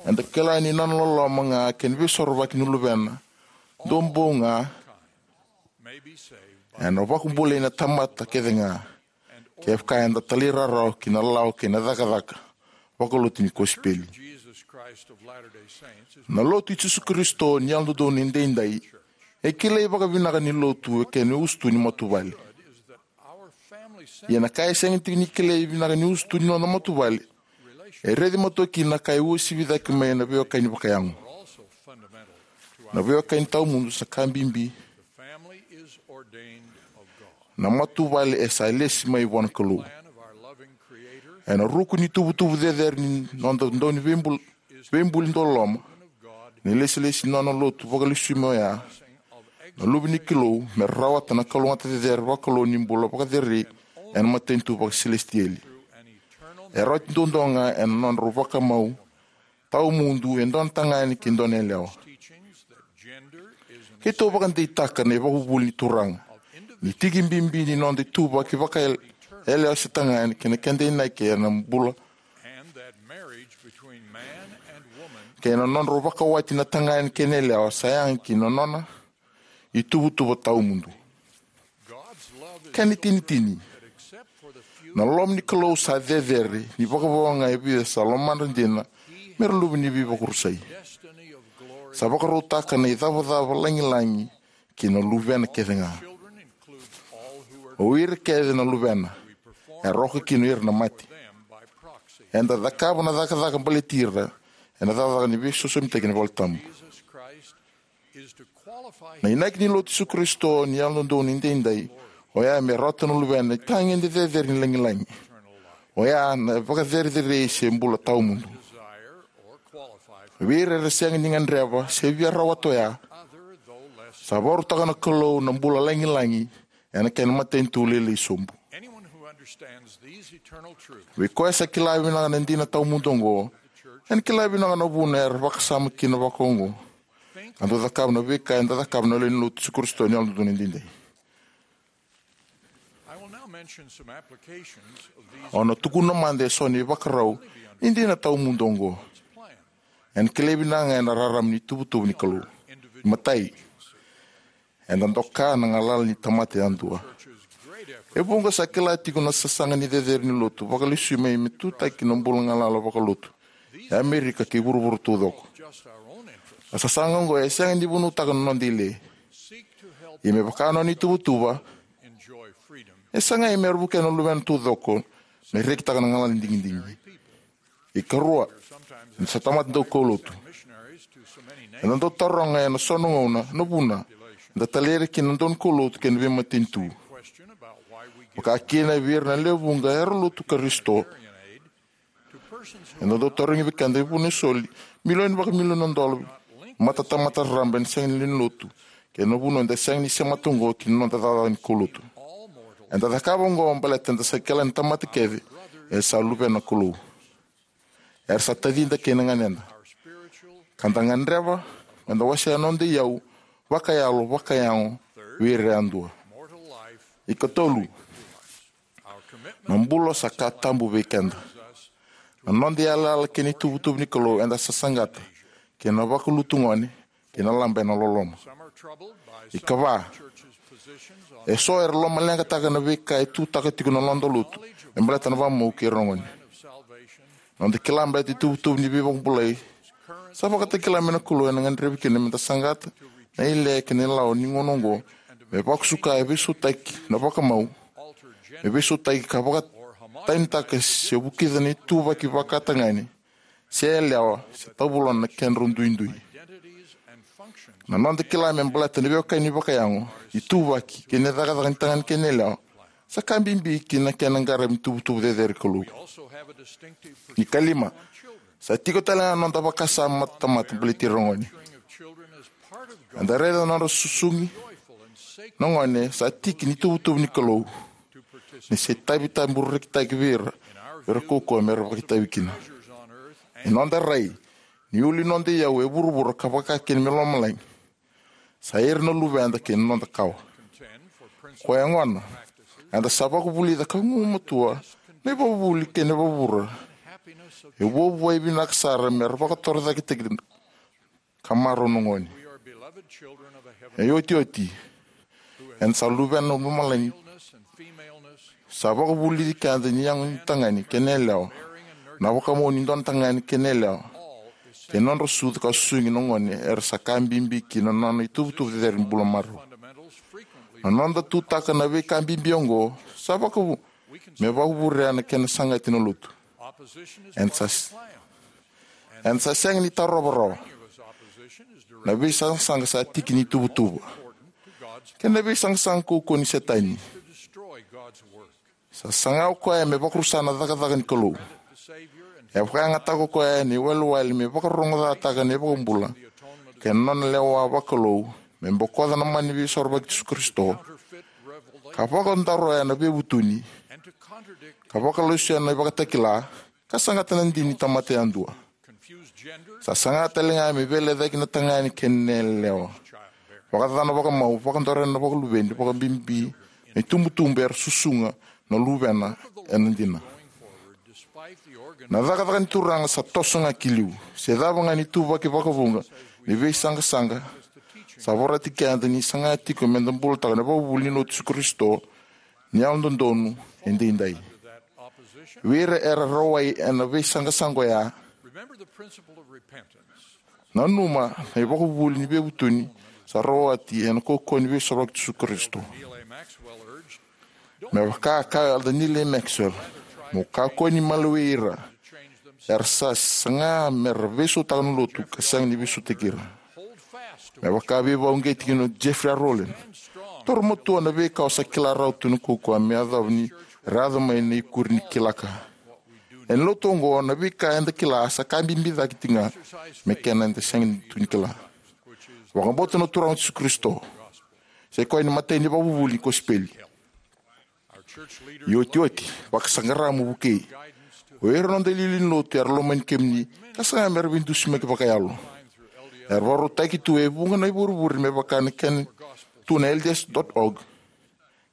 Eda kila ni nona loloma ga kei na veisorovaki ni Luvena duabau ga, Ena vakabulai na tamata kece ga kevaka eda talairawarawa ki na lawa kei na cakacaka vakalotu ni kosipeli. Na Lotu i Jisu Karisito ni Yalododonu Edaidai e kilai vakavinaka ni lotu e kena usutu ni matavuvale. Ia na ka e sega tiko ni kilai vinaka ni usutu ni noda matavuvale e raici matua kina na ka e uasivi cake mai na veiwekani vakayago. Na veiwekani tawamudu sa ka bibi. Na matavuvale e sa lesi mai vua na Kalou. Ena ruku ni tuvatuva cecere ni noda dauniveibul- veibuli dauloloma, na ilesilesi ni nona lotu vakalesui mai oya na Luve ni Kalou me rawata na kalougata cecere vakalou ni bula vakacerei ena matanitu vakasilesitieli. E rawati duadua ga ena nodrau vakamau tawamudu e dua na tagane kei dua na yalewa. Keitou vakadeitaka na ivakavuvuli ni Turaga ni tiki bibi ni noda ituvaki vakayalewa se tagane kei na keda inaki ena bula kei na nodrau vakawati na tagane kei na yalewa sa yaga ki na nona ituvatuva tawamudu. Kena itinitini, na loma ni Kalou sa cecere ni vakavou ga e vica sa lomadra dina me ra luve ni veivakarusai. Sa vakarautaka na icavacava lagilagi ki na luvena kece ga. O ira kece na luvena era oka kina o ira na mate. Eda cakava na cakacaka baleti ira ena cakacaka ni veisosomitaki ena valetabu. Na inaki ni Lotu i Jisu Karisito ni Yalododonu Edaidai oya me rawata na luvena itagede cecere ni lagilagi. Oya na vakacerecerei se bula tawamudu. Vei ira era sega ni gadreva se via rawata oya, sa vakarautaka na Kalou na bula lagilagi ena kena matanitu lailai sobu. Vei koya sa kila vinaka na dina tawamudu oqo, ena kila vinaka na vuna era vakasama kina vakaoqo. Ka dau cakava na veika eda cakava na lewe ni Lotu i Jisu Karisito ni Yalododonu Edaidai. Au na tukuna mada eso na ivakarau ni dina tawamudu oqo. Ena kilai vinaka ga ena rarama ni tuvatuva ni Kalou. Matai, eda doka na galala ni tamata yadua. E vuqa sa kila tiko na sasaga ni cecere ni lotu vakalesui mai me tutaki na bula galala vakalotu e Amerika kei vuravura taucoko. Na sasaga oqo e sega ni vunautaka na noda ile. Ia me vaka nona ituvatuva, e sagai me ra vukea na luvena taucoko me rekitaka na galala ni digidigi. Ikarua, eda sa tamata daukaulotu. Eda dau taroga ena so na gauna na vuna eda talai ira kina na daukaulotu kei na veimatanitu. Vaka kina vei ira na lewe vuqa era lotu Karisito. Eda dau tarogi vei keda e vuna e soli milioni vakamilioni na dola matatamata raraba ena sega ni lewe ni lotu, kei na vuna eda sega ni semata oqo ki na noda cakacaka ni kaulotu. Eda cakava oqo baleta eda sa kila ni tamata kece e sa luvena na Kalou. Era sa tacida kei na ganeda. Ka da gadreva meda wasea na noda iyau vakayalo, vakayago vei ira yadua. Ikatolu, na bula sa ka tabu vei keda. Na noda iyalayala kei na ituvatuva ni Kalou eda sa saqata kei na vakalutu gone kei na laba ena loloma. Ikava, eso era lomaleqataka na veika e tutaka tiko na noda lotu me baleta na vakamau kei ira na gone. Noda kila baleta ituvatuva ni veivakabulai sa vakatakila mai na Kalou ena gadrevi kina meda saqata na ile kei na ilawa ni gauna oqo me vakusuka e veisautaki na vakamau, me veisautaki ka vakatanitaka se vukica na ituvaki vakatagane se yalewa se tavulona na kedrau duidui. Na noda kila me baleta na veiwekani vakayago, ituvaki kei na cakacaka ni tagane kei na yalewa sa ka bibi ki na kena qaravi ni tuvatuva cecere ni Kalou. Ikalima, sa tiko tale ga na noda vakasama matatamata baleti ira na gone. Eda raica na nodra susugi na gone sa tiki ni tuvatuva ni Kalou, ni sa itavi tabu rekitaki vei ira, vei ira kaukauwa me ra vakaitavi kina. E noda rai ni ulu ni noda iyau e vuravura ka vaka kina me lomalagi sa ira na luveda kei na noda kawa. Koya gona, eda sa vakavulica ka gumatua na ivakavuvuli kei na ivakavuvuli e vuavuai vinaka sara me ra vakatorocaketaki ka marau na gone. E otioti, Eda sa luvena na lomalagi. Sa vakavulici keda ni yago ni tagane kei na yalewa, na vakamau ni dua na tagane kei na yalewa, kei na nodra sucu ka susugi na gone era sa ka bibi ki na nona ituvatuva cecere ni bula marau. Na noda tutaka na veika bibi oqo sa vakavu me vakavurea na kena sagati na lotu. Eda sa, eda sa sega ni tarova rawa. Na veisaqasaqa sa tiki ni tuvatuva, kei na veisaqasaqa kaukaua ni Setani. Sa saga o koya me vakarusa na cakacaka ni Kalou. E vakayagataka o koya na iwalewale me vakarogocataka na iVakabula kei na nona lewa vakalou, me bokoca na mana ni Veisorovaki i Jisu Karisito, ka vakadaroya na veivutuni, ka vakalesui na ivakatakila, ka sagata na dina ni tamata yadua. Sa saga tale ga me veilecayaki na tagane kei na yalewa, vakacacana vakamau, vakadorea na vakaluveni, vakabibi na itubutubu era susuga na luvena ena dina. Na cakacaka ni Turaga sa toso ga ki liu. Se cava ga na ituvaki vakavuqa ni veisaqasaqa, sa vorati keda ni saga tiko meda bulataka na ivakavuvuli ni Lotu i Jisu Karisito ni Yalododonu Edaidai. Vei ira era rawai ena veisaqasaqa oya, nanuma na ivakavuvuli ni veivutuni sa rawati ena kaukaua ni Veisorovaki i Jisu Karisito. Me vaka a kaya o Elder Neal A. Maxwell, mo kakua ni malewai ira era sa saga mera veisautaka na lotu ka sega ni veisautaki ira. Me vaka a veivakauqeti kina o Jeffrey R. Holland, taura matua na veika o sa kila rawa tu ena kaukaua me yacova ni ra yaco mai na ikuri ni kila ka. Ena lotu oqo, na veika eda kila sa ka bibi cake tiko ga me kena eda sega tu ni kila. Vakabauta na Turaga o Jisu Karisito, sa i koya na imatai ni ivakavuvuli ni kosipeli. Iotioti, vakasaqara mo vukei. O ira na noda iliuliu ni lotu era lomani kemuni ka saga mera veidusimaki vakayalo. Era vakarautaki tu e vuqa na ivurevure me vaka na kena tu na L D S dot org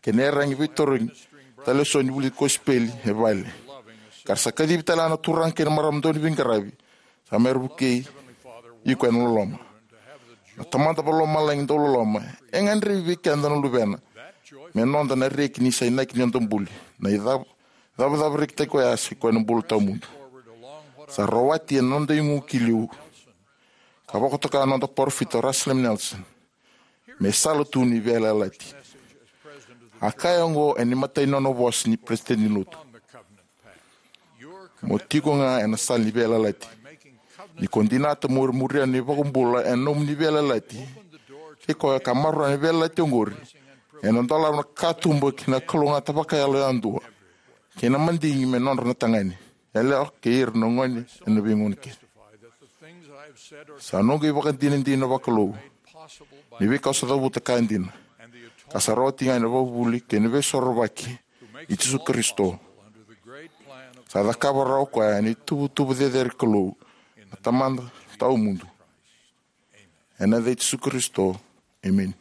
kei na iyaragi veitarogi tale eso ni vuli kosipeli e vale. Ka ra sa kacivi tale ga na turaga kei na marama dau ni veiqaravi, sa mera vukei iko ena loloma. Na Tamada Vakalomalagi dau loloma, e gadrevi vei keda na luvena me noda na reki ni sa inaki ni noda buli. Na icav- cavacava rekitaki oya sa i koya na bula tawamudu. Sa rawati ena noda igu ki liu ka vakatoka na noda parofita o Russell M. Nelson me sala tu ni veiyalayalati. A kaya oqo ena imatai ni nona vosa ni Peresitedi ni Lotu: Mo tiko ga ena sala ni veiyalayalati. Ni ko dinata mo muria na iVakabula ena nomuni veiyalayalati kei koya ka maroroya na veiyalayalati oqori, ena dolava na katuba ki na kalougata vakayalo yadua kei na madigi me nodra na tagane, yalewa kei ira na gone ena veigauna kece. Sa noqu ivakadinadina vakalou ni veika au sa cavuta ka dina, ka sa rawati ga ena ivakavuvuli kei na Veisorovaki i Jisu Karisito. Sa cakava rawa o koya ena ituvatuva cecere ni Kalou na Tamada tawamudu. Ena yaca i Jisu Karisito, emeni.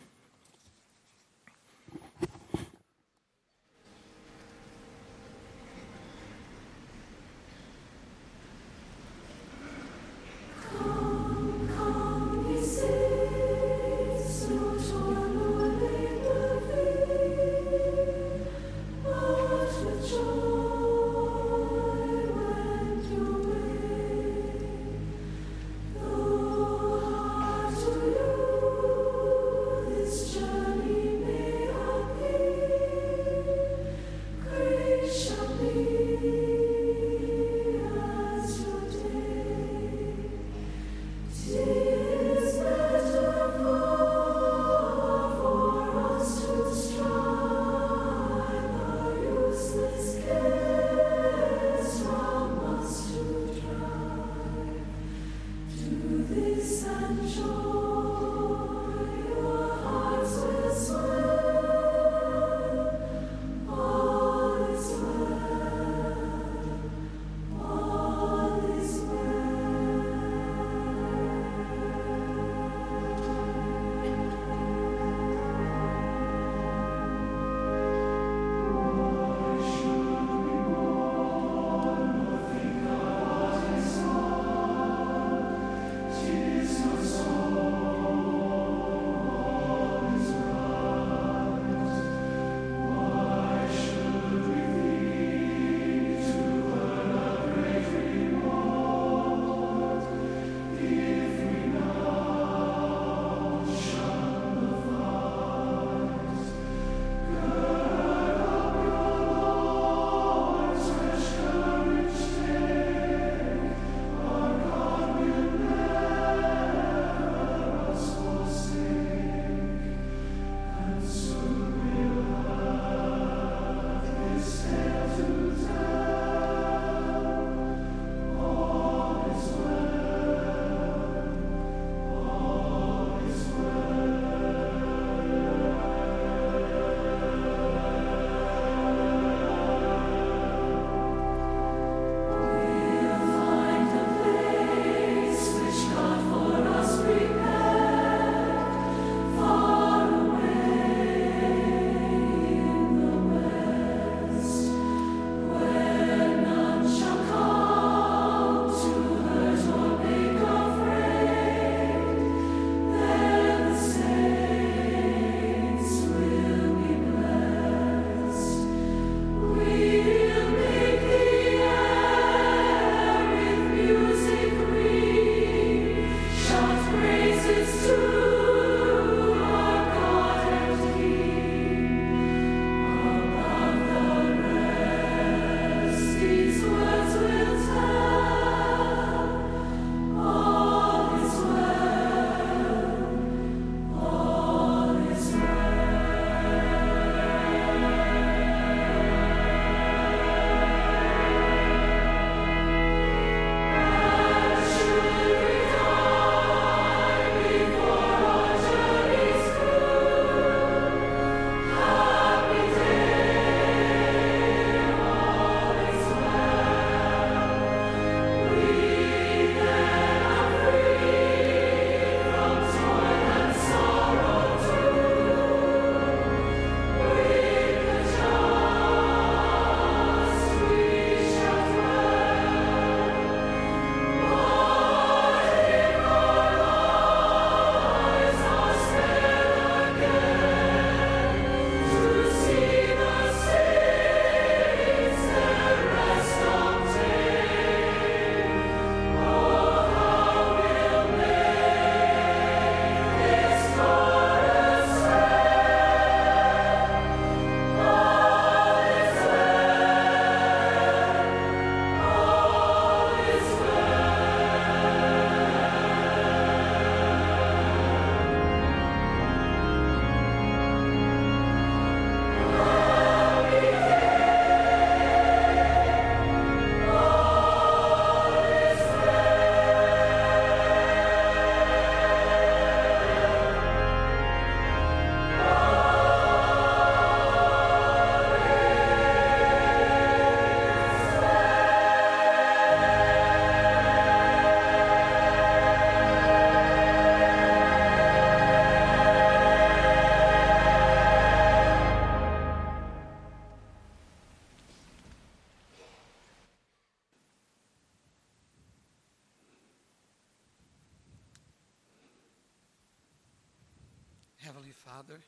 Heavenly Father,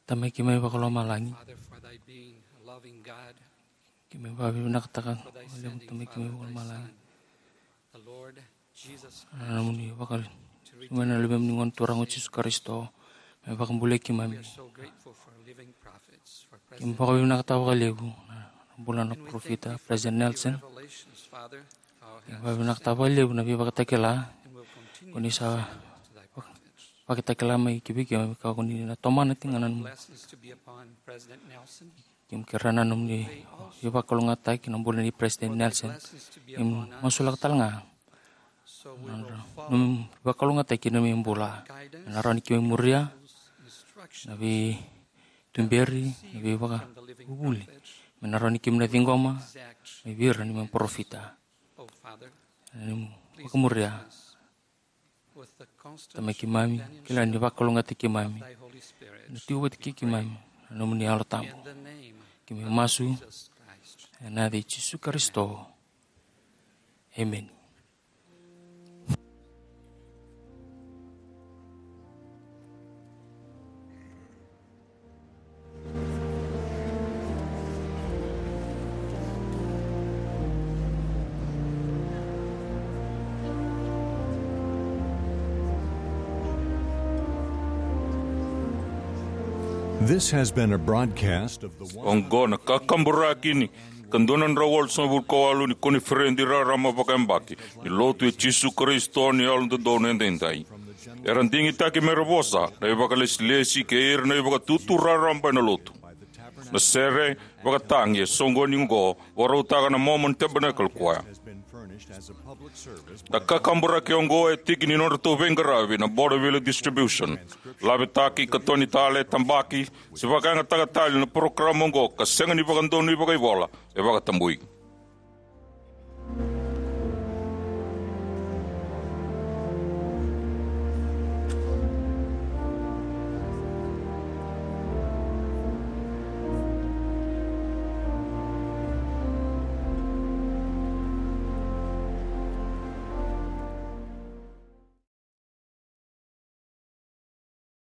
Tamai keimami vakalomalagi, Father, for thy being a loving God, keimami vakavinavinakataka vakalevu, Tamai keimami vakalomalagi, the Lord Jesus Christ, na nomuni vaka, to redeem, na Luvemuni Gone Turaga o Jisu Karisito, me vakabulai keimami. We are so grateful for living prophets, for President, keimami vakavinavinakataka vakalevu na bula na parofita, President Nelson. Keimami vakavinavinakataka vakalevu na veivakatakila ko ni sa vakatakila mai ki vei keimami, ka ko ni na tomana tiko ga na nomuni. Keimami kerea na nomuni veivakalougatataki na bula nei President Nelson. Keimami masulaka tale ga na nomuni veivakalougatataki na nomuni bula, me na rawa ni keimami muria na veituberi, na veivakavuvuli, me na rawa ni keimami na ciqoma mai vei ira na nomuni parofita. Ni vakamuria, Tamai keimami, kila ni vakalougatataki keimami, na tiko vata kei keimami na nomuni Yalo Tabu. Keimami masu ena yaca i Jisu Karisito. Emeni. This has been a broadcast of the one hundred, oqo na kakaburaki ni ka dua na drau walusagavulu ka walu ni koniferedi raraba vakayabaki ni Lotu i Jisu Karisito ni Yalododonu Edaidai. Era digitaki me ra vosa na ivakalesilesi kei ira na ivakatutu raraba ena Lotu. Na sere vakatagi e soqoni oqo vakarautaka na Mormon Tabernacle Choir. Na kakaburaki oqo e tiki ni nodratou veiqaravi na Border View Distribution. Lavetaki, katoni tale, tabaki, se vakayagataka tale na parokaramu oqo ka sega ni vakadonui vakaivola, e vakatabui.